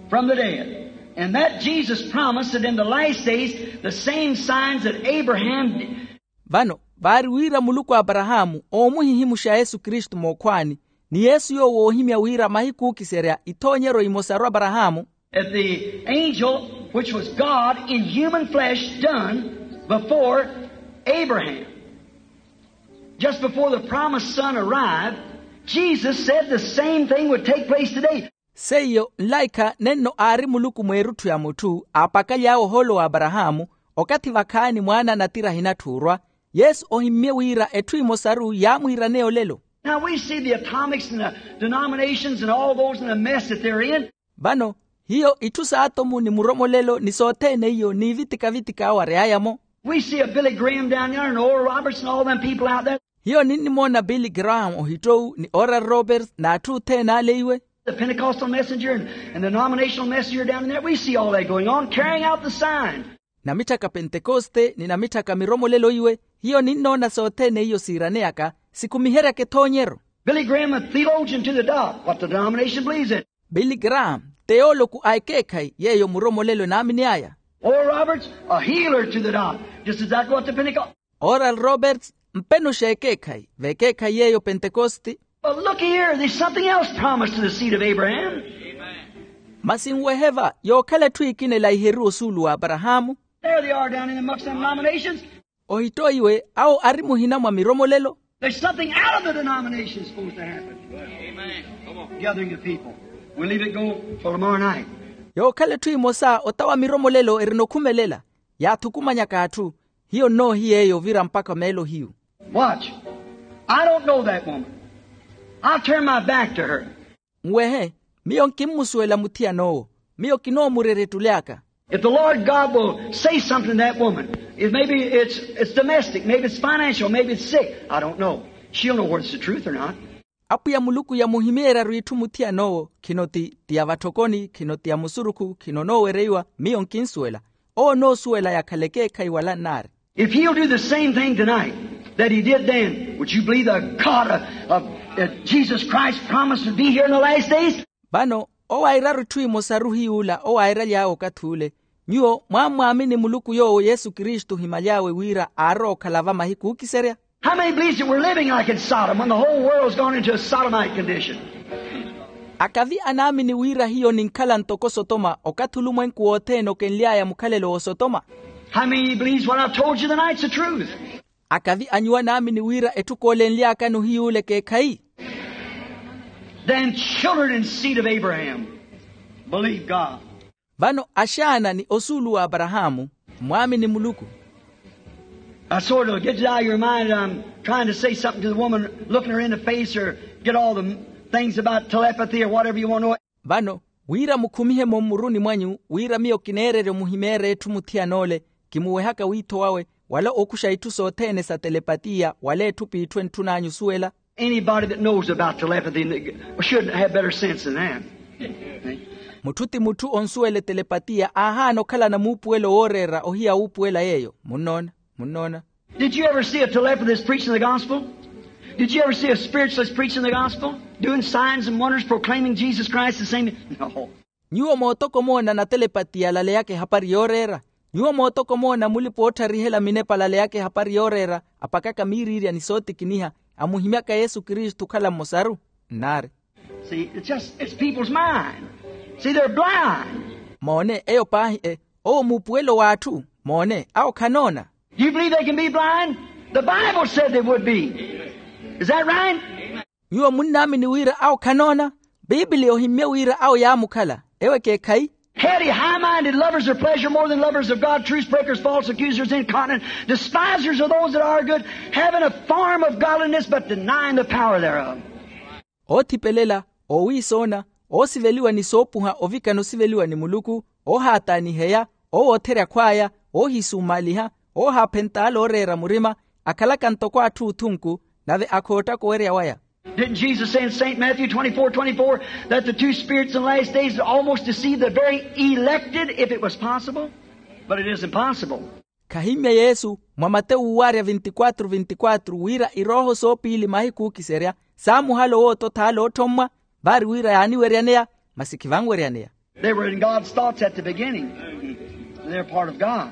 from the dead, and that Jesus promised that in the last days the same signs that Abraham. Vano vaari wira muluku a aparahaamu oomuhihimuxa yesu kristu mookhwaani, ni yesu yoowo oohimya wira mahiku ookiserya ithoonyeryo imosaru aparahaamu. That the angel which was God in human flesh done before Abraham, just before the promised son arrived, Jesus said the same thing would take place today. Seiyo nlaikha nenno aari muluku mweerutthu ya mutthu aapakaly'awe ohoolo wa aparahaamu, okathi vakhaani mwaana a natira ahinatthuurwa, yesu ohimmye wira etthu emosaru yaamwiiraneya olelo. Now we see the atomics and the denominations and all those in the mess that they're in. Vano hiyo itthu s'atomu ni muromolelo ni sothene iyo n'ivitika-vitika awo ary'aya-mo. We see a Billy Graham down there and Oral Roberts and all them people out there. Hiyo ninnimoona billy graham ohittowu ni oral roberts n'atthu othene ale iwe. The Pentecostal messenger and, and the denominational messenger down in there, we see all that going on, carrying out the sign. Namitthaka pentekoste ni namitthaka miromolelo iwe. Hiyo ninnoona sothene iyo siiraneyaka sikhumiheryaka ethoonyeryo. Billy Graham, a theologian to the dot, what the denomination believes in. Billy graham, teoloku a ekeekhayi yeeyo muromolelo enaamin'aya. Oral Roberts, a healer to the dot, just exactly what the Pentecost. Oral roberts, mpenoxa ekeekhayi veekeekhayi yeeyo pentekoste. But look here, there's something else promised to the seed of Abraham. Masi nwehe va yookhala etthu ekina elaiheriwe osuulu wa aparahaamu. There they are down in amongst them denominations. Ohittoiwe awo ari muhina mwa miromolelo. There's something out of the denomination supposed to happen. Gathering of people. We'll leave it go for tomorrow night. Yookhala etthu emosa otawa miromolelo erina okhumelela. Yaathukumanyaka atthu. Hiyo nnoohiya eyo ovira mpakha meelo hiyu. Watch. I don't know that woman. I'll turn my back to her. Nwehe, miyo nkimmusuwela muthiyan'owo. Miyo kinoomurerettul'aka. If the Lord God will say something to that woman, if maybe it's, it's domestic, maybe it's financial, maybe it's sick, I don't know. She'll know whether it's the truth or not. Apwiya muluku yamuhimeerya-ru itthu muthiyan'owo. Khino ti ya vatthokoni, khino ti ya musurukhu, khino onoowereiwa. Miyo nkinsuwela. Owo onoosuwela yakhala ekeekhayi wala nnaari. If he'll do the same thing tonight that he did then, would you believe the God of, of, uh, Jesus Christ promised to be here in the last days? Vano owaira-ru itthu emosa-ru hiy'ula owairaly'awe okathi ule. Nyuwo mwammwaamini muluku yoowo yesu kristu ohimaly'awe wira aarowa okhala va mahiku ookiserya? How many believes that we're living like in Sodom when the whole world's gone into a sodomite condition? Akavi anaamini wira hiyo ninkhala ntoko sotoma okathi olumwenku wothene okenly'aya mukhalelo w'osotoma? How many believes what I've told you tonight's the truth? Akavi a nyuwo anaamini wira etthu koolenly'akano hiy'ule ekeekhayi? Then children and seed of Abraham, believe God. Vano axaana ni osuulu w'aparahaamu, mwaamini muluku. I sort of get it out of your mind that I'm trying to say something to the woman, looking her in the face, or get all the things about telepathy or whatever you want to know. Vano wira mukhumihe-mo mmuruni mwanyu wira miyo kineererya omuhimeerya etthu muthiyan'ole, kimuwehaka wiitho wawe wala okuxa itthu sothene sa telepatiya wala etthu p'itthu entthun'anyu osuwela. Anybody that knows about telepathy should have better sense than that. Mutthu ti mutthu onsuwela etelepatiya aahaana okhalana muupuwelo wooreera ohiya wuupuwela yeeyo. Munnoona? Munnoona? Did you ever see a telepathist preaching the gospel? Did you ever see a spiritualist preaching the gospel? Doing signs and wonders, proclaiming Jesus Christ the same? No. Nyuwo mootoko moona natelepati yalaleyaka ehapari yooreera? Nyuwo mootoko moona mulipa-ootharihela minepa alaleyaka ehapari yooreera, apakaka miiriirya ni sootikiniha, amuhimyaka yesu kristu okhala mmosaru? Nnaari. See, it's just, it's people's mind. See, they're blind. Moone eyo paahi e owo muupuwelo w'atthu. Moone awo khanoona. Do you believe they can be blind? The Bible said they would be. Is that right? Nyuwo munnaamini wira awo khanoona? Piipili ohimmye wira awo yaamukhala. Ewo ekeekhayi? Heady, high-minded, lovers of pleasure more than lovers of God, truce breakers, false accusers, incontinent, despisers of those that are good, having a form of godliness but denying the power thereof. Oothipelela, oowiisoona, oosiveliwa ni soopuha ovikana osiveliwa ni muluku, oohaataaniheya, oowootherya akhw'aya, oohisuumaaliha, oohaaphenta ale ooreera murima, akhalaka ntoko atthu oothunku, nave akhoottaka owerya waya. Didn't Jesus say in Saint Matthew twenty-four twenty-four that the two spirits in the last days would almost deceive the very elected if it was possible? But it isn't possible. Khahimmye yesu mwa matewu uwaarya vintikwatru vintikwatru wira irooho soopiili mahiku ookiserya saamuhala owoototha ale oothommwa, vaari wira yaaniweryaneya, masi khivanweryaneya. They were in God's thoughts at the beginning. They're part of God.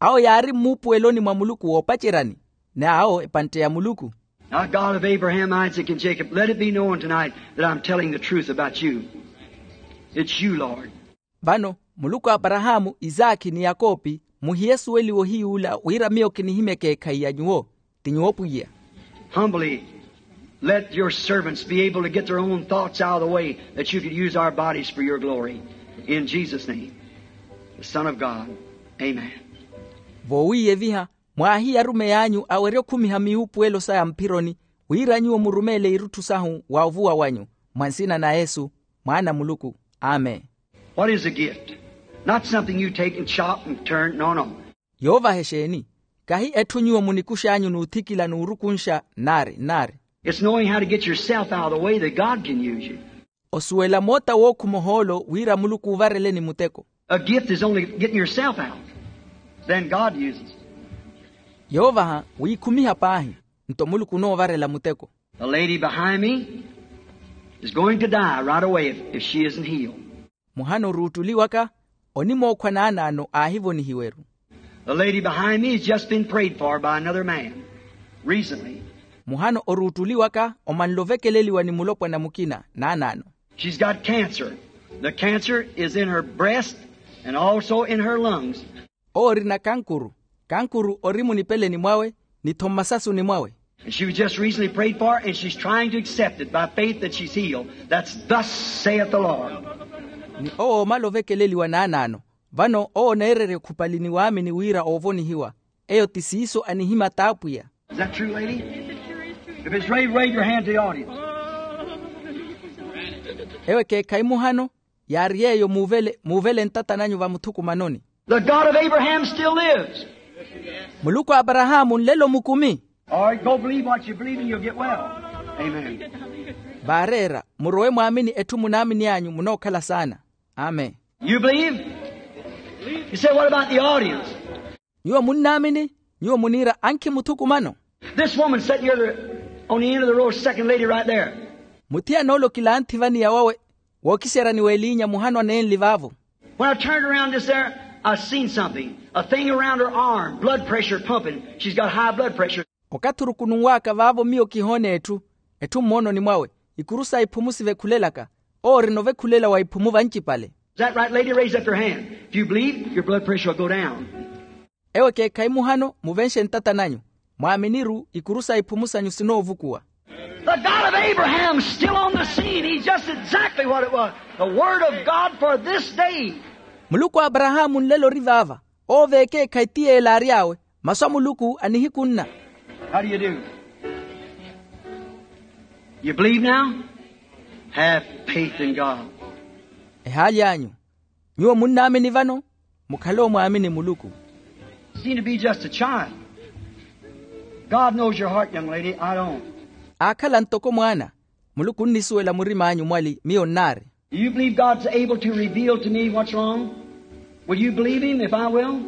Awo yaari mmuupuweloni mwa muluku woopaceryani, ni awo epantte ya muluku. Now, God of Abraham, Isaac, and Jacob, let it be known tonight that I'm telling the truth about you. It's you, Lord. Vano muluku a aparahaamu, isaakhi ni yakoopi, muhiye esuweliwo hiy'ula wira miyo kinihimya ekeekhayi ya nyuwo. Ti nyuwo pwiya. Humbly let your servants be able to get their own thoughts out of the way that you could use our bodies for your glory. In Jesus' name, the Son of God. Amen. Voowiiyeviha mwaahiye arumeyi anyu awerye okhumiha miwuupuwelo saya mphironi, wira nyuwo murumeele irutthu sahu wa ovuwa wanyu, mwa nsina na yesu, mwaana a muluku. Amen. What is a gift? Not something you take and chop and turn. No, no. Yoovaha exeeni? Kahi etthu nyuwo munikux'anyu n'uthikila n'urukunxa nnaari nnaari. It's knowing how to get yourself out of the way that God can use you. Osuwela moota wookhuma ohoolo wira muluku uuvareleni muteko. A gift is only getting yourself out. Then God uses. Yoovaha wiikhumiha paahi, nto muluku onoovarela muteko. The lady behind me is going to die right away if, if she isn't healed. Muhana oruuttuliwaka onimookhwa naanaano aahivonihiwe-ru. The lady behind me has just been prayed for by another man recently. Muhano oruuttuliwaka omanle ovekeleliwa ni mulopwana mukina naanaano. She's got cancer. The cancer is in her breast and also in her lungs. Owo orina kankuru. Kankuru ori munipeleni mwawe ni-tho mmasasuni mwawe. And she was just recently prayed for, and she's trying to accept it by faith that she's healed. That's thus saith the Lord. Ni owo omala ovekeleliwa naanaano. Vano owo oneererya okhupali ni waamini wira oovonihiwa. Eyo ti siiso anihimya t'apwiya. Is that true, lady? If it's right, wave your hand to the audience. Ewo ekeekhayi muhano. Yaari yeeyo muuvele muuvele ntata nanyu vamuthukumanoni. The God of Abraham still lives. Muluku a aparahaamu nlelo mukumi. All right, go believe what you believe and you'll get well. Amen. Vaareera, murowe mwaamini etthu munaamini anyu munookhala saana. Amen. You believe? You say, what about the audience? Nyuwo munnaamini? Nyuwo muniira ankhi muthukumano. This woman sitting here on the end of the row, second lady right there. Muthiyana ole okilanthi vaniya wawe wookiseryani w'eliinya muhano aneenli vaavo. When I turned around this there, I seen something, a thing around her arm, blood pressure pumping. She's got high blood pressure. Okathi orukununw'aka vaavo miyo kihoona etthu. Etthu mmoononi mwawe, ikuru sa iphumu sivekhulelaka. Owo orina ovekhulela wa iphumu vancipale. Is that right, lady? Raise up your hand. If you believe, your blood pressure will go down. Ewo ekeekhayi muhano muvenxe ntata nanyu. Mwaaminiru ikuru sa iphumu sanyu sinoovukuwa. The God of Abraham still on the scene. He's just exactly what it was. The word of God for this day. Muluku a aparahaamu nlelo ori vaava. Owo v'ekeekhayi ti yeela aary'awe. Masu a muluku a nihiku nna. How do you do? You believe now? Have faith in God. Ehaali anyu. Nyuwo munnaamini vano. Mukhale omwaamini muluku. Seem to be just a child. God knows your heart, young lady. I don't. Aakhala ntoko mwaana. Muluku onnisuwela murim'anyu mwali miyo nnaari. Do you believe God's able to reveal to me what's wrong? Will you believe him if I will?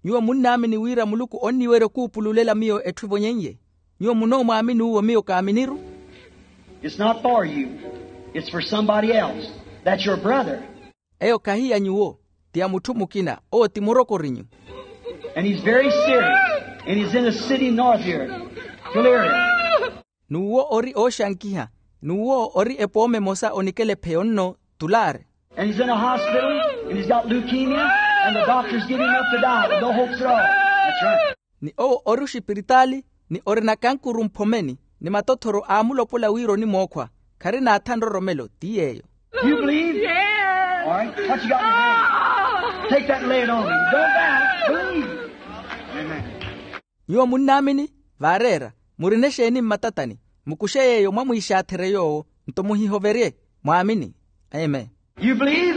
Nyuwo munnaamini wira muluku onniwerya okuupululela miyo etthu evonyen'ye? Nyuwo munoomwaamini uwo miyo kaaminiru? It's not for you. It's for somebody else. That's your brother. Eyo khahi ya nyuwo. Ti ya mutthu mukina. Owo ti murokorinyu. And he's very serious. And he's in the city north here. Delirium. N'uwo ori ooxankiha. N'uwo ori epooma emosa onikela epheyo nno. Tulaari. And he's in a hospital, and he's got leukemia, and the doctor's giving up to die with no hopes at all. That's right. Ni owo ori oxipiritaali, ni orina kankuru mphomeni, ni matothoro aamulopola wira onimookhwa. Kharina atha nroromelo ti yeeyo. You believe? All right. What you got in your hand? Take that and lay it on me. Don't doubt. Believe. Amen. Nyuwo munnaamini? Vaareera, murina exeeni mmatatani? Mukuxe yeeyo mwamwiixaatherye yoowo. Nto muhihoverye. Mwaamini. Amen. You believe?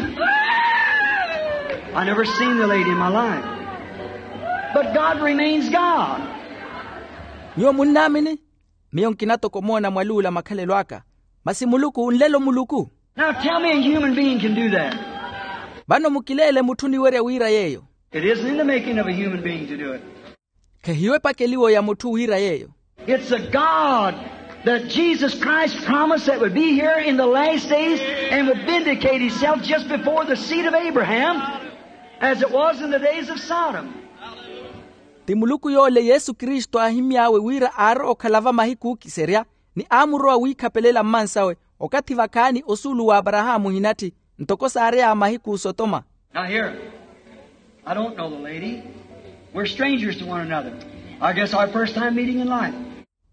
I never seen the lady in my life. But God remains God. Nyuwo munnaamini? Miyo nkina toko omoona mwaluula makhalelo aka. Masi muluku nlelo muluku. Now tell me a human being can do that. Vano mukileele mutthu oniwerya wira yeeyo. It isn't in the making of a human being to do it. Khehiyo epakeliwo ya mutthu wira yeeyo. It's a God that Jesus Christ promised that would be here in the last days and would vindicate himself just before the seed of Abraham, as it was in the days of Sodom. Ti muluku yoole yesu kristu aahimy'awe wira aarowa okhala vamahiku ookiserya, ni aamurowa wiikhapelela mmansawe, okathi vakhaani osuulu w'aparahaamu ohinatthi, ntoko saary'aya mahiku osotoma. Now here, I don't know the lady. We're strangers to one another. I guess our first time meeting in life.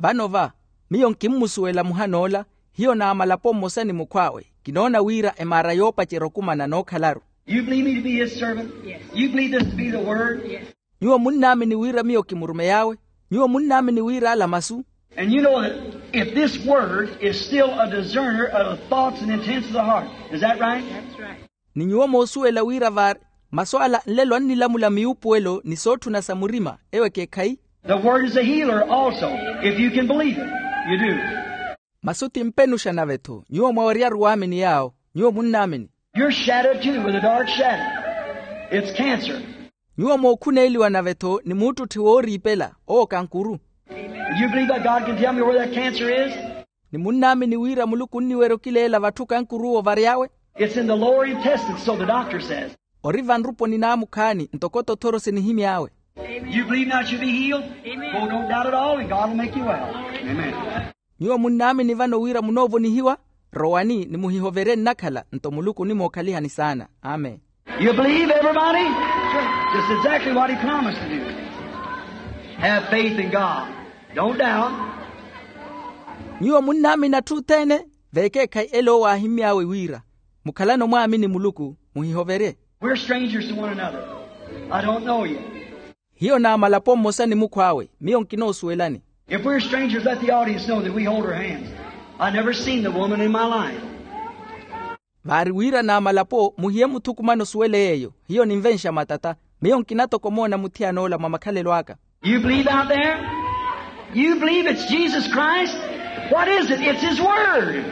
Vano va, miyo nkimmusuwela muhan'ola. Hiyo naamalapo mmosa ni mukhw'awe. Kinoona wira emaara yoopacerya okumana nookhalaru. You believe me to be his servant? Yes. You believe this to be the word? Yes. Nyuwo munnaamini wira miyo kimurumey'awe? Nyuwo munnaamini wira ala masu? And you know that if this word is still a discerner of the thoughts and intents of the heart, is that right? That's right. Ni nyuwo moosuwela wira vaari masu ala nlelo annilamula miwuupuwelo ni sootthuna sa murima, ewo ekeekhayi. The word is a healer also, if you can believe it. You do. Masu ti mpenuxa nave-tho nyuwo mwaweryaru waamini yaawo. Nyuwo munnaamini? You're shadowed too with a dark shadow. It's cancer. Nyuwo mookhuneeliwa nave-tho ni muuttutthi wooriipela, owo kankuru. Do you believe that God can tell me where that cancer is? Ni munnaamini wira muluku onniwerya okileela vatthu kankuruwo ovary'awe? It's in the lower intestine, so the doctor says. Ori vanruponi naamukhaani ntoko tothoro sinihimy'awe. You believe now you'll be healed? Well, don't doubt at all, and God will make you well. Amen. Nyuwo munnaamini vano wira munoovonihiwa? Rowani ni muhihoverye nnakhala nto muluku onimookhalihani saana. Amen. You believe, everybody? Just exactly what he promised to do. Have faith in God. Don't doubt. Nyuwo munnaamini atthu othene? V'ekeekhayi ele owo aahimmy'awe wira, mukhalano mwaamini muluku, muhihoverye. We're strangers to one another. I don't know you. Hiyo naamalapo mmosa ni mukhw'awe, miyo nkinoosuwelani. If we're strangers, let the audience know that we hold our hands. I never seen the woman in my life. Vaari wira naamalapo muhiye muthukumano osuwele yeeyo. Hiyo ninvenxa matata. Miyo nkina toko omoona muthiyan'ola mwa makhalelo aka. You believe out there? You believe it's Jesus Christ? What is it? It's his word.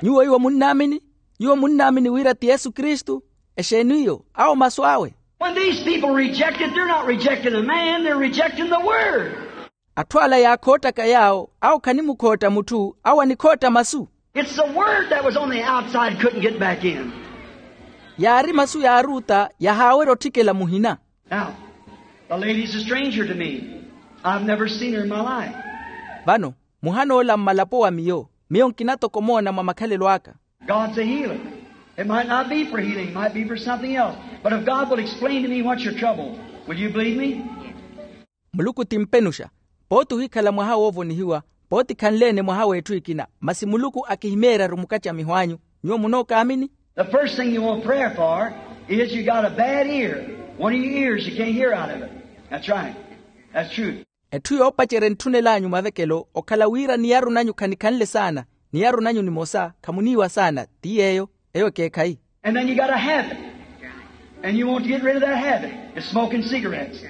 Nyuwo iwo munnaamini? Nyuwo munnaamini wira ti yesu kristu? Exeeni iyo? Awo masu awe. When these people reject it, they're not rejecting a man, they're rejecting the word. Atthu ala yaakhoottaka yaawo, awo khanimukhootta mutthu, awo anikhootta masu. It's the word that was on the outside couldn't get back in. Yaari masu yaaruutta yahaawerya otthikela muhina. Now, the lady's a stranger to me. I've never seen her in my life. Vano muhan'ola mmalapo wa miyo, miyo nkina toko omoona mwa makhalelo aka. God's a healer. It might not be for healing, it might be for something else. But if God will explain to me what's your trouble, will you believe me? Muluku ti mpenuxa. Pooti ohikhala mwaha woovonihiwa, pooti khanle-ene mwaha w'etthu ekina, masi muluku akihimeerya-ru mukattamiho anyu. Nyuwo munookaamini? The first thing you want prayer for is you got a bad ear. One of your ears, you can't hear out of it. That's right. That's true. Etthu yoopacerya entthunel'anyu mavekelo okhala wira niyaru nanyu khanikhanle saana, niyaru nanyu nimosa khamuniiwa saana. Ti yeeyo. Eyo ekeekhayi. And then you got a habit. And you want to get rid of that habit. It's smoking cigarettes.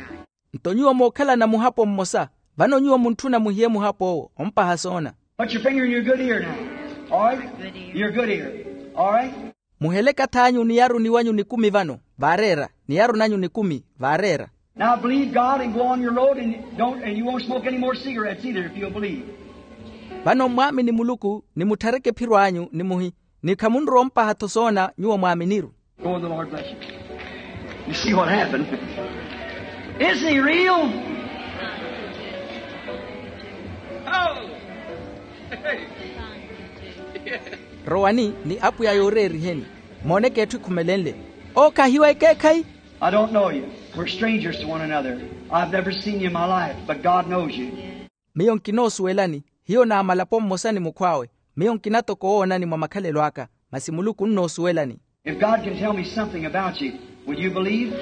Nto nyuwo mookhalana muhapo mmosa, vano nyuwo muntthuna muhiye muhap'owo ompaha soona. Put your finger in your good ear now. All right? Your good ear. All right? Muhele ekath'anyu niyaruni wanyu nikumi vano. Vaareera. Niyaruni anyu nikumi. Vaareera. Now believe God and go on your road and don't, and you won't smoke any more cigarettes either if you'll believe. Vano mmwaamini muluku ni mutthareke ephiro anyu ni muhi, ni khamunrowa ompaha-tho soona nyuwo mwaaminiru. Go and the Lord bless you. You see what happened? Isn't he real? Oh! Rowani ni apwiya yooreeriheni. Mooneke etthu ekhumelenle. Owo khahiwa ekeekhayi. I don't know you. We're strangers to one another. I've never seen you in my life, but God knows you. Miyo nkinoosuwelani. Hiyo naamalapo mmosa ni mukhw'awe. Miyo nkina toko owoonani mwa makhalelo aka, masi muluku onnoosuwelani. If God can tell me something about you, will you believe?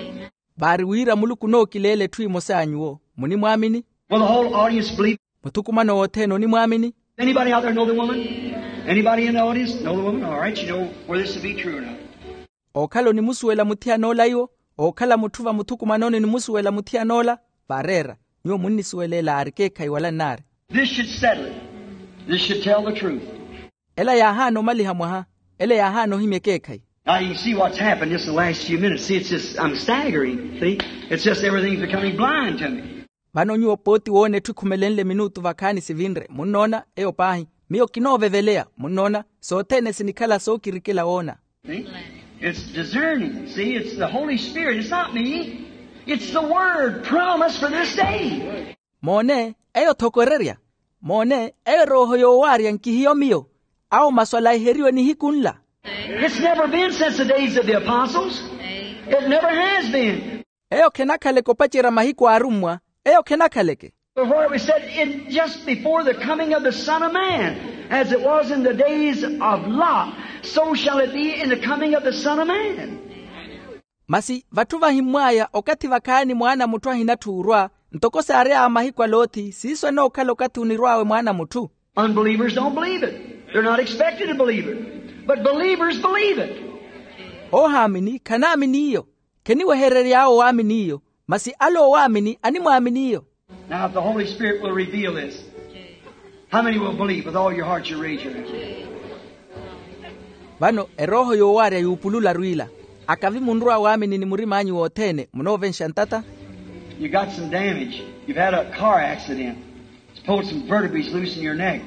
Vaari wira muluku onookileela etthu emosa ya nyuwo, munimwaamini? Will the whole audience believe? Muthukumano wothene onimwaamini? Anybody out there know the woman? Anybody in the audience know the woman? All right, you know whether this will be true or not. Ookhala onimusuwela muthiyan'ola iwo? Ookhala mutthu va muthukumanoni onimusuwela muthiyan'ola? Vaareera. Nyuwo munnisuweleela aari ekeekhayi wala nnaari. This should settle it. This should tell the truth. Ela yaahaana omaliha mwaha. Ela yaahaana ohimya ekeekhayi. Now you can see what's happened just the last few minutes. See, it's just, I'm staggering. See, it's just everything's becoming blind to me. Vano nyuwo pooti woona etthu ekhumelenle minutu vakhaani sivinre munnoona. Eyo paahi. Miyo kinooveveleya munnoona. Sothene sinikhala sookirikela woona. See? It's discerning. See, it's the Holy Spirit. It's not me. It's the word promised for this day. Moone, eyo thokorerya. Moone, eyo erooho yoowaarya nkihiyo miyo. Awo masu alaiheriwe nihiku nla. It's never been since the days of the apostles. It never has been. Eyo khenakhaleke opacerya mahiku a arummwa. Eyo khenakhaleke. Before it was said, in just before the coming of the Son of Man, as it was in the days of Lot, so shall it be in the coming of the Son of Man. Masi vatthu vahimmw'aya okathi vakhaani mwaana a mutthu ahinatthu orwa, ntoko saariy'awe mahiku a loti siiso enookhala okathi onirw'awe mwaana a mutthu. Unbelievers don't believe it. They're not expected to believe it. But believers believe it. Oohaamini khanaamini iyo. Kheniweherery'awe owaamini iyo. Masi ale owaamini animwaamini iyo. Now if the Holy Spirit will reveal this, how many will believe with all your heart? You raise your hand. Vano erooho yoowaarya yuupulularu ila, akavi munrowa waamini ni murim'anyu wothene munoovenxa ntata. You got some damage. You've had a car accident. It's pulled some vertebrae loose in your neck.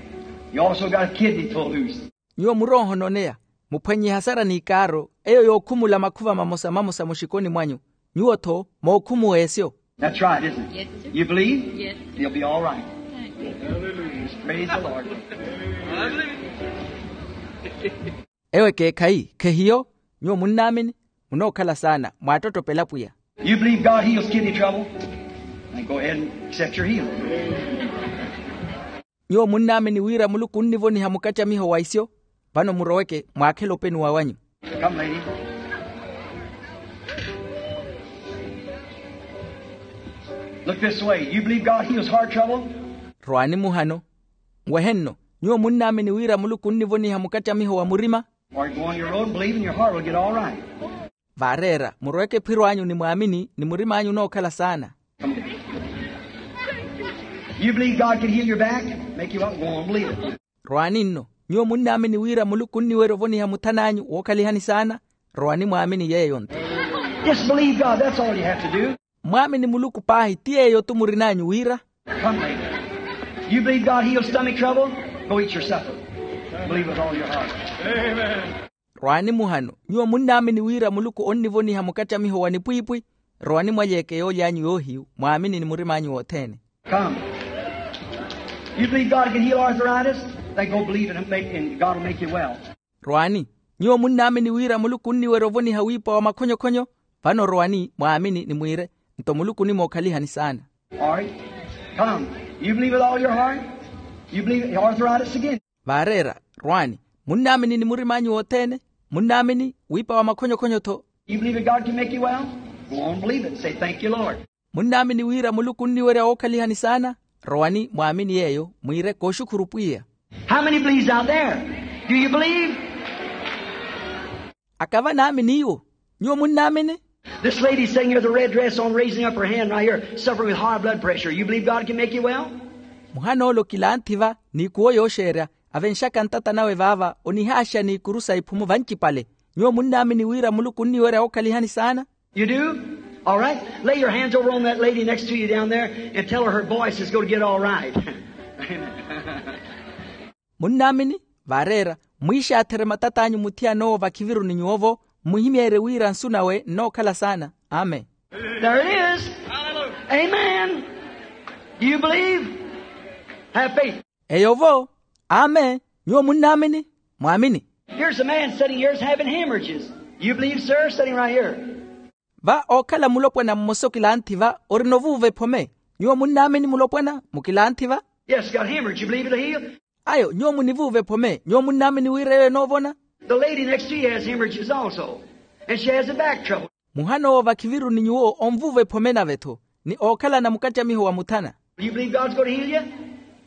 You also got a kidney pulled loose. Nyuwo muroohononeya, muphwannye ehasara n'ikaaro eyo yookhumula makhuva mamosa mamosa muxikoni mwanyu. Nyuwo-tho mookhumuwa esyo. That's right, isn't it? You believe? You'll be all right. Praise the Lord. Ewe ekeekhayi khehiyo? Nyuwo munnaamini? Munookhala saana mwaattottopela pwiya. You believe God heals kidney trouble? Then go ahead and accept your healing. Nyuwo munnaamini wira muluku onnivoniha mukattamiho wa isyo? Vano muroweke mwaakhele openuwa wanyu. Come, lady. Look this way. You believe God heals heart trouble? Rwaani muhano. Nwehe nno. Nyuwo munnaamini wira muluku onnivoniha mukattamiho wa murima? Or go on your road and believe and your heart will get all right. Vaareera muroweke ephiro anyu ni mwaamini ni murim'anyu onookhala saana. You believe God can heal your back? Make you up and go on believe it. Rwaani nno. Nyuwo munnaamini wira muluku onniwerya ovoniha muthan'anyu wookhalihani saana? Rwaani mwaamini yeeyo nto. Just believe God, that's all you have to do. Mwaamini muluku paahi ti yeeyo tu murin'anyu wira. Come later. You believe God heals stomach trouble? Go eat your supper. Believe with all your heart. Rwaani muhano. Nyuwo munnaamini wira muluku onnivoniha mukattamiho wa nipwiipwi? Rwaani mwalyeeke yooly'anyu yoohiyu mwaamini ni murim'anyu wothene. Come. You believe God can heal arthritis? Then go believe it and make, and God will make you well. Rwaani. Nyuwo munnaamini wira muluku onniwerya ovoniha wiipa wa makhonyokhonyo? Vano rwaani mwaamini ni mwiire, nto muluku onimookhalihani saana. All right. Come. You believe with all your heart? You believe arthritis again? Vaareera. Rwaani. Munnaamini ni murim'anyu wothene? Munnaamini wiipa wa makhonyokhonyo-tho? You believe that God can make you well? Go on, believe it. Say, thank you, Lord. Munnaamini wira muluku onniwerya wookhalihani saana? Rowani mwaamini yeeyo mwiire kooxukhuru pwiya. How many believes out there? Do you believe? Akava naamini iwo? Nyuwo munnaamini? This lady sitting here with a red dress on, raising up her hand right here, suffering with high blood pressure, you believe God can make you well? Muhana ole okilanthiva n'ikuwo yooxeerya, avenxaka ntata nawe vaava onihaaxa n'ikuru sa iphumu vancipale. Nyuwo munnaamini wira muluku onniwerya wookhalihani saana? You do? All right. Lay your hands over on that lady next to you down there and tell her her voice is going to get all right. Munnaamini? Vaareera, mwiixaatherye matat'anyu muthiyana owo vakhiviru ni nyuwo-vo, mmuhimyeerye wira nsu nawe nnookhala saana. Amen. There it is. Amen. Do you believe? Have faith. Eyo-vo. Amen. Nyuwo munnaamini? Mwaamini. Here's a man sitting here is having hemorrhages. You believe, sir, sitting right here? Va ookhala mulopwana mmosa okilanthiva orina ovuuva ephome. Nyuwo munnaamini mulopwana mukilanthiva? Yes, got hemorrhage. You believe it'll heal? Ayo nyuwo munivuuva ephome. Nyuwo munnaamini wira eyo enoovona? The lady next to you has hemorrhages also. And she has a back trouble. Muhana owo vakhiviru ni nyuwo onvuuva ephome nave-tho, ni ookhalana mukattamiho wa muthana. You believe God's going to heal you?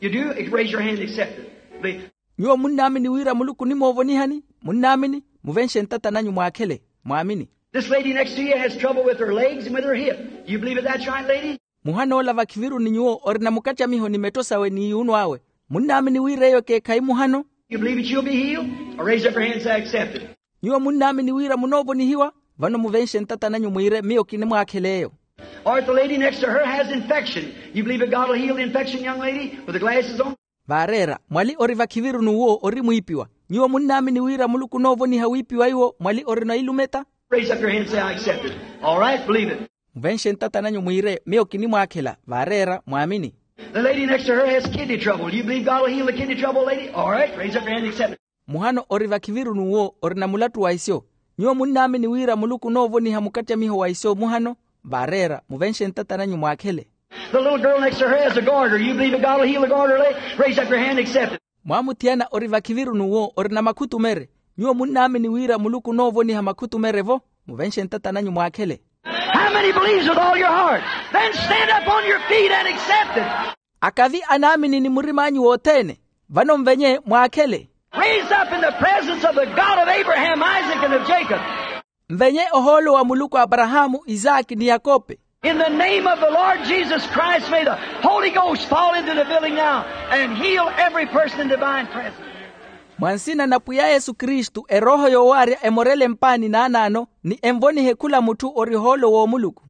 You do? Raise your hand and accept it. Believe. Nyuwo munnaamini wira muluku onimoovonihani? Munnaamini? Muvenxe ntata nanyu mwaakhele. Mwaamini. This lady next to you has trouble with her legs and with her hip. You believe that that's right, lady? Muhana ola vakhiviru ni nyuwo orina mukattamiho ni metto sawe n'iyuuno awe. Munnaamini wira eyo ekeekhayi muhano? You believe that you'll be healed? Or raise up your hand and say, I accept it. Nyuwo munnaamini wira munoovonihiwa? Vano muvenxe ntata nanyu mwiire miyo kinimwaakhela eyo. Or if the lady next to her has infection, you believe that God will heal the infection, young lady, with the glasses on? Vaareera, mwali ori vakhiviru n'uwo ori mwiipiwa. Nyuwo munnaamini wira muluku onoovoniha wiipiwa iwo mwali orina ilumeta? Raise up your hand and say, I accept it. All right, believe it. Muvenxe ntata nanyu mwiire miyo kinimwaakhela. Vaareera mwaamini. The lady next to her has kidney trouble. You believe God will heal the kidney trouble, lady? All right, raise up your hand and accept it. Muhano ori vakhiviru n'uwo orina mulattu wa isyo. Nyuwo munnaamini wira muluku onoovoniha mukattamiho wa isyo muhano? Vaareera muvenxe ntata nanyu mwaakhele. The little girl next to her has a goiter. You believe that God will heal the goiter, lady? Raise up your hand and accept it. Mwaamuthiyana ori vakhiviru n'uwo orina makhutumere. Nyuwo munnaamini wira muluku onoovoniha makhutumere-vo? Muvenxe ntata nanyu mwaakhele. How many believes with all your heart? Then stand up on your feet and accept it. Akavi anaamini ni murim'anyu wothene, vano mvenye mwaakhele. Raise up in the presence of the God of Abraham, Isaac, and of Jacob. Mvenye ohoolo wa muluku a aparahaamu, isaki ni yakope. In the name of the Lord Jesus Christ, may the Holy Ghost fall into the building now and heal every person in divine presence. Mwa nsina na pwiya yesu kristu erooho yoowaarya emorele mpaani naanaano, ni envonihe khula mutthu ori ohoolo w'omuluku.